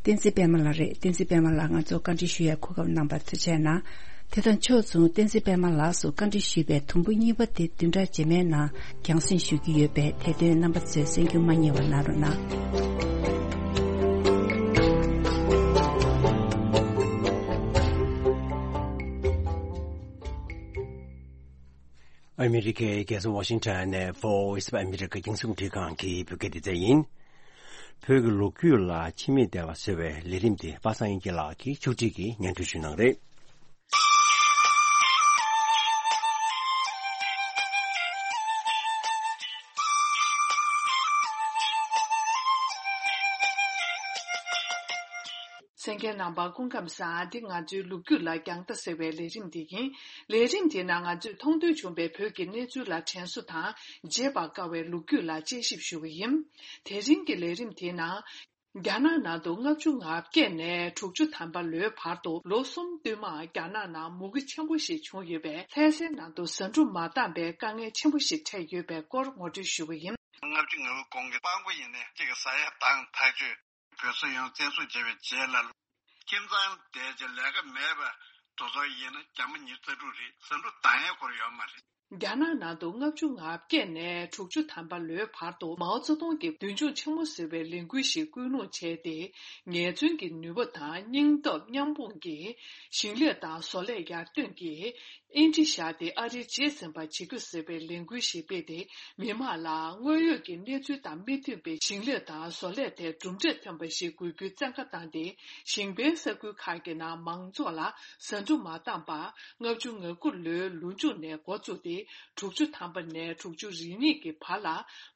བསྟན་འཛིན་པད་མ་ལགས་རེད། བསྟན་འཛིན་པད་མ་ལགས་ང་ཚོ་བཀའ་འདྲི་ཞུ་ཡ་གོ་སྐབས་གནང་བར་ཐུགས་རྗེ་གནང་། དེ་དང་ཕྱོགས་མཚུངས་བསྟན་འཛིན་པད་མ་ལགས་སུ་བཀའ་འདྲི་ཞུས་པའི་དུམ་བུ་གཉིས་པ་དེ་བདུན་ཕྲག་རྗེས་མའི་ནང་རྒྱང་སྲིང་ཞུ་རྒྱུ་ཡོད་པས་དེ་དོན་རྣམ་པ་ཚོས་གསན་རྒྱུ་མ་བསྙེལ་བ་གནང་རོགས་གནང་། ཨ་མི་རི་ཀའི་རྒྱལ་ས་ཝ་ཤིང་ཊོན་ནས་Voice of America་རྒྱང་སྲིང་རླུང་འཕྲིན་ཁང་གི་བོད་སྐད་སྡེ་ཚན་ཡིན། བོད་ཀྱི་ལོ་རྒྱུས་ལ་ཕྱི་མིག་བལྟ་བ་ཟེར་བའི་ལས་རིམ་དེ་པ་སངས་དབྱངས་སྐྱིད་ལགས་ཀྱིས་ཕྱོགས་སྒྲིག་གིས་སྙན་སྒྲོན་ཞུ་གནང་རེད། གསན་མཁན་རྣམ་པ་སྐུ་ཁམས་བཟང་། འདི་ང་ཚོའི་ལོ་རྒྱུས་ལ་རྒྱང་ལྟ་ཟེར་བའི་ལས་རིམ་འདི་ཡིན། ལས་རིམ་འདིའི་ནང་ང་ཚོས་མཐོང་ཐོས་བྱུང་བའི་བོད་ཀྱི་གནས་ཚུལ་ལ་དྲན་གསོ་དང་བརྗེད་པར་དཀའ་བའི་ལོ་རྒྱུས་ལ་དཔྱད་ཞིབ་ཞུ་གི་ཡིན། དེ་རིང་གི་ལས་རིམ་དེའི་ནང་། རྒྱ་ནག་ནང་དུ་ལྔ་བཅུ་ང་བརྒྱད་ནས་དྲུག་ཅུ་ཐམ་པ་ལོའི་བར་དུ་ལོ་གསུམ་བསྟུད་མར་རྒྱ་ནག་ནང་མུ་གེ་ཆེན་པོ་ཞིག་བྱུང་ཡོད་པས། ལྷ་སའི་ནང་དུ་ཟ་འབྲུ་མ་འདང་པའི་དཀའ་ངལ་ཆེན་པོ་ཞིག་འཕྲད་ཡོད་པའི་སྐོར་ངོ་སྤྲོད་ཞུ་གི་ཡིན། ལྔ་བཅུ་ང་དགུ་གོང་གི་དཔང་པོ་ཡིན་ནའི་གཅིག་གི་ཟ་ཡ་དང་ཐག་ཆོད། བོད་སོག་ཡོངས་བཙན་བཟུང་བྱས་པའི་རྗེས་ལ། ཁྱིམ་ཚང་དེ་ཚོ་ལས་ཀ་མེད་པ་དེ་ཚོ་ཡིན་ན་རྒྱ་མི་ཉི་ཤུ་རྩ་དྲུག་རེད། ཟ་འབྲུ་འདང་ཡས་སྐོར་ཡོད་མ་རེད། རྒྱ་ནག་ནང་དུ་ལྔ་བཅུ་ང་བརྒྱད་ནས་དྲུག་ཅུ་ཐམ་པ་ལོའི་བར་དུ་མའོ་ཙེ་ཏུང་གིས་མདུན་ལྗོངས་ཆེན་མོ་ཟེར་བའི་ལས་འགུལ་ཞིག་སྐུལ་སློང་བྱས་ཏེ། ངལ་རྩོལ་གྱི་ནུས་པ་དང་སྙིང་སྟོབས་མཉམ་སྤུངས་ཀྱིས་ཞིང་ལས་དང་བཟོ་ལས་ཡར་ཐོན་གྱིས། ཨིན་ཇི་བཞག་སྟེ་ཨ་རིའི་རྗེས་ཟིན་པ་བྱེད་རྒྱུ་ཟེར་བའི་ལས་འགུལ་ཞིག་སྤེལ་ཏེ། མི་མང་ལ་དངོས་ཡོད་ཀྱི་གནས་ཚུལ་དང་མི་མཐུན་པའི་ཞིང་ལས་དང་བཟོ་ལས་ཐད་གྲུབ་འབྲས་ཐོན་པ་ཞིག་དགོས་རྒྱུའི་བཙན་བཀའ་བཏང་སྟེ། ཞིང་པའི་ས་ཁུལ་ཁག་གི་ནང་མང་ཚོགས་ལ་ཟ་འབྲུ་མ་འདང་པར་ལྔ་བཅུ་ང་དགུ་ལོའི་ལོ་མཇུག་ནས་འགོ་བཙུགས་ཏེ། དྲུག་ཅུ་ཐམ་པ་ནས་དྲུག་ཅུ་རེ་གཉིས་ཀྱི་བར་ལ་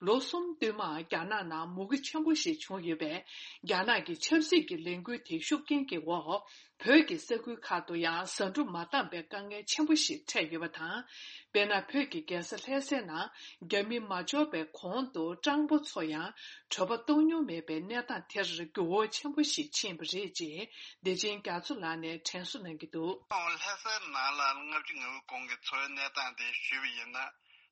ལོ་གསུམ་བསྟུད་མར་རྒྱ་ནག་ནང་མུ་གེ་ཆེན་པོ་ཞིག་བྱུང་ཡོད་པས། རྒྱ་ནག་གི་ཆབ་སྲིད་ཀྱི་ལས་འགུལ་དེའི་ཤུགས་རྐྱེན་གྱི་འོག་བོད་ཀྱི་ས་ཁུལ་ཁག་ཏུ་ཡང་ཟ་འབྲུ་མ་འདང་པའི་དཀའ་ངལ་ཆེན་པོ་ཞིག་འཕྲད་ཡོད་པ་དང་། དཔེར་ན། བོད་ཀྱི་རྒྱལ་ས་ལྷ་སའི་ནང་རྒྱ་མི་མ་འབྱོར་བའི་གོང་དུ་སྤྲང་པོ་ཚོ་ཡང་གྲོད་པ་ལྟོགས་མྱོང་མེད་པའི་གནས་སྟངས་དེར་འགྱུར་བ་ཆེན་པོ་ཞིག་ཕྱིན་པ་རེད་ཅེས་བདེ་ཆེན་རྒྱ་མཚོ་ལགས་ནས་དྲན་གསོ་གནང་གི་འདུག། ལྷ་སའི་ནང་ལ་ལྔ་བཅུ་ང་དགུ་གོང་གི་འཚོ་བའི་གནས་སྟངས་དེ་ཞུས་པ་ཡིན་ན།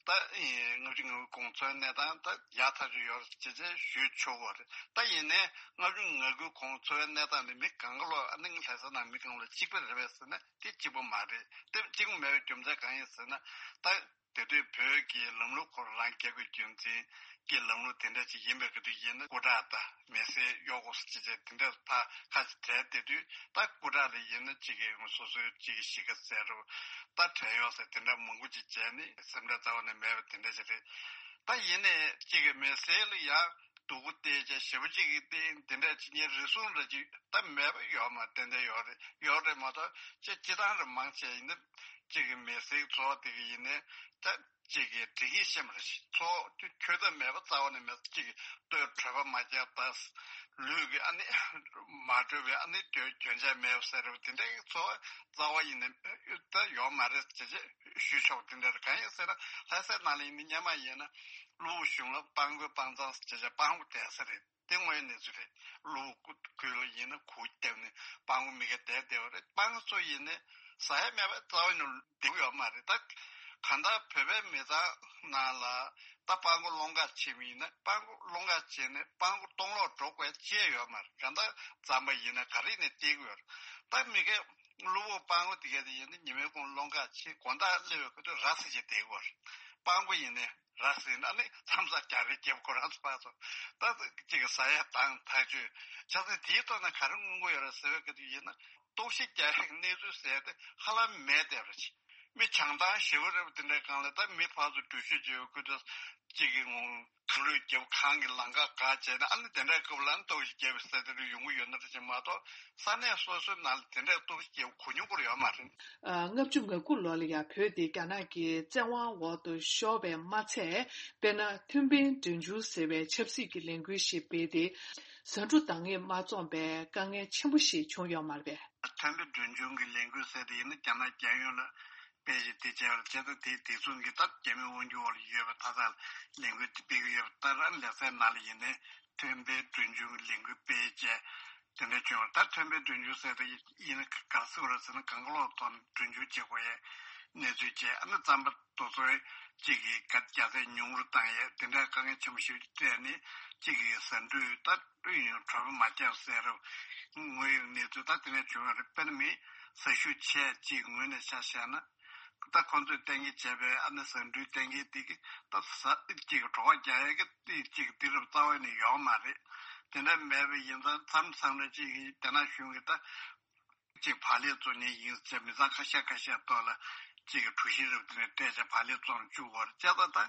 ད་ལྔ་བཅུ་ང་དགུའི་གོང་འཚོ་བའི་གནས་སྟངས་ད་ཡག་ཐག་ཆོད་ཡོད་རེད་ཅེས་ཅེས་ཞུ་ཆོག་གི་རེད། ད་ཡིན་ནའི་ལྔ་བཅུ་ང་དགུའི་གོང་འཚོ་བའི་གནས་སྟངས་དེ་མི་གང་ག་ལོ་ཨ་ནི་ལྷ་ས་ནང་མི་གང་ལོ་གཅིག་པ་རེད་པས་ཟེར་ན་དེ་གཅིག་པ་མ་རེད། དེ་གཅིག་པ་མེད་པའི་རྒྱུ་མཚན་གང་ཡིན་ཟེར་ན། ད་དེ་དུས་བོད་ཀྱི་ལམ་ལུགས་ཁོ་རང་རྒྱལ་ཁབ་རྒྱུན་འཛིན་གྱི་ལམ་ལུགས་དེ་འདྲ་ཅིག་ཡིན་པའི་སྐབས་དུ་ཡིན་ན་སྐུ་དྲག་དང་མི་སེར་གཡོག་པོ་ཟེར་ཅེས་དེ་འདྲ་ཕར་ཁ་ཅིག་བྲལ་བསྡད་དུས། ད་སྐུ་དྲག་ལ་ཡིན་ན་གཅིག་གི་སོ་སོའི་གཅིག་གི་གཞིས་ཀ་ཟེར་རོ། ད་བྲན་གཡོག་ཟེར་དེ་འདྲ་མང་པོ་ཅིག་བྱས་ནས་སེམས་ཁྲལ་རྩ་བ་ནས་མེད་པ་དེ་འདྲ་ཞིག་རེད། ད་ཡིན་ནའི་གཅིག་གི་མི་སེར་ལ་ཡང་སྡུག་པོ་སྟེར་བྱས་ཞེ་པོ་གཅིག་གི་སྟེང་དེ་འདྲ་ཅིག་ཉེ་རེ་ཟུང་རེ་ཅིག་ད་མེད་པ་ཡོད་མ་རེད། ཏན་ཏན་ཡོད་རེད། ཡོད་རེད་མ་གཏོགས་ཅིག་སྤྱི་བཏང་རེ་མང་ཆེ་ཡིན་ན་གཅིག་གི་མི་སེར་ཚོ་དེ་གི་ཡིན་ནའི་ད། གཅིག་གིས་དྲི་གིས་ཤེས་མ་རེད། ཚོགས་ཁྱོད་ཚོ་མེད་པ་རྩ་བ་ནས་མེད། གཅིག་གིས་ལྟོས་གྲོད་པ་མ་བཀྱག་པ། ལུས་ཀྱི་ཨ་ནི་མ་གྲོལ་བའི་ཨ་ནི་སྐྱོན་སྐྱོན་ཆ་མེད་པ་ཟེར་བ་དེ་འདྲའི་ཚོགས་རྩ་བ་ཡིན་ནས་ད་ཡོད་མ་རེད་ཅེས་ཞུ་ཆོག་དེ་འདྲ་རེད། གང་ཡིན་ཟེར་ན་ལྷ་སའི་ནང་ལ་ཡིན་ན་སྔོན་མ་ཡིན་ན་གློ་བུར་གཞུང་ལ་སྤྲང་པོའི་སྤྲང་ཚང་ཟེར་བྱས་སྤྲང་པོ་བསྡད་ས་རེད། དེ་དངོས་ཡོད་གནས་ཚུལ་རེད། གློ་བུར་ཁུལ་ལ་ཡིན་ན་གུར་བརྒྱབ་ནས་སྤྲང་པོ་མི་སྒེར་བསྡད་བསྡད་པ་རེད། སྤྲང་པོ་ཚོ་ཡིན་ནས་ཟ་ཡ་མེད་པ་རྩ་བ་ནས་བསྡད་ཡོད་མ་རེད། ད་གང་ལྟར་བོད་པའི་མི་ཚང་ནང་ལ་ད་སྤྲང་པོ་སློང་ག་ཕྱིན་པ་ཡིན་ན་སྤྲང་པོ་སློང་ག་ཕྱིན་ནས་སྤྲང་པོ་སྟོང་ལོག་འགྲོ་དགོས་ཅེས་ཡོད་མ་རེད། གང་ལྟར་རྩམ་པ་ཡིན་ན་ག་རེ་ནས་སྟེར་གི་ཡོད་རེད། ད་མི་སྒེར་གློ་བུར་སྤྲང་པོ་དེ་ག་དེ་ཡིན་ན་ཉི་མའི་གུང་སློང་ག་ཕྱིན་དགོང་དག་སླེབས་པའི་ཁ་ཐུག་ར་བཟི་བྱས་བསྡད་ཀྱི་ཡོད་རེད། སྤྲང་པོ་ཡིན་ནས། ར་ཟིན་ཨ་ནི་མཚམས་སར་རྒྱག་རེས་རྒྱབ་ཁོ་རང་ཚོ་ཕར་ཚོ་ད་གཅིག་གི་ཟ་ཡ་དང་ཐག་ཆོད་ཆ་ཚང་དེའི་ཐོག་ནས་ག་རེ་མངོན་གྱི་ཡོད་རེད་ཟེར་བའི་སྐབས་དུ་ཡིན་ན་གཏོར་བཤིག་རྒྱག་ཡག་གི་གནས་ཚུལ་ཟེར་ཏེ་ཧ་ལམ་མེད་བསྡད་པ་རེད། མི་བྱང་ཐང་ཞེ་པོ་རེད་པ། དེ་འདྲའི་སྒང་ལ་ད་མི་ཕར་ཚུར་འགྲུལ་བཞུད་བྱེད་པའི་སྐབས་དུ་གཅིག་གི་ངོ་གངས་ལུད་རྒྱབ་གངས་ཀྱི་ལམ་ཁ་བཀག་བྱས་ནས་ཨ་ནི་དེ་འདྲའི་སྐབས་ལ་གཏོར་བཤིག་རྒྱབ་པའི་ཟེར་དེ་འདྲ་ཡོང་གི་ཡོད་ན་རེད་ཅེས་མ་གཏོགས། ས་གནས་སོ་སོའི་ནང་ལ་དེ་འདྲའི་གཏོར་བཤིག་གོ་མྱོང་སྐོར་ཡོད་མ་རེད། ལྔ་བཅུ་ང་དགུ་ལོ་ལ་ཡང་བོད་དེ་རྒྱ་ནག་གི་བཙན་དབང་འོག་ཏུ་ཤོར་བས་མ་ཚད། དཔེར་ན་ཐོན་འཕེལ་འབྲིང་ཆུང་ཟེར་བའི་ཆབ་སྲིད་ཀྱི་ལས་འགུལ་ཞིག་སྤེལ་ཏེ། ཟ་འབྲུ་འདང་ངེས་མ་བཙོངས་པའི་དཀའ་ངལ་ཆེན་པོ་ཞིག་བྱུང་ཡོད་མ་རེད་པས། ཐོན་འཕེལ་འབྲིང་ཆུང་གི་ལས་འགུལ་ཟེར་དེ་ཡིན་ན་རྒྱ་ནག་རྒྱལ་ཡོངས་ལ་སྤེལ་བཞིན་དེ་བྱས་པ་ལ་བྱས་ཙང་དེའི་དེ་མཚུངས་ཀྱི་ད་རྒྱ་མིའི་དབང་སྒྱུར་འོག་ལ་ཡོད་པ་ད་ལྟ་ལས་འགུལ་དེ་སྤེལ་གྱི་ཡོད་པ་ལྟར་ལེ་ཚན་ནང་ལ་ཡིན་ནའི་ཐོན་འཕེལ་འབྲིང་ཆུང་གི་ལས་འགུལ་སྤེལ་བྱས། དེ་འདྲ་བྱུང་བ་ད་ཐོན་པའི་གྲོན་ཆུང་ཟེར་དེ་ཡིན་ན་ག་རེ་ཟེར་བ་རེད་ཟེར་ན་གང་ག་ལོག་ཐོག་ནས་གྲོན་ཆུང་བྱེད་དགོས་ཡས་གནས་ཚུལ་བྱས། ཨ་ནི་རྩམ་པ་དེ་ཚོའི་གཅིག་གི་ག་རྒྱ་ཚད་ཉུང་རུ་བཏང་ཡས་དེ་འདྲ་དཀའ་ངལ་ཆེན་པོ་ཞིག་སྤྲད་ནས་གཅིག་གི་ཟ་འབྲུ་ད་ཡིན་གྲོད་པ་མ་བཀྱག་ཟེར་རུ་དངོས་ཡོད་གནས་ཚུལ་ད་དེ་འདྲ་བྱུང་བ་རེད། དཔེར་ན་མི་ཟ་ཤུགས་ཆེ་གཅིག་ངོས་ནས་ཆ་བཞག་ན། ད་ཁོང་ཚོས་གཏན་འཁེལ་བྱས་པའི་ཨ་ནི་ཟ་འབྲུའི་གཏན་འཁེལ་དེ་གི་ད་ཟ་གཅིག་གི་གྲོད་ཁོག་རྒྱག་ཡས་ཀྱི་དེ་གཅིག་གི་དུས་རབས་རྩ་བ་ནས་ཡོད་མ་རེད། དེ་འདྲ་མེད་པ་ཡིན་ཙང་མཚམས་མཚམས་ལ་གཅིག་གི་རྒྱ་ནག་གཞུང་གི་ད་གཅིག་བག་ལེབ་བཙོང་མཁན་ཡིན་ཟེར་མི་ཚང་ཁ་ཤས་ཁ་ཤས་ཐོག་ལ་གཅིག་གི་གྲུ་བཞི་རབ་དེ་ནས་སྤྲད་བྱས་བག་ལེབ་བཙོང་བཅུག་གོ་རེད་བྱས་ཙང་ད།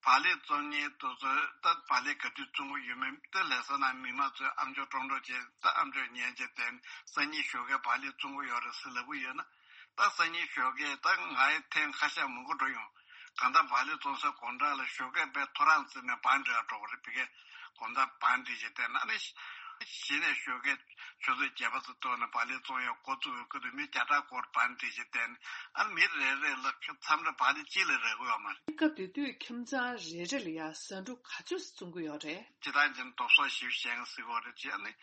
བག་ལེབ་བཙོང་མཁན་དེ་ཚོས་ད་བག་ལེབ་ག་དུས་བཙོང་གི་ཡོད་མེད་དེ་ལས་ས་ནང་མི་མང་ཚོས་ཨ་མཆོག་ཀྲོང་ཀྲོང་བྱས་ད་ཨ་མཆོག་ཉན་བྱས་དེ་སང་ཉིན་ཞོགས་ཀས་བག་ལེབ་བཙོང་གི་ཡོད་རེད་ཟེར་ལབ་གི་ཡོད་ན། ད་སང་ཉིན་ཞོགས་ཀས་ད་ང་ཡི་ཐེངས་ཁ་ཤས་མང་པོ་འགྲོ་ཡོང་། གང་ལྟར་བག་ལེབ་བཙོང་སའི་སྒོ་འགྲམ་ལ་ཞོགས་ཀས་དཔེ་ཐོ་རངས་བརྩིས་ནས་བང་སྒྲིག་འགྲོ་གི་རེད། ཕ་གིར་དགོང་དག་བང་སྒྲིག་བྱས་བསྡད་ན་ནི། གཞི་ནས་ཞོགས་ཀས་ཆུ་ཚོད་བརྒྱད་པ་ཙམ་ཐོག་ནས་བག་ལེབ་བཙོང་ཡག་འགོ་བཙུགས་པའི་སྐབས་དུ་མི་བརྒྱ་ཕྲག་སྐོར་བང་སྒྲིག་བྱས་བསྡད་ནས་ཨ་ནི་མི་རེ་རེ་ལ་མཚམས་རེ་བག་ལེབ་གཅིག་ལས་རག་གི་ཡོད་མ་རེད། སྐབས་དེ་དུས་ཁྱིམ་ཚང་རེ་རེ་ལ་ཡང་ཟ་འབྲུ་ག་ཚོད་བཙོང་གི་ཡོད་རེད། སྤྱིར་བཏང་བྱས་ན་ལྡོག་ཟོག་ཞེ་པོ་བཞེས་མཁན་ཟེར་གྱི་ཡོད་རེད་ཅེས་ཨ་ནི།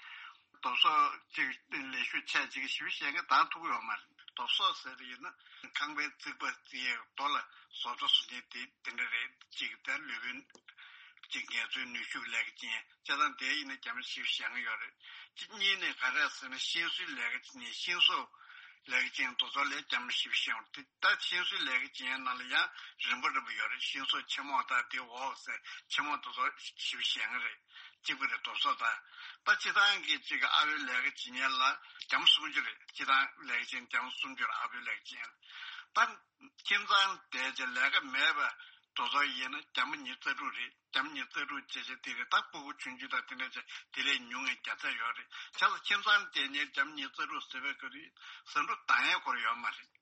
ལྡོག་ཟོག་ཅིག་ལས་ཤུགས་ཆེ་ཅིག་ཞེ་པོ་བཞེས་མཁན་བཏང་ཐུབ་ཀྱི་ཡོད་མ་རེད། ལྡོག་ཟོག་ཟེར་ཡིན་ན་ཁང་པའི་རྩིག་པ་རྩིག་ཡས་རྡོ་ལ་བཟོ་ལྟ་བཟོ་མཁན་དེ་དེ་འདྲ་རེད། ཅིག་དེ་ལུས་པོའི་ཅིག་ངལ་རྩོལ་ནུས་ཤུགས་ལས་ཀ་ཅན་བྱས་ཙང་དེ་ཡིན་ན་རྒྱ་མི་ཞེ་པོ་བཞེས་མཁན་ཡོད་རེད། གཅིག་གཉིས་ནས་ག་རེ་ཟེར་ན་ཤིང་བཟོའི་ལས་ཀ་ཅན་ཤིང་བཟོ་ལས་ཀ་ཅན་ལྡོག་ཟོག་ལས་རྒྱ་མི་ཞེ་པོ་བཞེས་ཡོད་རེད། ད་ཤིང་བཟོའི་ལས་ཀ་ཅན་ནང་ལ་ཡང་རིམ་པ་རིམ་པ་ཡོད་རེད། ཤིང་བཟོ་ཆེན་མོ་དང་དེ་འོག་ཟེར་ཆེན་མོ་ལྡོག་ཟོག་ཞེ་པོ་བཞེས་མཁན་རེད། གཅིག་པ་རེད། ལྡོག་ཟོག་དང་། ད་སྤྱིར་བཏང་གི་གཅིག་གི་ཨ་ཕའི་ལས་ཀ་བྱེད་མཁན་ལ་རྒྱ་མི་སུམ་ཅུ་རེད། སྤྱིར་བཏང་ལས་ཀ་བྱེད་མཁན་རྒྱ་མི་སུམ་ཅུ་རེད། ཨ་ཕའི་ལས་ཀ་བྱེད་མཁན་ལ། ད་ཁྱིམ་ཚང་བསྡད་བྱས་ལས་ཀ་མེད་པ་ལྡོག་ཟོག་ཡིན་ན་རྒྱ་མི་ཉི་ཤུ་རྩ་དྲུག་རེད། རྒྱ་མི་ཉི་ཤུ་རྩ་དྲུག་བྱས་བྱས་དེ་རེད། ད་སྤུ་གུ་ཆུང་ཆུང་དང་དེ་འདྲ་བྱས་དེ་ལས་ཉུང་བའི་བརྒྱ་ཆ་ཡོད་རེད། བྱས་ཙང་ཁྱིམ་ཚང་བསྡད་མཁན་རྒྱ་མི་ཉི་ཤུ་རྩ་དྲུག་ཟེར་བའི་སྐབས་དུས་ཟ་འབྲུ་འདང་ཡས་སྐོར་ཡོད་མ་རེད།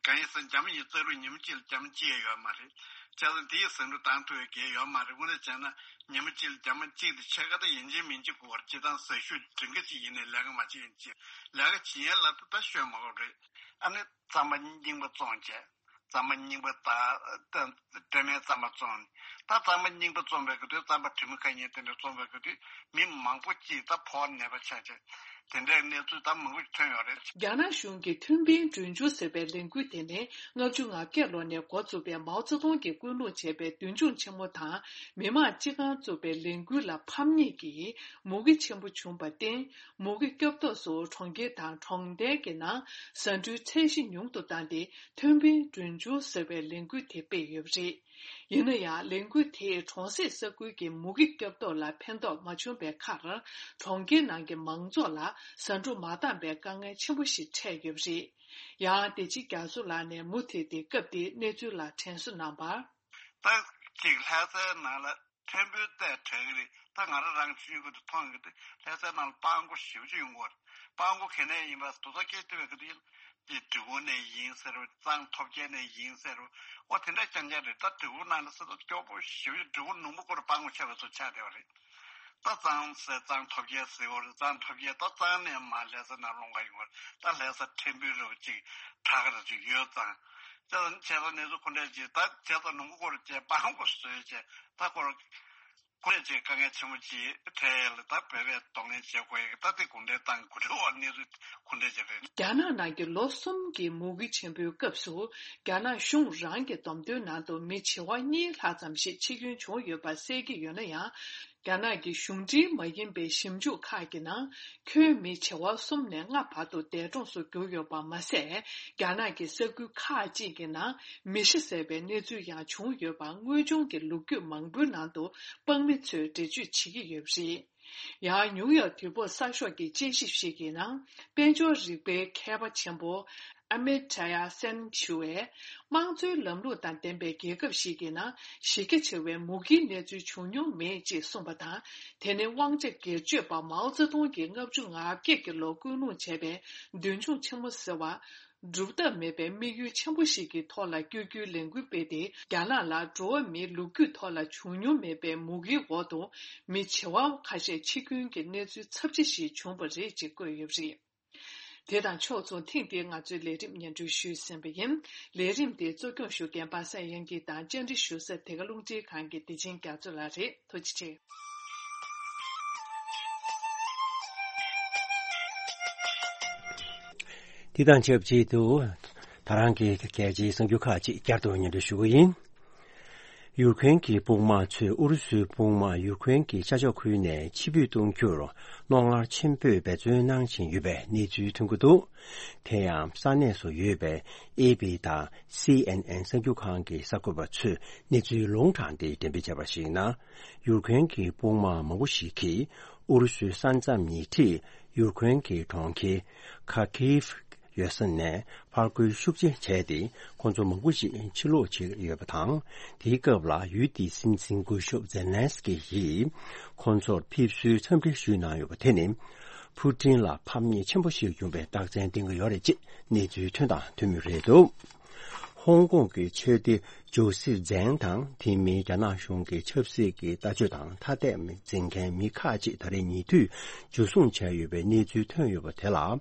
གང་ཡིན་ཟེར་ན་རྒྱ་མི་ཉི་ཤུ་རྩ་དྲུག་ཉི་མ་གཅིག་ལ་རྒྱ་མི་གཅིག་ཡང་ཡོད་མ་རེད། བྱས་ཙང་དེའི་ཟ་འབྲུ་འདང་ཐུབ་པའི་གེགས་ཡོད་མ་རེད། དངོས་གནས་བྱས་ན་ཉི་མ་གཅིག་ལ་རྒྱ་མི་གཅིག་དེ་ཕྱེད་ཀ་དང་ཡིན་གཅིག་མིན་གཅིག་དགོས་པར་སྤྱིར་བཏང་ཟ་ཤུགས་སྒྲིང་ག་ཅིག་ཡིན་ནའི་ལས་ཀ་མ་བྱེད་ཡིན་གཅིག་ལས་ཀ་བྱེད་ཡས་ལ་ད་ད་ཤོད་མ་དགོས་རེད། ཨ་ནི་རྩམ་པ་རྙིང་པ་བཙོང་བྱས། རྩམ་པ་རྙིང་པ་དང་སྤྲོ་མའི་རྩམ་པ་བཙོང་། ད་རྩམ་པ་རྙིང་པ་བཙོང་བའི་སྐབས་དུས་རྩམ་པ་དྲི་མ་ཁ་ཉིན་དེ་འདྲ་བཙོང་བའི་སྐབས་དུས་མི་མང་པོ་གཅིག་ད་ཕོ་བ་ནད་པ་ཆགས་བྱས། དེ་འདྲའི་གནས་ཚུལ་ད་མང་པོ་ཐོན་ཡོད་རེད། རྒྱ་ནག་གཞུང་གིས་ཐུན་བིན་གྲོས་མཇུག་ཟེར་བའི་ལས་འགུལ་དེ་ནི་ལྔ་བཅུ་ང་བརྒྱད་ལོ་ནས་འགོ་བཙུགས་པའི་མའོ་ཙེ་ཏུང་གིས་སྐུལ་སློང་བྱས་པའི་མདུན་ལྗོངས་ཆེན་མོ་དང་མི་དམངས་སྤྱི་ཁང་བཙུགས་པའི་ལས་འགུལ་ལ་ཕམ་ཉེས་ཀྱིས་མུ་གེ་ཆེན་པོ་བྱུང་བར་བརྟེན། མུ་གེ་སྐྱོབ་ཐབས་སུ་གྲོང་ཁྱེར་དང་གྲོང་རྡལ་གྱི་ནང་ཟ་འབྲུའི་ཚད་གཞི་ཉུང་དུ་བཏང་སྟེ། ཐུན་བིན་གྲོས་མཇུག་ཟེར་བའི་ལས་འགུལ་དེ་སྤེལ་ཡོད་པ་རེད། ཡིན་ན་ཡང་ལས་འགུལ་དེས་གྲོང་གསེབ་ས་ཁུལ་གྱི་མུ་གེ་སྐྱོབ་ཐབས་ལ་ཕན་ཐོགས་མ་བྱུང་བའི་ཁར། གྲོང་ཁྱེར་ནང་གི་མང་ཚོགས་ལ་ཟ་འབྲུ་མ་འདང་པའི་དཀའ་ངལ་ཆེན་པོ་ཞིག་འཕྲད་ཡོད་པ་རེད། ཡང་བདེ་ཆེན་རྒྱ་མཚོ་ལགས་ནས་མུ་མཐུད་དེ་སྐབས་དེའི་གནས་ཚུལ་ལ་དྲན་གསོ་གནང་བར། ད་ཅིག་ལྷ་སའི་ནང་ལ་ཕྲན་བུ་བལྟས་དྲན་གྱི་རེད། ད་ང་རང་རང་ཆུང་ཆུང་གི་དུས་མཐོང་གི་འདུག་ལྷ་སའི་ནང་ལ་སྤྲང་པོ་ཞེ་པོ་ཅིག་ཡོང་གི་ཡོད་རེད། སྤྲང་པོ་ག་ནས་ཡིན་པ་དུ་ཚོ་སྐད་བཏུས་པའི་གི་དུས་ཡིན། འདི་འབྲི་གུང་ནས་ཡིན་ཟེར་བ། གཙང་ཐོབ་རྒྱལ་ནས་ཡིན་ཟེར་བ། འོ་དེ་འདྲ་རྐྱང་རྐྱང་རེད། ད་འབྲི་གུང་ནང་ལ་ས་ད་སྐྱོ་པོ་ཞེ་པོ་ཅིག་འབྲི་གུང་ནུབ་མོ་སྐོར་སྤྲང་པོ་ཆགས་པའི་ཚོ་ཆགས་བསྡད་པ་རེད། ད་གཙང་ཟེར་གཙང་ཐོབ་རྒྱལ་ཟེར་བ་རེད། གཙང་ཐོབ་རྒྱལ་ད་གཙང་ནས་མར་ལྷ་ས་ནང་སློང་ག་ཡོང་བ་རེད། ད་ལྷ་ས་ཕྲན་བུ་རེ་བ་ཅིག་གྲགས་རེ་ཅིག་ཡོད་ཙང་། ད་བྱས་ཙང་གནས་ཚུལ་ཁོ་འདྲ་ཅིག་ད་བྱས་ཙང་ནུབ་མོ་སྐོར་བྱས་སྤྲང་པོ་བཟོས་བྱས་ད་ཁོ་ཁོ་རེ་ཅིག་དཀའ་ངལ་ཆེན་པོ་ཅིག་འཕྲད་ཡས་ལ་ད་བོད་པས་གདོང་ལེན་བྱེད་དགོས་ཡས་ད་དེ་གུང་ཁྲན་ཏང་གི་འགོ་ཁྲིད་འོག་གནས་ཚུལ་ཁོ་འདྲ་ཅིག་རེད། རྒྱ་ནག་ནང་གི་ལོ་གསུམ་གྱི་མུ་གེ་ཆེན་པོའི་སྐབས་སུ། རྒྱ་ནག་གཞུང་རང་གི་བསྡོམས་ཐོན་ནང་དུ་མི་བྱེ་བ་གཉིས་ལྷག་ཙམ་ཞིག་འཆི་སྐྱོན་བྱུང་ཡོད་པ་གསལ་གྱི་ཡོད་ན་ཡང་། རྒྱ་ནག་གི་གཞུང་འབྲེལ་མ་ཡིན་པའི་ཞིབ་འཇུག་ཁག་གི་ནང་། ཁྱོན་མི་བྱེ་བ་གསུམ་ནས་ལྔ་བར་དུ་འདས་གྲོངས་སུ་གྱུར་ཡོད་པ་མ་ཟད། རྒྱ་ནག་གི་ས་ཁུལ་ཁག་ཅིག་གི་ནང་མེ་ཤི་བསད་པའི་གནས་ཚུལ་ཡང་བྱུང་ཡོད་པ། དངོས་བྱུང་གི་ལོ་རྒྱུས་མང་པོའི་ནང་དུ་དཔང་མི་ཚོས་འགྲེལ་བརྗོད་བྱེད་ཀྱི་ཡོད་པ་རེད། ཡང་ནིའུ་ཡོག་དུས་བབ་གསར་ཤོག་གི་དཔྱད་ཞིབ་ཞིག་གི་ནང་། དཔལ་འབྱོར་རིག་པའི་མཁས་པ་ཆེན་པོ་ཨ་མི་ཏྲ་ཡ་སན་ཞུ་བས། དམངས་གཙོའི་ལམ་ལུགས་དང་ལྡན་པའི་རྒྱལ་ཁབ་ཞིག་གི་ནང་གཞི་རྒྱ་ཆེ་བའི་མུ་གེའི་གནས་ཚུལ་བྱུང་མྱོང་མེད་ཅེས་གསུངས་པ་དང་། དེ་ནི་དབང་ཆ་སྒེར་གཅོད་པ་མའོ་ཙེ་ཏུང་གིས་ལྔ་བཅུ་ང་བརྒྱད་ཀྱི་ལོར་སྐུལ་སློང་བྱས་པའི་མདུན་ལྗོངས་ཆེན་མོ་ཟེར་བ། སྒྲུབ་ཐབས་མེད་པའི་དམིགས་ཡུལ་ཆེན་པོ་ཞིག་གི་ཐོག་ལ་བསྐྱོད་རྒྱུའི་ལས་འགུལ་སྤེལ་ཏེ། རྒྱ་ནག་ལ་འགྲོ་བ་མིའི་ལོ་རྒྱུས་ཐོག་ལ་བྱུང་མྱོང་མེད་པའི་མུ་གེའི་འོག་ཏུ་མི་བྱེ་བ་ཁ་ཤས་འཆི་སྐྱོན་གྱི་གནས་ཚུལ་ཚབས་ཆེ་ཞིག་བྱུང་བ་རེད་ཅེས་བཀོད་ཡོད་པ་རེད། དེ་དང་ཕྱོགས་མཚུངས་ཐེངས་འདིའི་ང་ཚོའི་ལས་རིམ་སྙན་སྒྲོན་ཞུས་ཟིན་པ་ཡིན། ལས་རིམ་འདི་གཙོ་སྐྱོང་ཞུ་མཁན་པ་སངས་དབྱངས་སྐྱིད་དང་། བཅར་འདྲི་ཞུ་ས་དེ་ག་རླུང་འཕྲིན་ཁང་གི་བདེ་ཆེན་རྒྱ་མཚོ་ལགས་རེད། ཐུགས་རྗེ་ཆེ། དེ་དང་ཆབས་ཅིག་ཏུ། ད་རང་གི་རྒྱལ་སྤྱིའི་གསར་འགྱུར་ཁག་ཅིག་བསྐྱར་དུ་སྙན་སྒྲོན་ཞུ་གི་ཡིན། ཡུཀ་རེན་གྱི་དཔུང་དམག་ཚོས་ཨུ་རུ་སུའི་དཔུང་དམག་ཡུཀ་རེན་གྱི་ཤར་ཕྱོགས་ཁུལ་ནས་ཕྱིར་འབུད་གཏོང་རྒྱུར་རྣོ་ངར་ཆེན་པོས་འབད་བརྩོན་གནང་བཞིན་ཡོད་པའི་གནས་ཚུལ་ཐོན་གྱི་འདུག་དེ་ཡང་ས་གནས་སུ་ཡོད་པའི་ཨེ་པི་དང་སི་ཨེན་ཨེན་གསར་འགྱུར་ཁང་གི་གསར་འགོད་པ་ཚོས་གནས་ཚུལ་ལུང་དྲངས་ཏེ་འགྲེམས་སྤེལ་བྱས་པར་གཞིགས་ན། ཡུཀ་རེན་གྱི་དཔུང་དམག་མང་པོ་ཞིག་གིས་ཨུ་རུ་སུའི་ས་མཚམས་ཉེ་འཁྲིས་ཡུཀ་རེན་གྱི་གྲོང་ཁྱེར་ཁ་ཁིབ་ཡོད་ས་ནས་ཕར་རྒོལ་ཤུགས་ཆེ་བྱས་ཏེ། ཁོང་ཚོ་མང་པོ་ཞིག་ཕྱིར་ལོག་བྱེད་ཡོད་པ་དང་། དེའི་སྐབས་ལ་ཡུལ་དེའི་སྲིད་འཛིན་སྐུ་ཞབས་ཛེ་ལན་སི་ཀི་ཡིས་ཁོང་ཚོར་ཕེབས་བསུའི་འཚམས་འདྲི་ཞུས་གནང་ཡོད་པ་དེ་ནི། ཕུ་ཀྲིན་ལ་ཕམ་ཉེས་ཆེན་པོ་ཞིག་བྱུང་བའི་རྟགས་མཚན་བསྟན་གྱི་ཡོད་རེད་ཅེས་གནས་ཚུལ་ཐོན་དང་ཐོན་མུས་རེད་འདུག་ཧོང་ཀོང་གི་ཆོས་སྡེ་ཇོ་སི་ཛན་དང་། དེ་མིན་རྒྱ་ནག་གཞུང་གི་ཆབ་སྲིད་ཀྱི་ལྟ་སྤྱོད་དང་ཐ་དད་འཛིན་མཁན་མི་ཁག་ཅིག་ད་རེས་ཉེ་དུས་འཇུ་བཟུང་བྱས་ཡོད་པའི་གནས་ཚུལ་ཐོན་ཡོད་པ་དེ་ལ།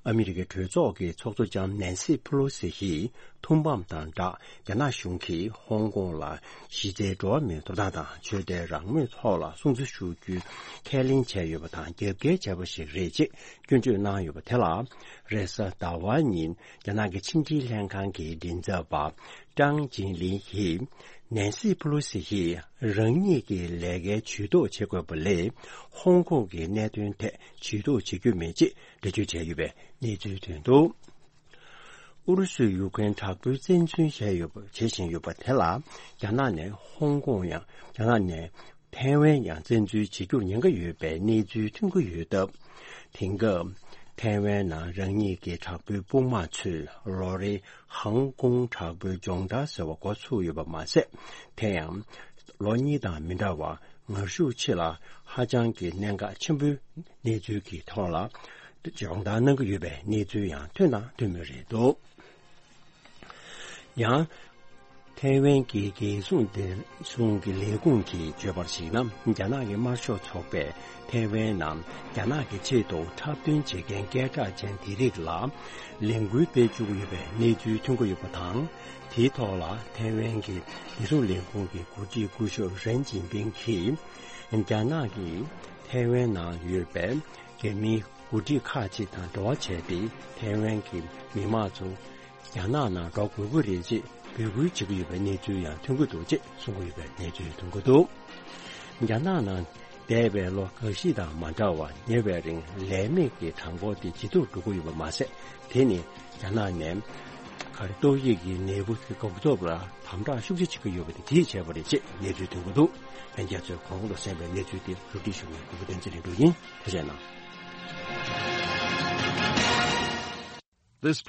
ཨ་མི་རི་ཀའི་གྲོས་ཚོགས་ཀྱི་ཚོགས་གཙོ་ལྕམ་ནན་སི་ཕུ་ལོ་སི་ཡིས། ཐུགས་ཕམ་དང་སྦྲགས། རྒྱ་ནག་གཞུང་གིས་ཧོང་ཀོང་ལ་གཞི་རྩའི་འགྲོ་བ་མིའི་ཐོབ་ཐང་དང་ཆོས་དད་རང་མོས་ཐོག་ལ་སྲུང་བརྩི་ཞུ་རྒྱུའི་ཁས་ལེན་བྱས་ཡོད་པ་དང་། རྒྱབ་འགལ་བྱས་པ་ཞིག་རེད་ཅེས་སྐྱོན་བརྗོད་གནང་ཡོད་པ་དེ་ལ། རེས་གཟའ་ཟླ་བ་ཉིན་རྒྱ་ནག་གི་ཕྱི་འབྲེལ་ལྷན་ཁང་གི་མགྲིན་ཚབ་པ་ཀྲང་ཅིན་ལིན་ཡིས། ནན་སི་ཕུ་ལོ་སི་ཡིས་རང་ཉིད་ཀྱི་ལས་ཀའི་ཇུས་གཏོགས་བྱེད་དགོས་པ་ལས། ཧོང་ཀོང་གི་གནད་དོན་ཐད་ཇུས་གཏོགས་བྱེད་རྒྱུ་མེད་ཅེས་འགྲེལ་བརྗོད་བྱས་ཡོད་པའི་གནས་ཚུལ་ཐོན་འདུག་ཨུ་རུ་སུས་ཡུཀ་རེན་དྲག་པོའི་བཙན་འཛུལ་བྱས་ཡོད་པ། བྱེད་བཞིན་ཡོད་པ་དེ་ལ། རྒྱ་ནག་ནས་ཧོང་ཀོང་ཡང་། རྒྱ་ནག་ནས་ཐའེ་ཝན་ཡང་བཙན་འཛུལ་བྱེད་རྒྱུར་ཉེན་ཁ་ཡོད་པའི་གནས་ཚུལ་ཐོན་གྱི་ཡོད་སྟབས། དེང་སྐབས་ཐའེ་ཝན་ནང་རང་ཉིད་ཀྱི་དྲག་པོའི་དཔུང་དམག་ཚོས་ལོ་རེའི་ཧང་ཀོང་དྲག་པོའི་སྦྱོང་བརྡར་ཟེར་བ་འགོ་ཚུགས་ཡོད་པ་མ་ཟད། དེ་ཡང་ལོ་གཉིས་དང་མི་འདྲ་བར་ངར་ཤུགས་ཆེ་ལ་ཧ་ཅང་གི་གནད་འགག་ཆེན་པོའི་གནས་ཚུལ་གྱི་ཐོག་ལ་སྦྱོང་བརྡར་གནང་གི་ཡོད་པའི་གནས་ཚུལ་ཡང་ཐོན་དང་ཐོན་མུས་རེད་འདུག་ཡང་། ཐའེ་ཝན་གྱི་རྒྱལ་སྲུང་བདེ་སྲུང་གི་ལས་ཁུངས་ཀྱིས་བརྗོད་པར་གཞིགས་ན། རྒྱ་ནག་གི་དམར་ཤོག་ཚོགས་པས་ཐའེ་ཝན་ནང་རྒྱ་ནག་གི་ཆེད་དུ་འཁྲབ་སྟོན་བྱེད་མཁན་སྐད་གྲགས་ཅན་དེ་རིགས་ལ་ལས་འགུལ་སྤེལ་བཅུག་གི་ཡོད་པའི་གནས་ཚུལ་ཐོན་གྱི་ཡོད་པ་དང་། དེའི་ཐོག་ལ་ཐའེ་ཝན་གྱི་རྒྱལ་སྲུང་ལས་ཁུངས་ཀྱི་འགོ་ཁྲིད་སྐུ་ཞབས་རེན་ཅིན་ཕིང་གིས། རྒྱ་ནག་གིས་ཐའེ་ཝན་ནང་ཡོད་པའི་རྒྱ་མིའི་ འགོ་ཁྲིད་ཁག་ཅིག་དང་འབྲེལ་བ་བྱས་ཏེ་ཐའེ་ཝན་གྱི་མི་མང་ཚོ་རྒྱ་ནག་ནང་འགྲོ་དགོས་ཀྱི་རེད་ཅེས་འབོད་སྐུལ་བྱེད་ཀྱི་ཡོད་པའི་གནས་ཚུལ་ཡང་ཐོན་གྱི་འདུག་ཅེས་གསུང་གི་ཡོད་པའི་གནས་ཚུལ་ཐོན་གྱི་འདུག་རྒྱ་ནག་ནང་འདས་པའི་ལོ་འགའ་ཤས་དང་མ་འདྲ་བར་ཉེ་བའི་རིང་ལས་མེད་ཀྱི་གྲངས་འབོར་དེ་ཇེ་མཐོར་འགྲོ་གི་ཡོད་པ་མ་ཟད། དེ་ནི་རྒྱ་ནག་ནས་ག་རེ་ཏོག་དབྱིབས་ཀྱི་ནད་འབུ་དེ་འགོག་ཐབས་ལ་དམ་དྲག་ཤུགས་ཆེ་བྱེད་ཀྱི་ཡོད་པ་དེ་དེས་བྱས་པ་རེད་ཅེས་གནས་ཚུལ་ཐོན་གྱི་འདུག་ལྷན་རྒྱས་ཚོས་གོང་དུ་གསན་པའི་གནས་ཚུལ་དེ་རུ་སྒྲིག་ཞུ་མཁན་གུ་གུ་བསྟན་འཛིན་ལས་འགྲོ་ཡིན། ཐུགས་རྗེ་གནང་། This